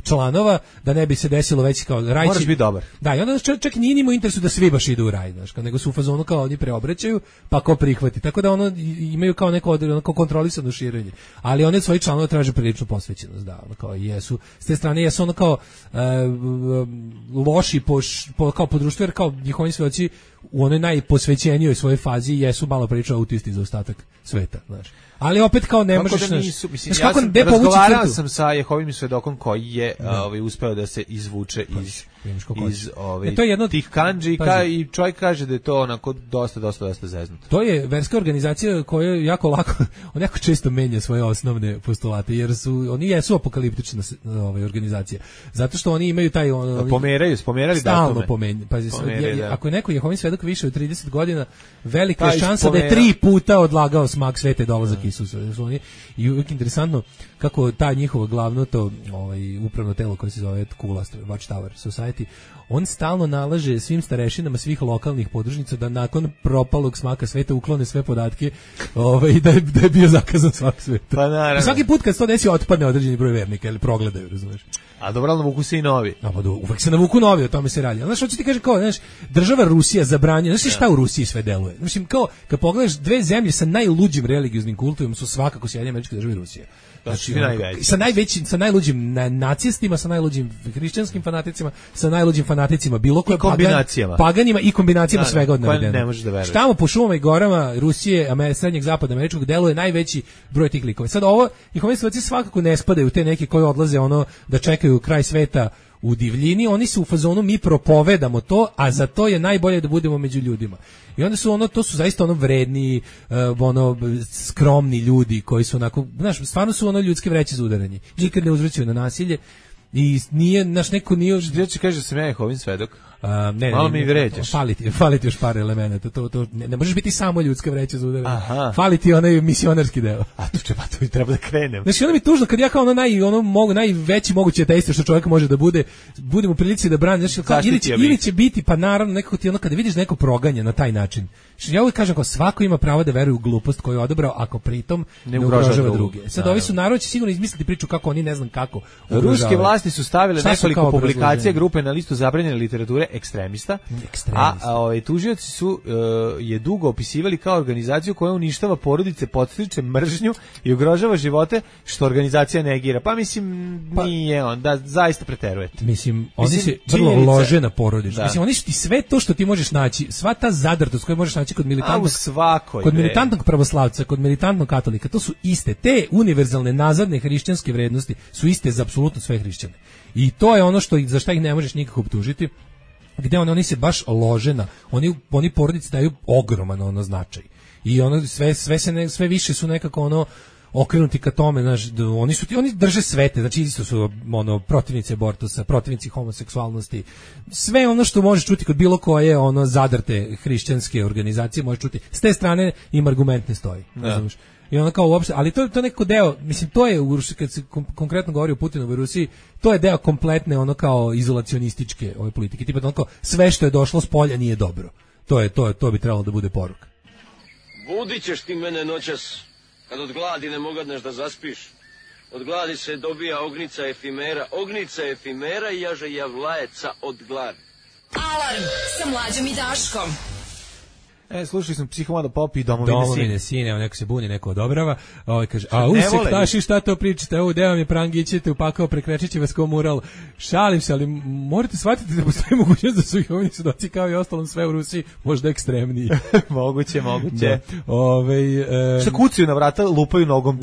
članova, da ne bi se desilo već kao raj moraš biti dobar. Da, i onda čak nije ni mu interesu da svi baš idu u raj, znači, nego su u fazonu kao oni preobraćaju, pa ko prihvati. Tako da ono imaju kao neko kontrolisano širenje. Ali oni od svojih članova traže priličnu posvećenost, da, ono kao jesu. S te strane jesu ono kao loši kao po društvu, jer kao njihovi svedoci u onoj najposvećenijoj svojoj fazi jesu malo priča autisti za ostatak sveta, znači. Ali opet kao ne možeš da nisu, mislim, ja sam razgovarao sam sa Jehovim svedokom koji je uspeo da se izvuče iz tih kandži i čovjek kaže da je to onako dosta zeznuto. To je verska organizacija koja jako lako, on jako često menja svoje osnovne postulate, jer oni jesu apokaliptična organizacija. Zato što oni imaju taj pomerali stalno pazi, ako je neko Jehovin svedok više od 30 godina, velika je šansa da je 3 puta odlagao smak svete dolazak Isusa. I uvijek interesantno kako ta njihovo glavno to upravno telo koje se zove Watchtower Society, on stalno nalaže svim starešinama svih lokalnih podružnica da nakon propalog smaka sveta uklone sve podatke da je bio zakazan smak sveta. Pa naravno. Svaki put kad se to desi otpadne određeni broj vernika ili progledaju, razumiješ. A dobro, navuku se i novi. Uvek se navuku novi, o tome se radi. Znaš, hoće ti kaže kao, znaš, država Rusija zabranjuje, znaš šta u Rusiji sve deluje? Mislim, kao, kad pogledaš dve zemlje sa najluđim religioznim kultovima su svakako Sjedinjene Američke Države i Rusija. Znači, sa najluđim nacistima, sa najluđim hrišćanskim fanaticima, sa najluđim fanaticima bilo koje paganima i kombinacijama svega od navedenog. Ne možeš da veruješ. Tamo po šumama i gorama Rusije, srednjeg zapada američkog deluje najveći broj tih likova. Sad ovo, njihovi svedoci svakako ne spadaju u te neke koji odlaze da čekaju kraj sveta u divljini, oni su u fazonu mi propovedamo to, a za to je najbolje da budemo među ljudima. I onda su to su zaista vredni, skromni ljudi koji su onako, znaš, stvarno su ljudske vreće za udaranje. Nikad ne uzvraćaju na nasilje i nije, naš neko nije... Ja ću kaže da sam ja Jehovin svedok. Malo mi vređaš. Fali ti još par elemenata. To ne možeš biti samo ljudska vreća za udaranje. Fali ti onaj misionarski deo. A tu treba da krenem. Znači, ono mi tužno kad ja kao najveći mogući ateista što čovjek može da budem u prilici da brani. Znači, ili će biti, pa naravno, nekako ti kada vidiš neko proganja na taj način. Znači, ja uvijek kažem kao svako ima pravo da veruje u glupost koju je odabrao ako pritom ne ugrožava druge. Sad ovi su narod će sigurno izmisliti priču kako oni ne znam kako ugrožavaju. Ruske vlasti su stavile nekoliko publikacija grupe na listu zabranjene literature ekstremista. A tužioci su je dugo opisivali kao organizaciju koja uništava porodice, podstiče mržnju i ugrožava živote, što organizacija negira. Pa mislim nije on, da zaista preterujete. Mislim oni se vrlo lože na porodicu. Mislim oni su ti sve to što ti možeš naći, sva ta zadrtost koju možeš naći kod militantnog pravoslavca, kod militantnog katolika, to su iste te univerzalne nazadne hrišćanske vrednosti su iste za apsolutno sve hrišćane. I to je ono za šta ih ne možeš nikako optužiti. Gde oni se baš lože na, oni porodici daju ogroman značaj. I sve više su nekako okrenuti ka tome, znaš, oni drže svete, znači isto su protivnici abortusa, protivnici homoseksualnosti, sve ono što možeš čuti kod bilo koje zadrte hrišćanske organizacije možeš čuti. S te strane im argument ne stoji, znaš. I ono kao uopšte, ali to je neko deo, mislim to je kad se konkretno govori o Putinovoj Rusiji, to je deo kompletne kao izolacionističke ove politike, tipa ono kao sve što je došlo s polja nije dobro. To bi trebalo da bude poruka. Budit ćeš ti mene noćas, kad od gladi ne mogadneš da zaspiš. Od gladi se dobija ognica efimera i jaže javlajeca od gladi. Alarm sa Mlađom i Daškom. Slušali smo Psihomado Pop i Domovine sine, evo neko se buni, neko odobrava. Kaže, sektaši, šta to pričate? Evo, deo mi prangićete upakao, prekrečiće vas kao mural. Šalim se, ali morate shvatiti da postoji mogućnost da su ih ovdje sudoci kao i ostalom sve u Rusiji možda ekstremniji. moguće. Šta kucaju na vrata, lupaju nogom.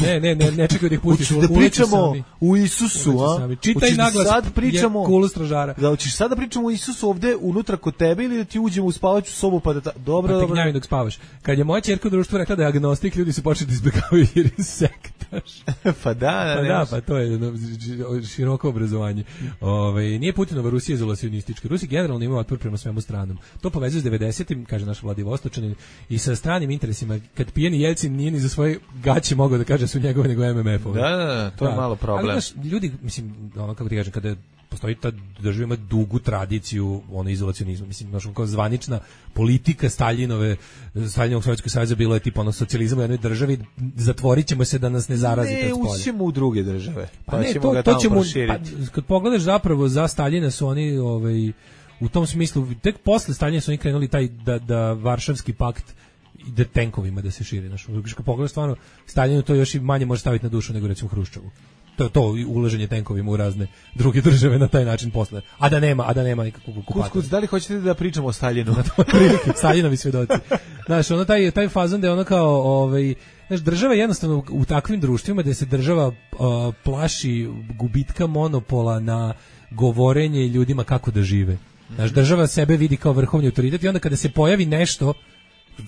Ne čekaju da ih pustiš. Hoćeš da pričamo u Isusu, a? Čitaj naglas, je kulu stražara. Da, hoćeš sad da pričamo o Isusu ovde unutra kod tebe ili da ti uđemo u spavaću sobu pa da... Dobro. Gnjavi dok spavaš. Kad je moja ćerka u društvu rekla da je agnostik, ljudi su počeli da izbjegavaju jer je sektaš. Pa to je široko obrazovanje. Nije Putinova Rusija izolacionistička. Rusi generalno imaju otpor prema svemu stranom. To povezuje s 90-im, kaže naš Vladivostočanin, i sa stranim interesima. Kad pijeni Jelcin nije ni za svoje gaće mogao da kaže su njegove nego MMF-ove. Da, to je malo problem. Ali ljudi, mislim, kako ti kažem, kada postoji ta država ima dugu tradiciju izolacionizma, mislim, kao zvanična politika Staljinovog Sovjetskog saveza bilo je tipa socijalizam u jednoj državi, zatvorit ćemo se da nas ne zarazite od spolja. Ne, ućemo u druge države, pa ćemo ga tamo proširiti. Kad pogledaš zapravo za Staljina su oni u tom smislu, tek posle Staljina su oni krenuli taj da Varšavski pakt ide tenkovima da se širi. Kad pogledaš stvarno, Staljinu to još i manje može staviti na dušu nego recimo Hruščovu. To ulaženje tenkovima u razne druge države na taj način posle. A da nema nikakvog okupatora. Kuc, da li hoćete da pričamo o Staljinu? Staljinovi svedoci. Znaš, taj fazon da je kao, država jednostavno u takvim društvima gde se država plaši gubitka monopola na govorenje ljudima kako da žive. Znaš, država sebe vidi kao vrhovni autoritet i onda kada se pojavi nešto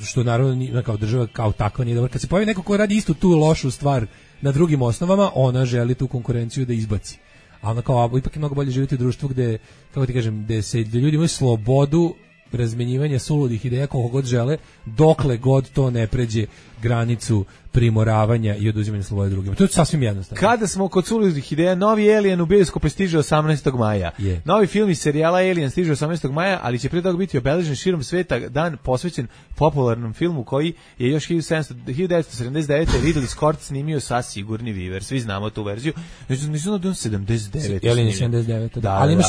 što naravno kao država kao takva nije dobro. Kad se pojavi neko ko radi istu tu lošu stvar na drugim osnovama, ona želi tu konkurenciju da izbaci. A ona kao, ipak je mnogo bolje živjeti u društvu gde, kako ti kažem, gde ljudi imaju slobodu razmenjivanja suludih ideja koliko god žele, dokle god to ne pređe granicu primoravanja i oduzimanja slobode drugima. To je sasvim jednostavno. Kada smo kod suludih ideja, novi Alien u bioskope stiže 18. maja. Novi film iz serijala Alien stiže 18. maja, ali će prije toga biti obeležen širom sveta dan posvećen popularnom filmu koji je još 1979. Ridley Scott snimio sa Sigourney Weaver. Svi znamo tu verziju. Mislim da je 79. Alien 79. Da. Ali imaš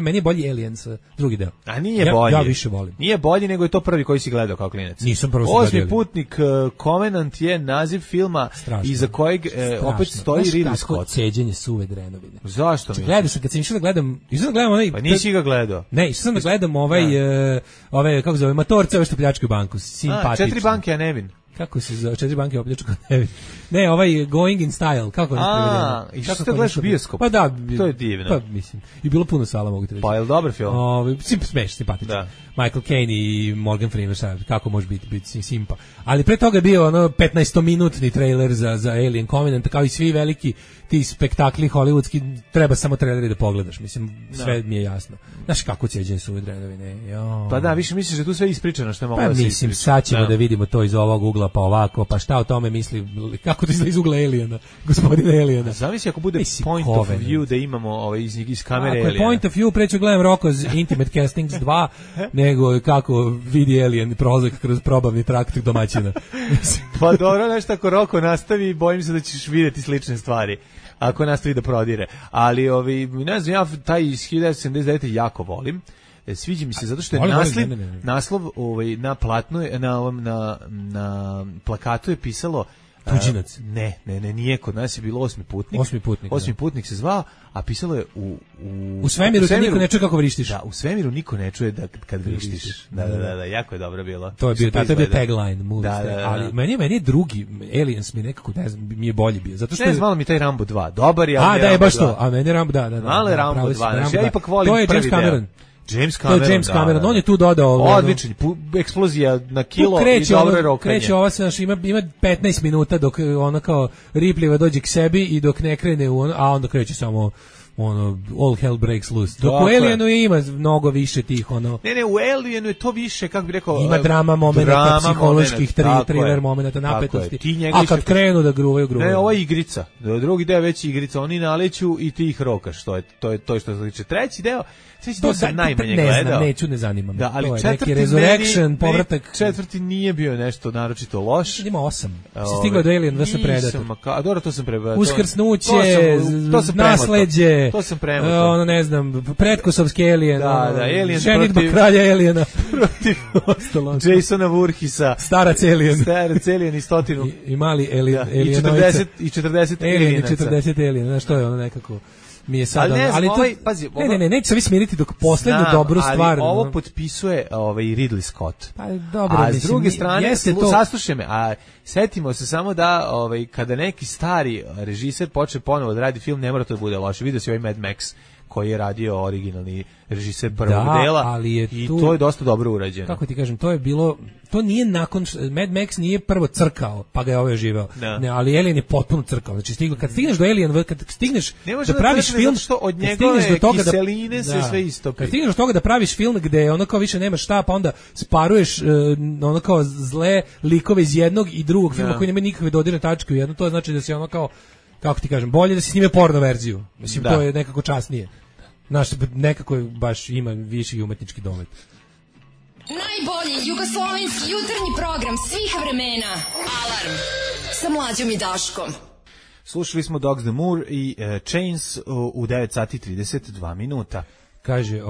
meni je bolji Alien sa drugi deo. A nije bolji. Ja više volim. Nije bolji nego je to prvi koji si gledao kao klinac. Nisam prvo Osmi putnik Covenant je naziv filma iza kojeg opet stoji Ridley Scott. Ceđenje suve drenovine. Zašto mi? Gledao sam, kad sam išao da gledam onaj... Pa nisi ga gledao. Ne, išao sam da gledam ove, kako zove, Matorce, ove što pljačkaju banku. Simpatično. 4 banke, a Nevin. Kako se zove? 4 banke opljačkao Nevin. Ne, Going in Style, kako ne prevedemo? I što ste gledaš u bioskop? Pa da, to je divno. Pa mislim, i bilo puno sala, mogu te reći. Pa je li dobar film? Simpatičan. Michael Caine i Morgan Freeman, kako može biti simpa. Ali pre toga je bio 15-minutni trailer za Alien Covenant, kao i svi veliki ti spektakli hollywoodski, treba samo traileri da pogledaš, mislim, sve mi je jasno. Znaš kako ceđenje suve drenovine? Pa da, više misliš da tu sve ispričano što je moglo da se ispriča. Mislim, sad ćemo da vidimo to iz ovog ugla, pa ovako, pa šta o tome misli, kako to izgleda iz ugla Aliena, gospodina Aliena. Zamisli ako bude point of view da imamo iz kamere Aliena. Ako je point of view, preću gledam Rocko's Intimate Castings 2, nego kako vidi Alien prolazak kroz probavni trakt domaćina. Pa dobro, nešto ako Rocko nastavi, bojim se da ćeš vidjeti slične stvari. Ako nastavi da prodire. Ali, ne znam, ja taj iz 1979. jako volim. Sviđa mi se zato što je naslov na platnu, na plakatu je pisalo Tuđinac. Ne, nije, kod nas je bilo Osmi putnik. Osmi putnik se zvao, a pisalo je u svemiru niko ne čuje kako vrištiš. Da, u svemiru niko ne čuje kad vrištiš. Da, jako je dobro bilo. To je bio tagline movie. Ali meni je drugi Aliens mi nekako, ne znam, mi je bolji bio. Zato što ne znam, mi taj Rambo 2. Dobar je. A da je baš to. A meni Rambo da. Malo je Rambo 2. Ja ipak volim prvi deo. To je James Cameron. James Cameron, on je tu dodao odličan, eksplozija na kilo i dobro rokanje. Kreće ova se ima 15 minuta dok ona kao Ripley dođe k sebi i dok ne krene a onda kreće samo all hell breaks loose. Dok u Alienu ima mnogo više tih Ne, u Alienu je to više, kako bi rekao, ima drama momenata, psiholoških thriller momenata, napetosti. A kad krenu da gruvaju. Ne, ova igrica. Drugi deo već igrica, oni naleću i ti ih rokaš. To je to što se tiče. Treći deo sam najmanje gledao. Ne zanima me. Da, ali četvrti Resurrection, povratak. Četvrti nije bio nešto naročito loš. Ima 8. Si stigao do Alien vs Predator. A dobro, to sam prebacio. Uskrsnuće, nasleđe. je. To sam premotao. Ono, ne znam, pretkosovski Alien. Da, Alien ženitba kralja Aliena. Protiv Jasona Voorheesa. Starac Alien. Starac Alien i 100. I mali Alien. I 40 Alienaca. 40 Alien, znaš, to je ono nekako... mi je sad ali to pazi, ne, neće se vi smiriti dok poslednju dobru stvar. Ali ovo potpisuje Ridley Scott. Pa dobro, a s druge strane saslušaj me, a setimo se samo da kada neki stari režiser počne ponovo da radi film, ne mora to da bude loše. Vidio si ovaj Mad Max koji je radio originalni režiser prvog dela, ali je i to je dosta dobro urađeno. Kako ti kažem, to je bilo, to nije nakon, Mad Max nije prvo crkao, pa ga je ovaj živeo. Ne, ali Alien je potpuno crkao. Znači kad stigneš do Alien, kad stigneš da praviš film, što od njegove kiseline se sve istopi. Kad stigneš do toga da praviš film gde ono kao više nema šta, pa onda sparuješ ono kao zle likove iz jednog i drugog filma koji nema nikakve dodirne tačke u jedno, to znači da se ono kao, kako ti kažem, bolje da se snime porno verziju. Mislim, to je nekako časnije. Znaš, nekako baš ima viši umetnički domet. Najbolji jugoslovenski jutarnji program svih vremena. Alarm sa Mlađom i Daškom. Slušali smo Dogs the Moor i Chains u 9 sati 32 minuta. Kaže,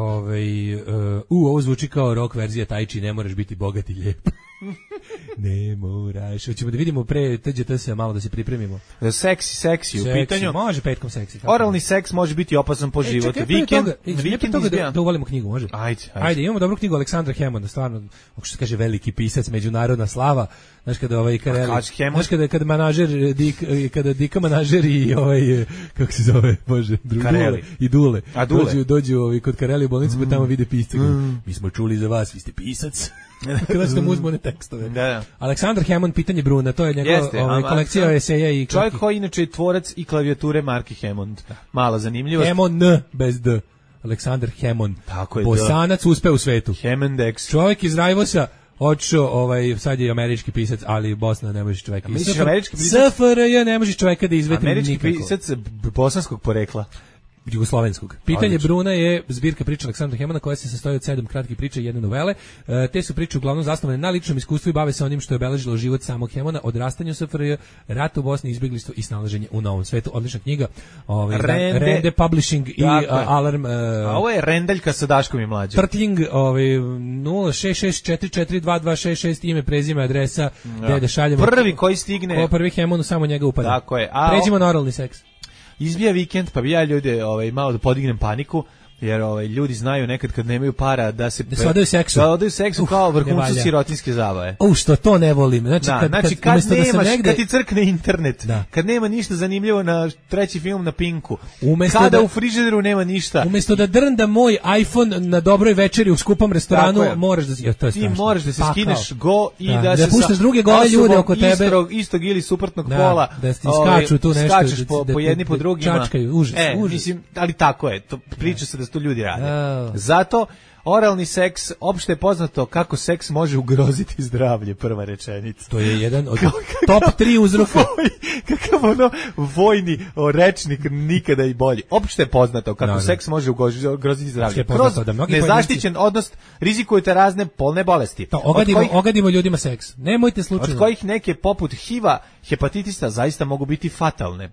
ovo zvuči kao rock verzija Tai Chi, ne moraš biti bogat i lijep. Ne moraš. Hoćemo da vidimo pre TGTS malo da se pripremimo. Seksi u pitanju. Može petkom seksi. Oralni seks može biti opasan po život. Vikend da uvalimo knjigu, može? Ajde, imamo dobru knjigu Aleksandra Hammonda, stvarno, kako se kaže, veliki pisac, međunarodna slava. Znaš kada znaš kada manažer kada Dika manažer i kako se zove, bože, Dule. Dođu kod Kareli u bolnicu, pa tamo vide pisca. Mi smo čuli za vas, vi ste pisac. Kada ste mu uzmone tekstove. Aleksandar Hammond, pitanje Bruna, to je njegova kolekcija eseja i čovjek koji inače je tvorac i klavijature marke Hammond. Malo zanimljivost. Hammond bez D. Aleksandar Hammond. Bosanac uspe u svetu. Hammond X. Čovjek iz Rajvosa, odšao, sad je američki pisac, ali Bosna ne možeš čovjeka. SFRJ ne možeš čovjeka da izveti nikako. Američki pisac bosanskog porekla. Jugoslovenskog. Pitanje Bruna je zbirka priča Aleksandra Hammonda koja se sastoji od 7 kratkih priča i jedne novele. Te su priče uglavnom zasnovane na ličnom iskustvu i bave se onim što je obeležilo život samog Hammonda, odrastanju SFRJ, rat u Bosni, izbjeglištvo i snalaženje u novom svetu. Odlična knjiga. Rende Publishing i Alarm. Ovo je Rendeljka sa Daškom i Mlađom. Trtling 066442266, ime, prezime, adresa, gde da šaljemo. Prvi koji stigne. Prvi Hammondu, samo njega upada. Tako je. Pređimo na oralni seks. Izbija vikend, pa bi ja ljude malo da podignem paniku, jer ljudi znaju nekad kad nemaju para da se odaju seksu. Da odaju seksu kao vrhuncu sirotinske zabave. Što to ne volim. Znači kad nemaš, kad ti crkne internet, kad nema ništa zanimljivo na treći film na Pinku, kada u frižideru nema ništa. Umjesto da drnda moj iPhone na dobroj večeri u skupom restoranu, moraš da ti moraš da se skineš go i da se puštaš druge gole ljude oko tebe istog ili suprotnog pola, da ti skaču tu nešto, skačeš po jedni po drugima. Čačkaju, užas. Mislim, ali tako je, priča se da to ljudi rade. Zato oralni seks, opšte je poznato kako seks može ugroziti zdravlje, prva rečenica. To je jedan od top 3 uzroka. Kakav vojni rečnik, nikada i bolji. Opšte je poznato kako seks može ugroziti zdravlje. Kroz nezaštićen odnos rizikujete razne polne bolesti. Ogadimo ljudima seks. Nemojte slučajno. Od kojih neke poput HIV-a, hepatitisa zaista mogu biti fatalne.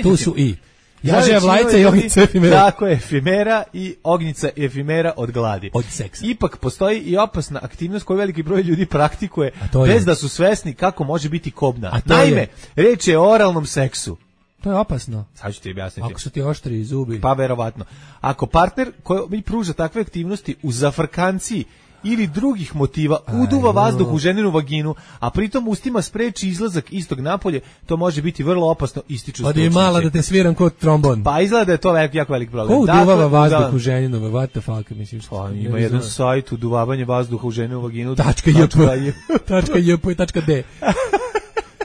Tu su i jažeja vlajca i ognjica efimera. Tako je, efimera i ognjica efimera od gladi. Od seksa. Ipak postoji i opasna aktivnost koju veliki broj ljudi praktikuje bez da su svesni kako može biti kobna. Naime, reč je o oralnom seksu. To je opasno. Sad ću ti objasniti. Ako su ti oštri zubi. Pa verovatno. Ako partner koji mi pruža takve aktivnosti u zafrkanciji ili drugih motiva uduva vazduh u ženinu vaginu, a pritom ustima spreči izlazak istog napolje, to može biti vrlo opasno, ističu stručnjaci. Odi mala da te sviram kod trombon. Pa izgleda da je to jako velik problem. Ko uduvava vazduh u ženinu, what the fuck, misliš? Ima jedan sajt, uduvavanje vazduha u ženinu vaginu. .jp.d.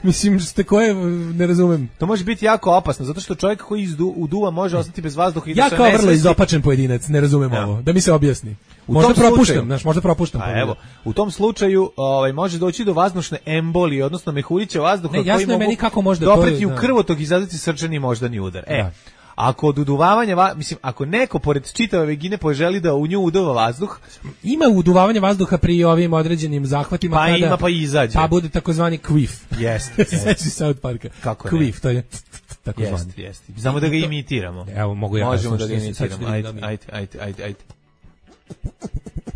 Mislim, koje ne razumem. To može biti jako opasno, zato što čovjek koji uduva može ostati bez vazduha i da se kao vrlo izopačen pojedinac, ne razumem ovo. Da mi se objasni. Možda propuštam. Evo, u tom slučaju može doći do vazdušne embolije, odnosno mehurića vazduha koji mogu dopreti u krvotok i izazvati srčani moždani udar. Ako od uduvavanja, ako neko pored čitave vagine poželi da u nju uduva vazduh, ima uduvavanja vazduha pri ovim određenim zahvatima, pa ima pa izađe. Pa bude takozvani queef. Jeste. Sećaš se South Parka. Kako queef, to je tako zvani. Jeste. Samo da ga imitiramo. Evo, mogu ja. Možemo da ga imitiramo. Ajde.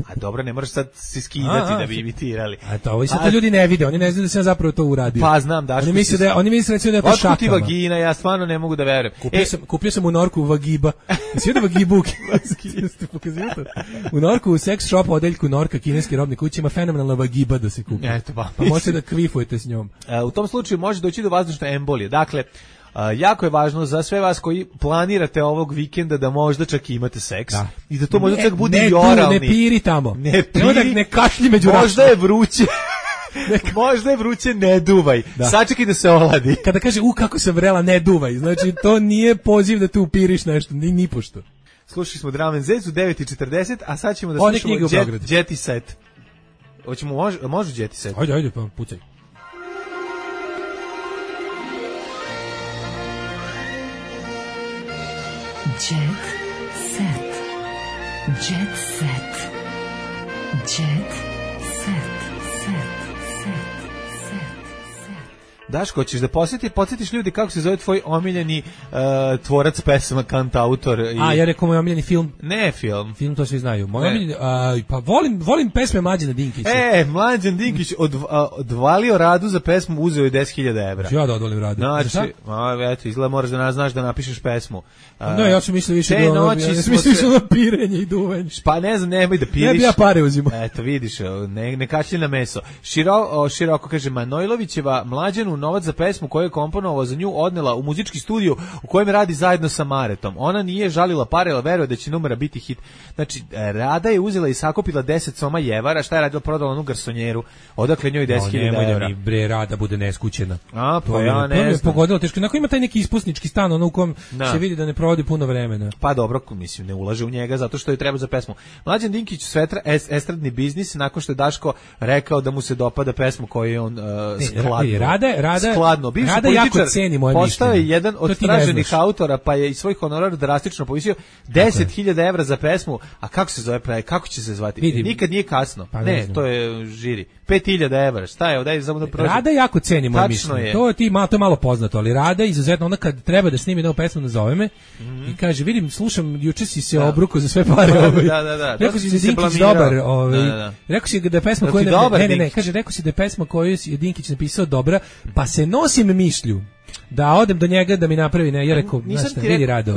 A dobro, ne moraš sad se skidati da bi imitirali. A to ovi sad to ljudi ne vide, oni ne znaju da sam zapravo to uradio. Pa znam, Daško. Oni misle da je to šakama. Otkud ti vagina, ja stvarno ne mogu da verujem. Kupio sam u Norku Vagiba. Svi da Vagibu u Norku u sex shop odeljku Norka, kineski robni kući, ima fenomenalna Vagiba da se kupi. Eto, pa možete da kvifujete s njom. U tom slučaju može doći do vazdušne embolije. Dakle, jako je važno za sve vas koji planirate ovog vikenda da možda čak imate seks i da to možda čak bude i oralni. Ne piri tamo. Ne kašlji među rašnom. Možda je vruće. Možda je vruće, ne duvaj. Sačekaj da se oladi. Kada kaže kako sam vrela, ne duvaj. Znači to nije poziv da tu upiriš nešto, ni pošto. Slušali smo Drum and Zez u 9:40, a sad ćemo da slušamo Jetty Set. Hoćemo, može Jetty Set? Ajde, pa pucaj. Jet set. Jet set. Jet set. Daško, hoćeš da podsjetiš ljudi kako se zove tvoj omiljeni tvorac pesama, kantautor? Ja rekao moj omiljeni film. Ne film. Film to svi znaju. Moj omiljeni, pa volim pesme Mlađana Dinkića. Mlađan Dinkić odvalio Radu za pesmu, uzeo je 10.000 evra. Ja da odvalim Radu. Znači, eto, izgleda moraš da znaš da napišeš pesmu. No, ja sam mislio više na pirenje i duvenje. Pa ne znam, nemoj da piriš. Ne bi ja pare uzimo. Eto, vidiš, ne kačlji na meso. Široko kaže, Manojlovićeva Mlađanu novac za pesmu koju je komponovao za nju odnela u muzički studio u kojem radi zajedno sa Maretom. Ona nije žalila pare, ali veruje da će numera biti hit. Znači, Rada je uzela i sakupila 10 soma jevara, šta je radila, prodala onu garsonjeru, odakle njoj 10.000 evra. Nemoj da mi Rada bude neskućena. Pa ja ne znam. Pogodilo teško. Onako ima taj neki ispusnički stan, ono u kom se vidi da ne provodi puno vremena. Pa dobro, mislim, ne ulaže u njega zato što je treba za pesmu. Mlađan Dinkić svetra estradni biznis nakon što je Daško rekao da mu se dopada pesmu koju je on skladno. Bivši političar postao je jedan od traženih autora, pa je i svoj honorar drastično povisio. 10.000 evra za pesmu, a kako se zove, kako će se zvati? Nikad nije kasno. Ne, to je žiri. 5.000 evra, šta je, daj samo da prođe. Rada jako ceni moje mišljenje. To je malo poznato, ali Rada izuzetno, onda kad treba da snimi novu pesmu, nazove me i kaže, vidim, slušam, juče si se obruko za sve pare. Rekao si da je Dinkić dobar. Rekao si da je pesma koju rekao si da je pesma koju je Dinkić napisao dobra, pa se nosim mišlju da odem do njega da mi napravi, ja rekao, znaš šta, vidi Rado,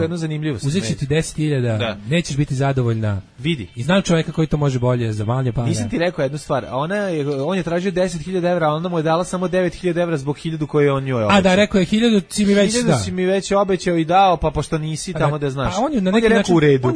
uzet ću ti 10.000, nećeš biti zadovoljna. Vidi. I znam čovjeka koji to može bolje za manje pare. Nisam ti rekao jednu stvar, on je tražio 10.000 evra, a onda mu je dala samo 9.000 evra zbog 1.000 koje on njoj obećao. A da, rekao je 1.000 si mi već da. 1.000 si mi već obećao i dao, pa pošto nisi tamo da znaš. On je na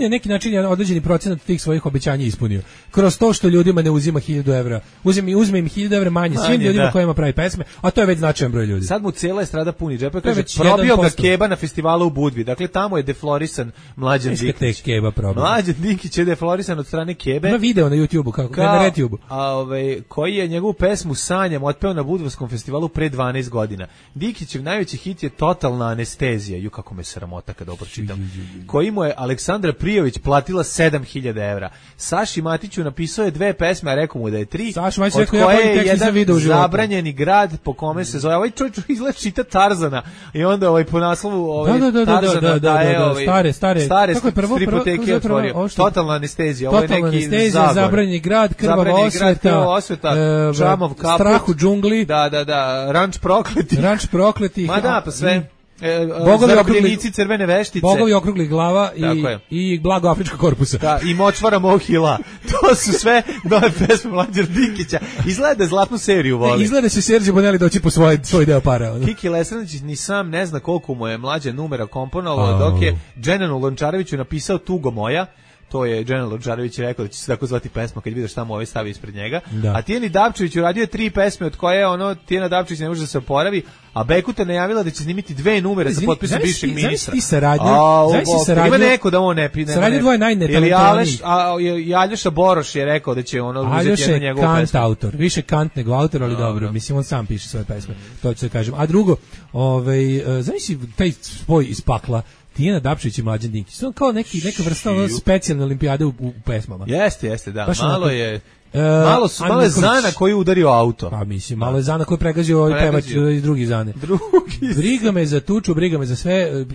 neki način određeni procenat tih svojih obećanja ispunio. Kroz to što ljudima ne uzima 1.000 evra. Uzme im 1.000 evra manje svim ljudima kojima pravi pesme, a to je već značajan broj ljudi. Sad mu cijela estrada puni džepa, kaže probio ga Keba na festivalu u Budvi. Dakle, tamo je deflorisan Mlađan Dinkić. Mlađan Dinkić je deflorisan od strane Kebe. Ima video na YouTubeu, kako na RedTube. Koji je njegovu pesmu Sanjam otpeo na Budvarskom festivalu pre 12 godina. Dinkićev najveći hit je Totalna anestezija. Kako me sramota kada ovo pročitam. Koji mu je Aleksandra Prijović platila 7.000 evra. Saši Matiću napisao je 2 pesme, a rekao mu da je 3. Od koje je jedan zabranjeni grad po kome se zove. Ovaj čovjek izgleda čita Tarzana. I onda po naslovu Tarzana daje stare stripoteke otvorio. Totalna anestezija. Ovo je neki zabranjeni grad, krvava osveta, Džamov kaput, strah u džungli, ranč prokleti. Ma da, pa sve. Zarobljenici crvene veštice, bogovi okruglih glava i blago afrička korpusa. Da, i močvara Mohila. To su sve nove pesme Mlađana Dinkića. Izgleda zlatnu seriju voli. Izgleda se Serđe Bonelli doći po svoj deo para. Kiki Lesranić ni sam ne zna koliko mu je Mlađa numera komponovao, dok je Dženanu Lončareviću napisao Tugo moja. To je Dženan Lončarević rekao da će se tako zvati pesma kad vidiš tamo ovaj stavi ispred njega. A Tijeni Dapčević uradio je 3 pesme od koje Tijena Dapčević ne može da se oporavi, a Bekuta najavila da će snimiti 2 numere sa potpisom bivšeg ministra. Ima neko da on ne pine. Saradnje dvoje najnetalentovanijih. I Aljoša Boroš je rekao da će uzeti jednu njegovu pesmu. Aljoša je autor, više kant nego autor, ali dobro, mislim on sam piše svoje pesme, to ću da kažem. A drugo, znaš taj spoj iz pakla, Tijena Dapčević i Mlađan Dinkić. To je kao neka vrsta specijalne olimpijade u pesmama. Jeste, da. Malo je Malo je Zana koji je udario auto. Pa mislim, malo je Zana koji je pregazio ovaj pevač iz drugi Zane. Briga me za tuču, briga me za sve.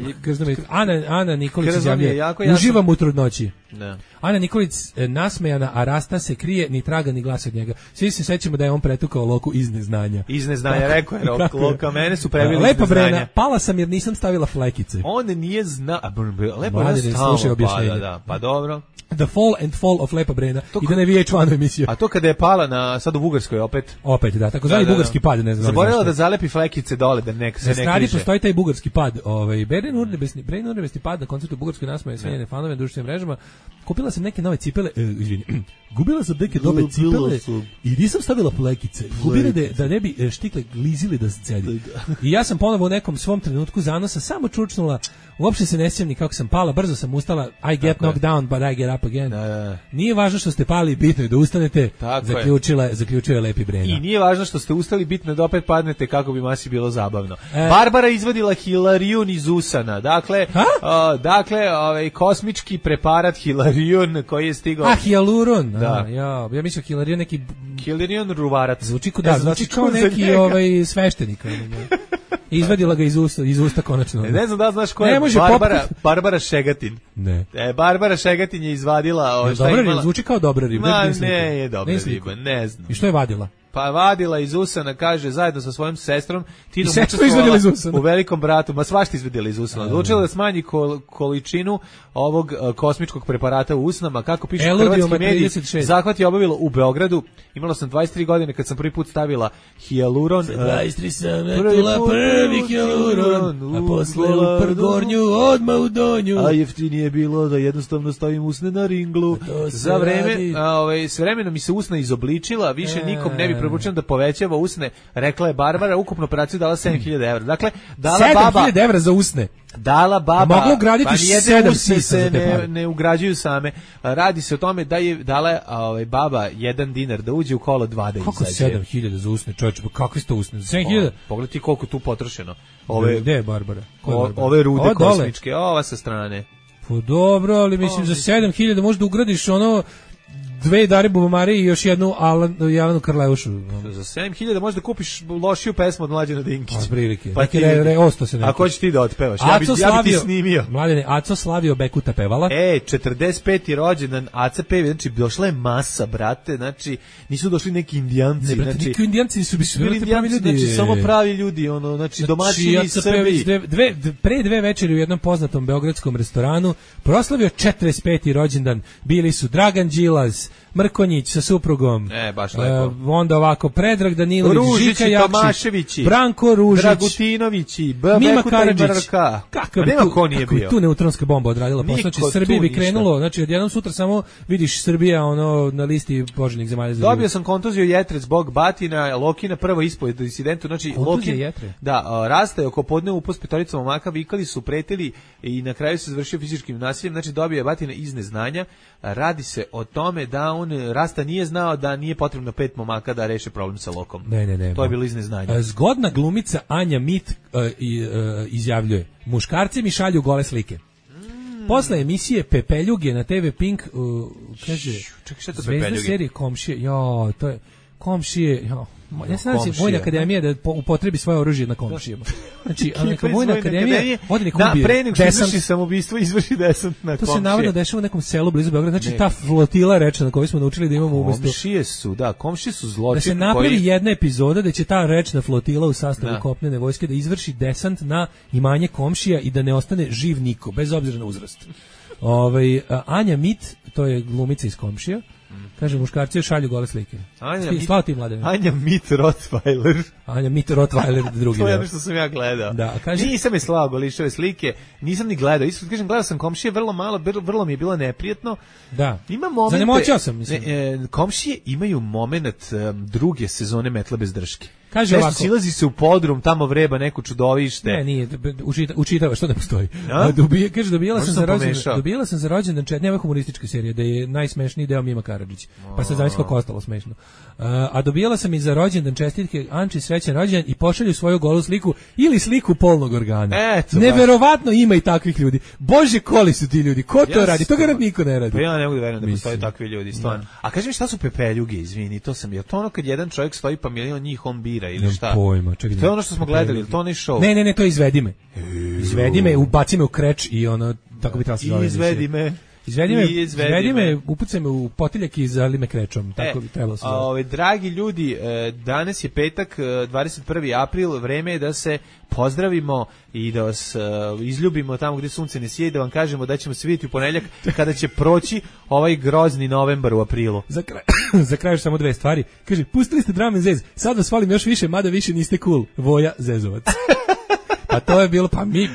Ana Nikolić izjavljuje, uživam u trudnoći. Da. Ana Nikolić nasmejana, a Rasta se krije, ni traga ni glasa od njega. Svi se sećamo da je on pretukao Loku iz neznanja. Iz neznanja, rekao je Loka, mene su prebili iz Lepa neznanja. Brena, pala sam jer nisam stavila flekice. On nije zna... Lepa Brena slušaj objašnjenje. Pa dobro. The Fall and Fall of Lepa Brena. I da ne VH1 emisiju. A to kada je pala sad u Bugarskoj opet? Opet, da. Tako zvani bugarski pad, ne znam. Zaboravila da zalepi flekice dole, da se ne križe. Na strani postoji taj bugarski pad. Beren urnebesni pad na koncertu bugarskoj nasmeje smenjene fanove na društvenim mrežama. Kupila sam neke nove cipele, gubila sam neke dobe cipele i nisam stavila flekice. Gubile da ne bi štikle glizili da se cedi. I ja sam ponovo u nekom svom trenutku zanosa samo čučnula, uopšte se ne sjećam ni kako sam pala, brzo sam ustala, I get knocked down, but I get up again. Nije važno što ste pali, bitno je da ustanete, zaključio je Lepi Brena. I nije važno što ste ustali, bitno je da opet padnete kako bi masi bilo zabavno. Barbara izvadila hilarijun iz usana, dakle, kosmički preparat hilarijun koji je stigao... hialuron, da. Ja mislim hilarijun neki... Hilarijun ruvarac. Zvuči kao neki sveštenik. Izvadila ga iz usta konačno. Ne znam da znaš ko je Barbara Šegatin. Ne. Barbara Šegatin je izvadila... Dobra riba, zvuči kao dobra riba. Ne je dobra riba, ne znam. I što je vadila? Pa vadila iz usana, kaže, zajedno sa svojom sestrom, Tinom učestvovala u Velikom bratu, ma svašta izvadila iz usana. Odlučila da smanji količinu ovog kosmičkog preparata u usnama, kako piše hrvatski mediji, zahvat je obavila u Beogradu. Imala sam 23 godine kad sam prvi put stavila hijaluron. 23 sam metula prvi hijaluron, a posle u Prgornju, odmah u Donju. A jeftinije je bilo da jednostavno stavim usne na ringlu. Za vreme, s vremenom mi se usna izobličila, više nikom ne bi preporučujem da povećava usne, rekla je Barbara, ukupnu operaciju dala 7.000 evra. Dakle, dala 7.000 evra za usne? Dala baba, moglo ugraditi 7 usne se ne ugrađuju same. Radi se o tome da je dala baba $1 da uđe u kolo 2 da izađe. Kako 7.000 za usne, čovječe, kakvi ste usne? 7.000? Pogledaj ti koliko tu potrošeno. Gde je Barbara? Ove rude kosmičke, ova sa strane. Pa dobro, ali mislim za 7.000 možda ugradiš ono 2 Dare Bubamare i još jednu Jelenu Karleušu. Za 7.000 možda kupiš lošiju pesmu od Mlađana Dinkića. A prilike. Pa osto se neki. Ako hoćeš ti da otpevaš, ja bi ti snimio. Mladene, Aco Slavio Bekuta pevala. 45. rođendan Aca pevi, znači došla je masa, brate, znači nisu došli neki indijanci. Ne, brate, neki indijanci su bili pravi ljudi. Znači samo pravi ljudi, znači domaćini Srbi. Pre 2 večeri u jednom poznatom beogradskom restoranu proslavio 45. rođendan. Bili su Dragan Đilas, Mrkonjić sa suprugom. Baš lepo. Onda ovako Predrag Danilović, Žika Jakšić, Branko Ružić, Dragutinovići, Mima Karadžić. Kakav nema ko nije bio. Tu neutronska bomba odradila posao. Znači Srbiji bi krenulo, znači odjednom sutra samo vidiš Srbija na listi poželjnih zemalja za život. Dobio sam kontuziju jetre zbog batina, Lokina prvo ispoved o incidentu, znači Lokin. Da, Rasta oko podne upos petoricom momaka, vikali su, pretili i na kraju se završio fizičkim nasiljem, znači dobio je batina iz neznanja. Radi se o tome da Rasta nije znao da nije potrebno 5 momaka da reše problem sa Lokom. Ne. To je bilo iz neznanja. Zgodna glumica Anja Mit izjavljuje: muškarci mi šalju gole slike. Posle emisije Pepeljuge na TV Pink kaže: čekaj, šta je to Zvezda Pepeljuge? Serije Komšije. To je Komšije. Ja se nadam Vojna akademija da upotrebi svoje oružje na komšijama. Znači, neka Vojna akademija ode nek ubije. Pre nego što izvrši samoubistvo, izvrši desant na komšije. To se navodno dešava u nekom selu blizu Beograda. Znači, ta flotila rečna na kojoj smo naučili da imamo umesto... Komšije su zločin. Da se napravi jedna epizoda da će ta rečna flotila u sastavu kopnene vojske da izvrši desant na imanje komšija i da ne ostane živ niko, bez obzira na uzrast. Anja Mit, to je glumica iz Komšija, kaže, muškarci šalju gole slike. Slava ti, Mladene. Anja Mit Rottweiler. Anja Mit Rottweiler, drugi. To je ono što sam ja gledao. Da, kaže, nisam je slao golišove slike, nisam ni gledao. Isto kažem, gledao sam Komšije vrlo malo, vrlo mi je bilo neprijetno. Da. Ima momente. Zanemoćao sam, mislim. Komšije imaju moment druge sezone Metla bez drške. Kaže ovako. Silazi se u podrum, tamo vreba neko čudovište. Ne, nije, učitava, što ne postoji. Kaže, dobijala sam za rođendan nema humorističke serije, da je najsmešniji deo Mima Karadžić. Pa sad zamisli kako ostalo smešno. A dobijala sam i za rođendan čestitke Anči srećan rođendan i pošalju svoju golu sliku ili sliku polnog organa. Neverovatno ima i takvih ljudi. Bože, koli su ti ljudi. Ko to radi? To garant niko ne radi. Pa ja ne mogu da verujem da postoje takvi ljudi, stvarno. A kaži mi šta su pepeljuge, izvini, to sam, je to ono kad jedan čovjek stoji pa milion njih on bira ili šta? Pojma, to je ono što smo gledali, ili to onaj show? Ne, to je Izvedi me. Izvedi me, ubaci me u kreč i ono, tako bi trebalo se zove. Izvedi me, upucaj me u potiljak i zali me krečom, tako bi trebalo se zove. Dragi ljudi, danas je petak, 21. april, vreme je da se pozdravimo i da vas izljubimo tamo gdje sunce ne sije, da vam kažemo da ćemo se vidjeti u ponedjeljak kada će proći ovaj grozni novembar u aprilu. Za kraj samo dve stvari. Kaže, pustili ste Drum & Zez, sad vas volim još više, mada više niste cool. Voja Zezovac. Pa to je bilo,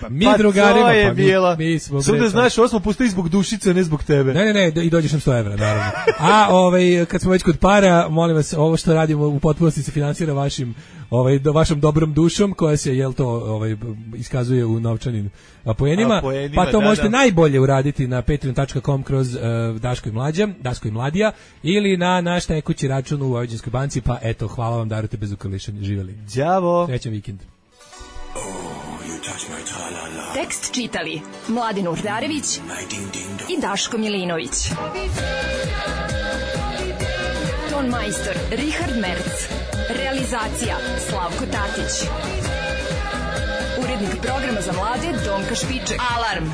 mi drugarima, to je bilo. Mi smo Sada znaš, ovo smo pustili zbog Dušice, ne zbog tebe. Ne, i dođeš nam 100 evra, naravno. A kad smo već kod para, molim vas, ovo što radimo u potpunosti se finansira vašom dobrom dušom, koja se, iskazuje u novčanim poenima, pa to možete najbolje uraditi na patreon.com kroz Daško i Mladija, ili na naš tekući račun u Vojvođanskoj banci, pa eto, hvala vam, darujte bez ukrlišanja, živjeli. Đavo. Srećan vikend. Tekst čitali Mladin Urdarević i Daško Milinović. Ton majstor Richard Merc. Realizacija Slavko Tatić. Urednik programa za mlade Donka Špiček. Alarm!